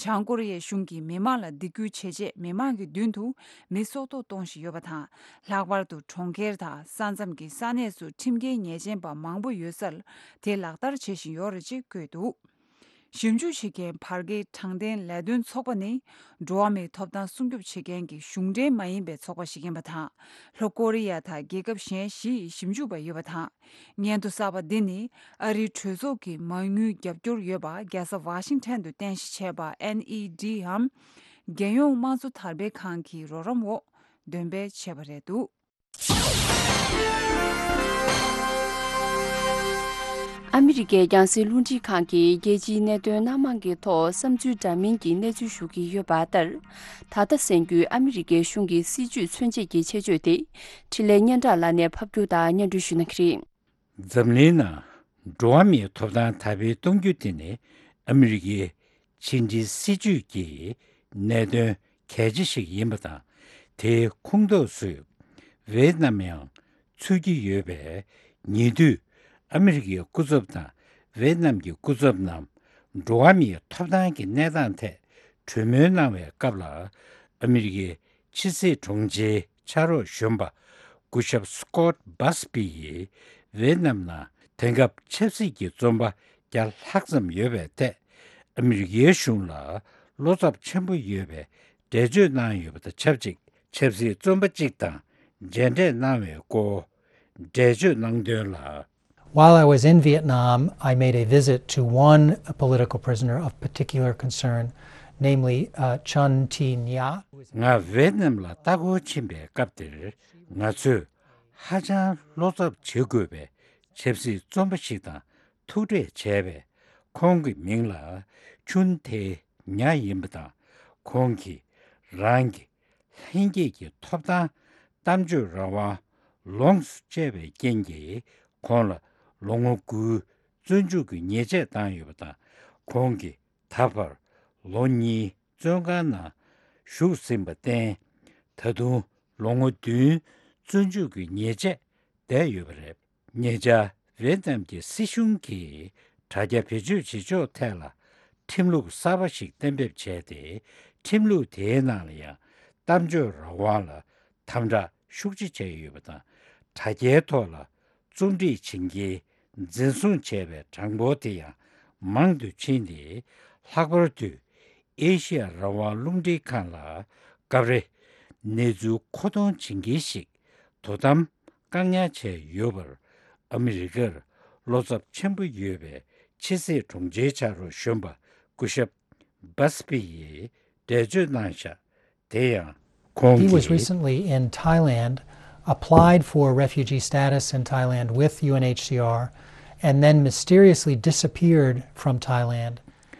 བྱང་ཀོ་རི་ཡའི་གཞུང་གིས་མི་མང་ལ་སྡིགས་སྐུལ་བྱེད་ཆེད་མི་མང་གི་མདུན་དུ་མི་སྲོག་ཐོག་གཏོང་བཞིན་ཡོད་པ་དང་། ལྷག་པར་དུ་གྲོང་ཁྱེར་དང་ས་མཚམས་ཀྱི་ས་གནས་སུ་ཁྲིམས་འགལ་ཉེས་ཅན་པ་མང་པོ་ཡོད་སར་དེ་ལག་བསྟར་བྱེད་བཞིན་ཡོད་རེད་ཅེས་བཀོད་འདུག་ཞིབ་འཇུག་བྱེད་མཁན་བར་བརྒལ་དྲང་བདེན་ལས་དོན་ཚོགས་པ་ནི། འགྲོ་བ་མིའི་ཐོབ་ཐང་སྲུང་སྐྱོབ་བྱེད་མཁན་གྱི་གཞུང་འབྲེལ་མ་ཡིན་པའི་ཚོགས་པ་ཞིག་ཡིན་པ་དང་། ལྷོ་ཀོ་རི་ཡ་དང་རྒྱལ་ཁབ་གཞན་བཞི་ཡི་ཞིབ་འཇུག་པ་ཡོད་པ་དང་། སྙན་ཐོ་གསར་པ་འདི་ནི་ཨ་རིའི་གྲོས་ཚོགས་ཀྱི་མ་དངུལ་རྒྱབ་སྐྱོར་ཡོད་པ་རྒྱལ་ས་ཝ་ཤིང་ཊོན་དུ་རྟེན་གཞི་བྱས་པ་ཨེན་ཨི་ཌི་འམ། རྒྱལ་ཡོངས་དམངས་གཙོ་དར་སྤེལ་ཁང་གི་རོགས་རམ་འོག་འདོན་སྤེལ་བྱས་པ་རེད་འདུག་ཨ་མི་རི་ཀའི་རྒྱང་སྲིང་རླུང་འཕྲིན་ཁང་གིས་རྒྱལ་སྤྱིའི་གནད་དོན་སྣ་མང་གི་ཐོག་བསམ་ཚུལ་འདྲ་མིན་གྱི་གནས་ཚུལ་ཞུ་གི་ཡོད་པ་ལྟར། ད་ལྟ་གསན་རྒྱུའི་ཨ་མི་རི་ཀའི་གཞུང་གི་སྲིད་བྱུས་མཚོན་བྱེད་ཀྱི་ཆེད་བརྗོད་དེ། འཕྲིན་ལས་སྙན་གྲགས་ལགས་ནས་ཕབ་སྒྱུར་དང་སྙན་སྒྲོན་ཞུ་གནང་གི་རེད། འཛམ་གླིང་ནང་འགྲོ་བ་མིའི་ཐོབ་ཐང་དར་སྤེལ་གཏོང་རྒྱུ་དེ་ནི་ཨ་མི་རི་ཀའི་ཕྱི་འབྲེལ་སྲིད་ཇུས་ཀྱི་གནད་དོན་གལ་ཆེ་ཞིག་ཡིན་པ་དང་། དེའི་ཁོངས་གཏོགས་སུ་ཝེ་ཏི་ནམ་ཡང་ཚུད་ཀྱི་ཡོད་པས། ཉེ་དུས་ཨ་མི་རི་ཀའི་སྐུ་ཚབ་དང་ཝེ་ཏི་ནམ་གྱི་སྐུ་ཚབ་རྣམས་འགྲོ་བ་མིའི་ཐོབ་ཐང་གི་གནས་སྟངས་ཐད་གྲོས་མོལ་གནང་བའི་སྐབས་ལ། ཨ་མི་རི་ཀའི་ཕྱི་སྲིད་དྲུང་ཆེའི་ཕྱག་རོགས་གཞོན་པ་སྐུ་ཞབས་སི་ཀོད་སྦ་སི་པི་ཡིས་ཝེ་ཏི་ནམ་ནང་དེང་སྐབས་ཆབ་སྲིད་ཀྱི་བཙོན་པ་བརྒྱ་ལྷག་ཙམ་ཡོད་པའི་ཐད། ཨ་མི་རི་ཀའི་གཞུང་ལ་བློ་འཚབ་ཆེན་པོ་ཡོད་པའི་འགྲེལ་བརྗོད་གནང་ཡོད་པ་དང་ཆབས་ཅིག་ཆབ་སྲིད་བཙོན་པ་གཅིག་དང་མཇལ་འཕྲད་གནང་བའི་སྐོར་འགྲེལ་བརྗོད་གནང་དོན་ལ། While I was in Vietnam, I made a visit to one political prisoner of particular concern, namely, uh, Chun Thi Nha. ང་ཝེ་ཏི་ནམ་ལ་ལྟ་སྐོར་ཕྱིན་པའི་སྐབས་དེར། ང་ཚོས་ཧ་ཅང་བློ་འཚབ་བྱེད་དགོས་པའི་ཆབ་སྲིད་བཙོན་པ་ཞིག་དང་ཐུག་འཕྲད་བྱས་པས། ཁོང་གི་མིང་ལ་ཆུན་ཐེ་ཉ་ཡིན་པ་དང་། ཁོང་གིས་རང་གི་ལྷན་སྐྱེས་ཀྱི་ཐོབ་ཐང་གཏམ་བརྗོད་རང་དབང་ལོངས་སུ་སྤྱད་པའི་རྐྱེན་གྱིས། ཁོང་ལ་ལོ་ངོ་དགུའི་བཙོན་འཇུག་གི་ཉེས་ཆད་བཏང་ཡོད་པ་དང་། ཁོང་གིས་ད་བར་ལོ་གཉིས་བཙོན་ཁང་ནང་བཞུགས་ཟིན་པར་བརྟེན། ད་དུང་ལོ་ངོ་བདུན་བཙོན་འཇུག་གི་ཉེས་ཆད་བསྡད་ཡོད་པ་རེད། ཉེ་ཆར་ཝེ་ཏི་ནམ་གྱི་སྲིད་གཞུང་གིས་དྲ་རྒྱ་བེད་སྤྱོད་བྱེད་ཕྱོགས་ཐད་ལ་ཁྲིམས་ལུགས་གསར་པ་ཞིག་གཏན་འབེབས་བྱས་ཏེ། ཁྲིམས་ལུགས་དེའི་ནང་ལ་ཡང་གཏམ་བརྗོད་རང་དབང་ལ་དམ་དྲག་ཤུགས་ཆེ་བྱས་ཡོད་པ་དང་། དྲ་རྒྱའི་ཐོག་ལ་རྩོམ་སྒྲིག་བྱེད་མཁན་འཛིན་བཟུང་བྱས་པའི་གྲངས་འབོར་དེ་ཡང་མང་དུ་ཕྱིན་ཏེ། ལྷག་པར་དུ་ཨེ་ཤི་ཡ་རང་དབང་རླུང་འཕྲིན་ཁང་ལ་སྐབས་རེ་གནས་ཚུལ་མཁོ་གཏོང་བྱེད་མཁན་ཞིག་དོ་དམ་བཀག་ཉར་བྱས་ཡོད་པར། ཨ་མི་རི་ཀར་བློ་འཚབ་ཆེན་པོ་ཡོད་པའི་ཕྱི་སྲིད་དྲུང་ཆེའི་ཕྱག་རོགས་གཞོན་པ་སྐུ་ཞབས་སྦ་སི་པི་ཡིས་འགྲེལ་བརྗོད་གནང་བཞག་དེ་ཡང་ཁོང་He was གིས། Recently in Thailand, applied for refugee status in Thailand with U N H C R, and then mysteriously disappeared from Thailand,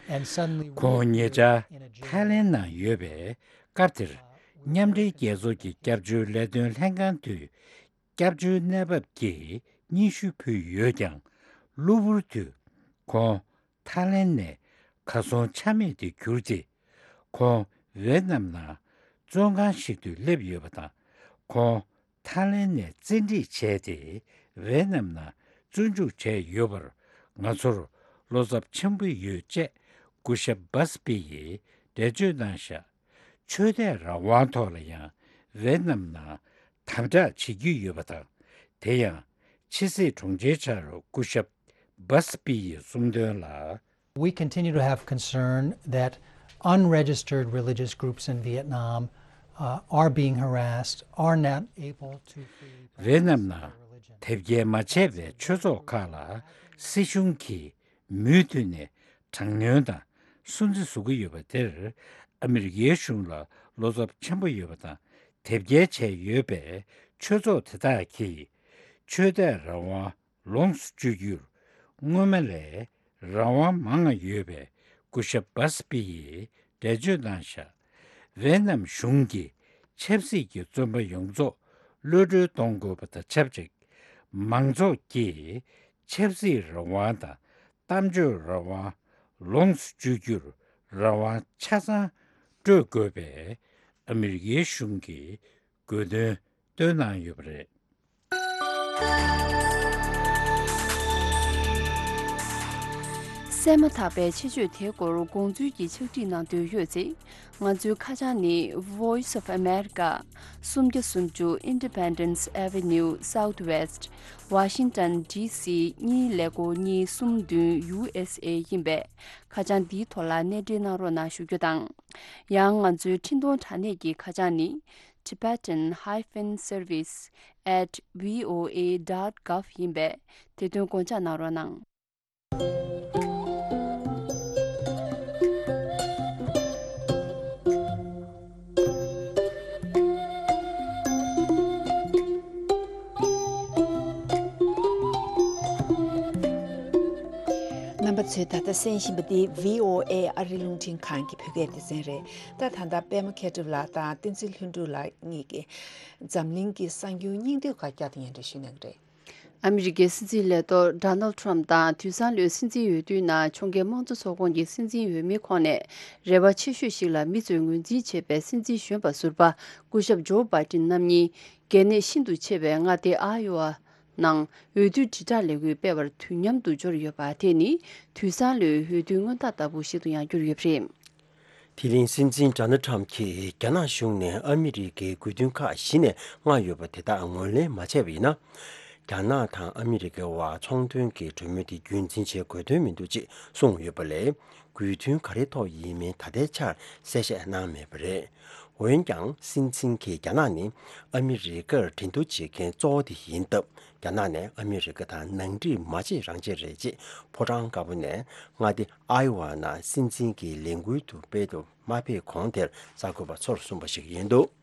and suddenly ཁོང་ཉེ་ཆར་ཐའི་ལེན་ནང་ཡོད་པའི་སྐབས་དེར། མཉམ་འབྲེལ་རྒྱལ་ཚོགས་ཀྱི་སྐྱབས་བཅོལ་ལས་དོན་ལྷན་ཁང་དུ་སྐྱབས་བཅོལ་གནས་བབ་ཀྱི་སྙན་ཞུ་ཕུལ་ཡོད་ཀྱང་། གློ་བུར་དུ་ཁོང་ཐའི་ལེན་ནས་གར་སོང་ཆ་མེད་དུ་གྱུར་ཏེ། ཁོང་ཝེ་ཏི་ནམ་ནང་བཙོན་ཁང་ཞིག་ཏུ་སླེབས་ཡོད་པ་དང་། ཁོང་ཐའི་ལེན་ནས་བཙན་ཁྲིད་བྱས་ཏེ་ཝེ་ཏི་ནམ་ནང་བཙོན་འཇུག་བྱས་ཡོད་པར་ང་ཚོར་བློ་འཚབ་ཆེན་པོ་ཡོད་ཅེས་སྐུ་ཞབས་སྦ་སི་པི་ཡིས་འགྲེལ་བརྗོད་གནང་བཞག་ཆོས་དད་རང་དབང་ཐོག་ལ་ཡང་ཝེ་ཏི་ནམ་ནང་དམ་དྲག་བྱེད་ཀྱི་ཡོད་པ་དང་། དེ་ཡང་ཕྱི་སྲིད་དྲུང་ཆེའི་ཕྱག་རོགས་སྐུ་ཞབས་སྦ་སི་པི་ཡིས་གསུངས་དོན་ལ། We continue to have concern that unregistered religious groups in Vietnam uh, are being harassed, are not able to freely ཝེ་ནམ་ནང་དེབ་སྐྱེལ་མ་བྱས་པའི་ཆོས་ཚོགས་ཁག་ལ་སྲིད་གཞུང་གིས་མུ་མཐུད་ནས་དྲག་གནོན་དང་སུན་གཙེར་བཟོ་གི་ཡོད་པ་དེར། ཨ་མི་རི་ཀའི་གཞུང་ལ་བློ་འཚབ་ཆེན་པོ་ཡོད་པ་དང་། དེབ་སྐྱེལ་བྱས་ཡོད་པའི་ཆོས་ཚོགས་དེ་དག་གིས་ཆོས་དད་རང་དབང་ལོངས་སུ་སྤྱོད་རྒྱུར་སྔོན་མ་ལས་རང་དབང་མང་ང་ཡོད་པའི་སྐུ་ཞབས་བྷ་སི་པི་ཡིས་འགྲེལ་བརྗོད་གནང་བཞག་ཝེ་ནམ་གཞུང་གིས་ཆབ་སྲིད་ཀྱི་བཙོན་པ་ཡོངས་རྫོགས་གློད་གྲོལ་གཏོང་དགོས་པ་དང་ཆབས་ཅིག་མང་ཚོགས་ཀྱིས་ཆབ་སྲིད་རང་དབང་དང་གཏམ་བརྗོད་རང་དབང་ལོངས་སུ་སྤྱོད་རྒྱུར་རང་དབང་ཆ་ཚང་སྤྲོད་དགོས་པའི་ཨ་མི་རི་ཀའི་གཞུང་གི་དགོས་འདུན་བཏོན་གནང་ཡོད་པ་རེད། གསན་མ་ཐག་པའི་ཆེད་བརྗོད་དེའི་སྐོར་དགོངས་ཚུལ་གྱི་ཕྱག་བྲིས་གནང་འདོད་ཡོད་ཚེ། ང་ཚོའི་ཁ་བྱང་ནི། Voice of America, སུམ་བརྒྱ་སུམ་ཅུ་Independence Avenue Southwest, Washington D C གཉིས་ཀླད་ཀོར་གཉིས་གསུམ་བདུན་U S A ཡིན་པས། ཁ་བྱང་འདིའི་ཐོག་ལ་གནས་འབྲེལ་གནང་རོགས་གནང་ཞུ་རྒྱུ་དང་། ཡང་ང་ཚོའི་འཕྲིན་གཏོང་དྲ་གནས་ཀྱི་ཁ་བྱང་ནི། Tibetan hyphen service at V O A dot gov ཡིན་པས། དེ་དོན་དགོངས་འཇགས་གནང་རོགས་གནང་། རྣམ་པ་ཚོས་ད་ལྟ་གསན་བཞིན་པ་འདི་V O A ཨ་རི་རླུང་འཕྲིན་ཁང་གི་བོད་སྐད་སྡེ་ཚན་རེད། ད་ད་ལྟ་པད་མ་མཁས་གྲུབ་ལགས་དང་བསྟན་འཛིན་ལྷུན་གྲུབ་ལགས་གཉིས་ཀྱིས་འཛམ་གླིང་གི་གསར་འགྱུར་སྙིང་བསྡུས་ཁག་བསྐྱར་དུ་སྙན་སྒྲོན་ཞུ་གནང་གི་རེད། ཨ་མི་རི་ཀའི་སྲིད་འཛིན་ལས་ཐོག་Donald Trump དང་དུས་སང་ལོའི་སྲིད་འཛིན་འོས་བསྡུའི་ནང་ཕྱོགས་འགལ་དམངས་གཙོ་ཚོགས་ཁོངས་ཀྱི་སྲིད་འཛིན་འོས་མིའི་ཁོངས་ནས་རེ་བ་ཆེ་ཤོས་ཤིག་ལ་མི་ཚོས་ངོས་འཛིན་བྱེད་པའི་སྲིད་འཛིན་གཞོན་པ་ཟུར་པ་སྐུ་ཞབས་ཇོ་བྷའི་ཏིན་རྣམ་གཉིས་གལ་གནད་ཤིན་ཏུ་ཆེ་བའི་མངའ་སྡེ་ཨ་ཡོ་ཝ་ནང་འོས་བསྡུ་དྲིལ་བསྒྲགས་ལས་འགུལ་སྤེལ་བར་དུས་མཉམ་དུ་འབྱོར་ཡོད་པ་དེ་ནི་དུས་སང་ལོའི་འོས་བསྡུའི་སྔོན་རྟགས་ལྟ་བུ་ཞིག་ཏུ་ཡང་གྱུར་ཡོད་པ་རེད། དེ་རིང་སྲིད་འཛིན་ཌོ་ནལ་ཊམ་གྱིས་རྒྱ་ནག་གཞུང་ནས་ཨ་མི་རི་ཀའི་དགོས་འདུན་ཁག་གཞི་ནས་མངགས་ཡོད་པ་དེ་དག་ངོས་ལེན་མ་བྱས་པ་ཡིན་ན། རྒྱ་ནག་དང་ཨ་མི་རི་ཀའི་བར་ཚོང་དོན་གྱི་གྲོས་མོལ་དེ་རྒྱུན་འཛིན་བྱེད་དགོས་དོན་མི་འདུག་ཅེས་གསུངས་ཡོད་པ་ལས། དགོས་འདུན་ག་རེའི་ཐོག་ཡིན་མིན་ད་ལྟའི་ཆར་གསལ་བཤད་གནང་མེད་པ་རེད། འོན་ཀྱང་སྲིད་འཛིན་གྱིས་རྒྱ་ནག་ནི་ཨ་མི་རི་ཀར་འགྲན་བསྡུར་བྱེད་མཁན་གཙོ་བོ་དེ་ཡིན་སྟབས། རྒྱ་ནག་ནས་ཨ་མི་རི་ཀ་དང་ནང་འགྲིག་མ་བྱེད་རང་བྱེད་རེད་ཅེས་ཕོ་བྲང་དཀར་པོ་ནས་མངའ་སྡེ་ཨའི་ཝ་ནང་སྲིད་འཛིན་གྱི་ལས་འགུལ་དུ་སྤེལ་དུ་མ་ཕེབས་གོང་དེར་གསར་འགོད་པ་ཚོར་གསུངས་པ་ཞིག་ཡིན་འདུག་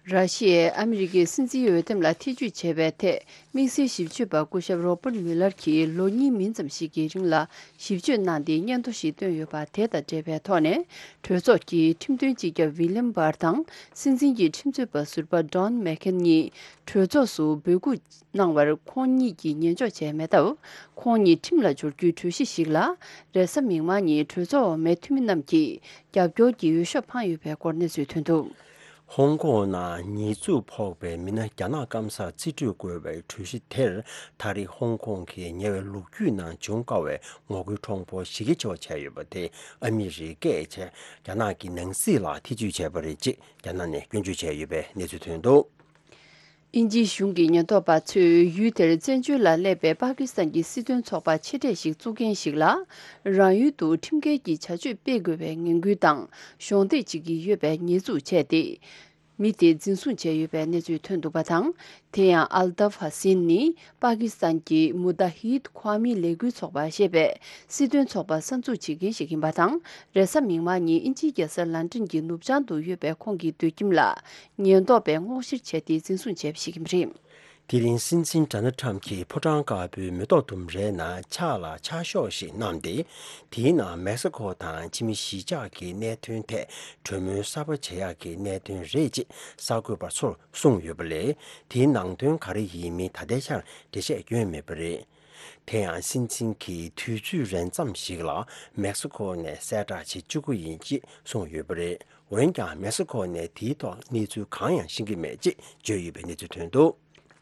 ར་ཤི་ཡས་ཨ་མི་རི་ཀའི་སྲིད་འཛིན་འོས་འདེམས་ལ་ཐེ་ཇུས་བྱས་པའི་ཐད་དམིགས་བསལ་ཞིབ་དཔྱོད་པ་སྐུ་ཞབས་Robert Mueller གྱིས་ལོ་གཉིས་མིན་ཙམ་ཞིག་གི་རིང་ལ་ཞིབ་དཔྱོད་གནང་སྟེ་སྙན་ཐོ་ཞིག་བཏོན་ཡོད་པ་དེ་དང་འབྲེལ་བའི་ཐོག་ནས། གྲོས་ཚོགས་ཀྱི་ཁྲིམས་དོན་སྤྱི་ཁྱབ་William Barr དང་སྲིད་འཛིན་གྱི་ཁྲིམས་རྩོད་པ་ཟུར་པ་Don McGahn གཉིས་གྲོས་ཚོགས་སུ་འབོད་སྐུལ་གནང་བར་ཁོང་གཉིས་ཀྱིས་ཉན་འཇོག་བྱས་མེད་སྟབས། ཁོང་གཉིས་ཁྲིམས་ལ་སྦྱོར་རྒྱུའི་གྲོས་གཞི་ཞིག་ལ་རེས་གཟའ་མིག་དམར་ཉིན་གྲོས་ཚོགས་འོག་མའི་འཐུས་མི་རྣམས་ཀྱིས་རྒྱབ་སྐྱོར་གྱི་འོས་ཤོག་འཕངས་ཡོད་པའི་སྐོར་གནས་ཚུལ་ཐོན་འདུག་ཧོང་ཀོང་ནང་ཉེས་འཛུགས་ཕོག་པའི་མི་སྣ་རྒྱ་ནག་སྐམ་སར་རྩིས་སྤྲོད་དགོས་པའི་གྲོས་གཞི་དེར་ད་རེས་ཧོང་ཀོང་གི་ཉེ་བའི་ལོ་རྒྱུས་ནང་བྱུང་དཀའ་བའི་ངོ་རྒོལ་གྲོང་པོ་ཞི་རྒྱས་ཆེ་བ་བྱས་ཡོད་པ་དེ་ཨ་མི་རི་ཀས་བྱས་རྒྱ་ནག་གི་ནང་སྲིད་ལ་ཐེ་ཇུས་བྱས་པ་རེད་ཅེས་རྒྱ་ནག་ནས་སྐྱོན་བརྗོད་བྱས་ཡོད་པའི་གནས་ཚུལ་ཐོན་འདུག་དབྱིན་ཇིའི་གཞུང་གི་ཉེན་རྟོག་པ་ཚོས་ཡུལ་དེར་བཙན་བྱོལ་ལ་སླེབས་པའི་པ་ཀི་སི་ཐན་གྱི་སྲིད་དོན་ཚོགས་པ་ཆེ་གྲས་ཤིག་བཙུགས་མཁན་ཞིག་ལ། རང་ཡུལ་དུ་ཁྲིམས་འགལ་གྱི་བྱ་སྤྱོད་སྤེལ་དགོས་པའི་ངན་སྐུལ་དང་གཞོགས་འདེགས་བྱེད་ཀྱི་ཡོད་པའི་ཉེས་འཛུགས་བྱས་ཏེ། མི་དེ་འཛིན་བཟུང་བྱས་ཡོད་པའི་གནས་ཚུལ་ཐོན་འདུག་པ་དང་། དེ་ཡང་ཨལ་ཏཱབ་ཧ་སིན་ནི་པ་ཀི་སི་ཐན་གྱི་མུ་ཏ་ཧིད་ཁོ་ཨ་མི་ལས་འགུལ་ཚོགས་པ་ཞེས་པའི་སྲིད་དོན་ཚོགས་པ་གསར་འཛུགས་བྱེད་མཁན་ཞིག་ཡིན་པ་དང་། རེས་གཟའ་མིག་དམར་ཉིན་དབྱིན་ཇིའི་རྒྱལ་ས་ལན་ཀྲན་གྱི་ནུབ་བྱང་དུ་ཡོད་པའི་ཁོང་གི་སྡོད་ཁྱིམ་ལ་ཉེན་རྟོག་པས་སྔོག་བཤེར་བྱས་ཏེ་འཛིན་བཟུང་བྱས་པ་ཞིག་ཡིན་པ་རེད། དེ་རིང་སྲིད་འཛིན་ཌོ་ནལ་ཁྲམ་གྱིས་ཕོ་བྲང་དཀར་པོའི་མེ་ཏོག་ལྡུམ་རའི་ནང་ཕྱག་ལ་ཕྱག་ཤོག་ཞིག་བསྣམས་ཏེ། དེའི་ནང་མེག་སི་ཁོ་དང་ཕྱི་མི་གཞིས་ཆགས་ཀྱི་གནད་དོན་ཐད་གྲོས་མོལ་གསར་པ་བྱེད་ཡག་གི་གནད་དོན་རེད་ཅེས་གསར་འགོད་པ་ཚོར་གསུངས་ཡོད་པ་ལས། དེའི་ནང་དོན་ག་རེ་ཡིན་མིན་ད་ལྟའི་ཆར་འགྲེལ་བཤད་བསྐྱོན་མེད་པ་རེད། དེ་ཡང་སྲིད་འཛིན་གྱིས་དུས་ཚོད་རན་ཙམ་ཞིག་ལ་མེག་སི་ཁོ་ནས་གསལ་བསྒྲགས་བྱེད་བཅུག་གི་ཡིན་ཅེས་གསུངས་ཡོད་པ་རེད། འོན་ཀྱང་མེག་སི་ཁོ་ནས་དེའི་ཐོག་གནས་ཚུལ་གང་ཡང་ཤེས་ཀྱི་མེད་ཅེས་བརྗོད་ཡོད་པའི་གནས་ཚུལ་ཐོན་འདུག་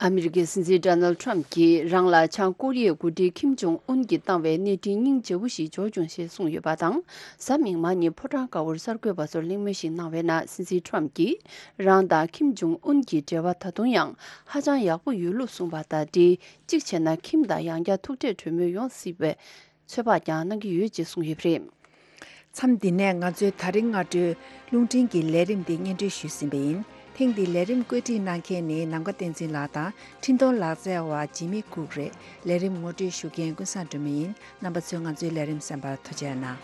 ཨ་མི་རི་ཀའི་སྲིད་འཛིན་ཌོ་ནལ་ཁྲམ་གྱིས་རང་ལ་བྱང་ཀོ་རི་ཡའི་འགོ་ཁྲིད་ཁིམ་ཇོང་ཨུན་གྱིས་བཏང་བའི་གནས་འཕྲིན་སྙིང་རྗེ་བོ་ཞིག་འབྱོར་བྱུང་ཞེས་གསུངས་ཡོད་པ་དང་། གཟའ་མིག་དམར་ཉིན་ཕོ་བྲང་དཀར་པོར་གསར་འགོད་པ་ཚོར་གླེང་མོལ་ཞིག་གནང་བའི་ནང་སྲིད་འཛིན་ཁྲམ་གྱིས་རང་དང་ཁིམ་ཇོང་ཨུན་གྱི་འབྲེལ་བ་ད་དུང་ཡང་ཧ་ཅང་ཡག་པོ་ཡོད་ལུགས་གསུངས་པ་དང་འབྲེལ། གཅིག་བྱས་ན་ཁིམ་དང་ཡང་བསྐྱར་ཐུག་འཕྲད་གྲོས་མོལ་ཡོང་སྲིད་པའི་ཚོད་དཔག་ཀྱང་གནང་གི་ཡོད་ཅེས་གསུངས་ཡོད་པ་རེད། མཚམས་འདི་ནས་ང་ཚོའི་ད་རིང་སྔ་དྲོའི་རླུང་འཕྲིན་གྱི་ལས་རིམ་འདི་སྙན་སྒྲོན་ཞུས་ཟིན་པ་ཡིན། ཐེངས་འདིའི་ལས་རིམ་བཀོད་སྒྲིག་གནང་མཁན་ནི་ནམ་མཁའ་བསྟན་འཛིན་ལགས་དང་འཕྲིན་གཏོང་ལག་རྩལ་བ་ཇི་མི་ཀུག་རེད། ལས་རིམ་ངོ་སྤྲོད་ཞུ་མཁན་ཀུན་བཟང་སྒྲོལ་མ་ཡིན། རྣམ་པ་ཚོས་ང་ཚོའི་ལས་རིམ་གསན་པར་ཐུགས་རྗེ་གནང་།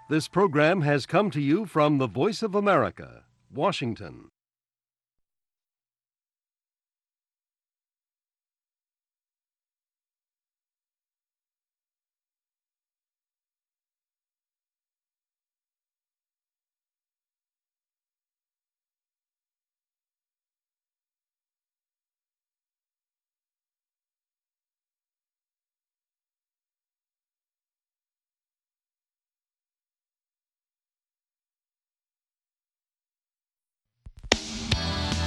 This program has come to you from the Voice of America, Washington.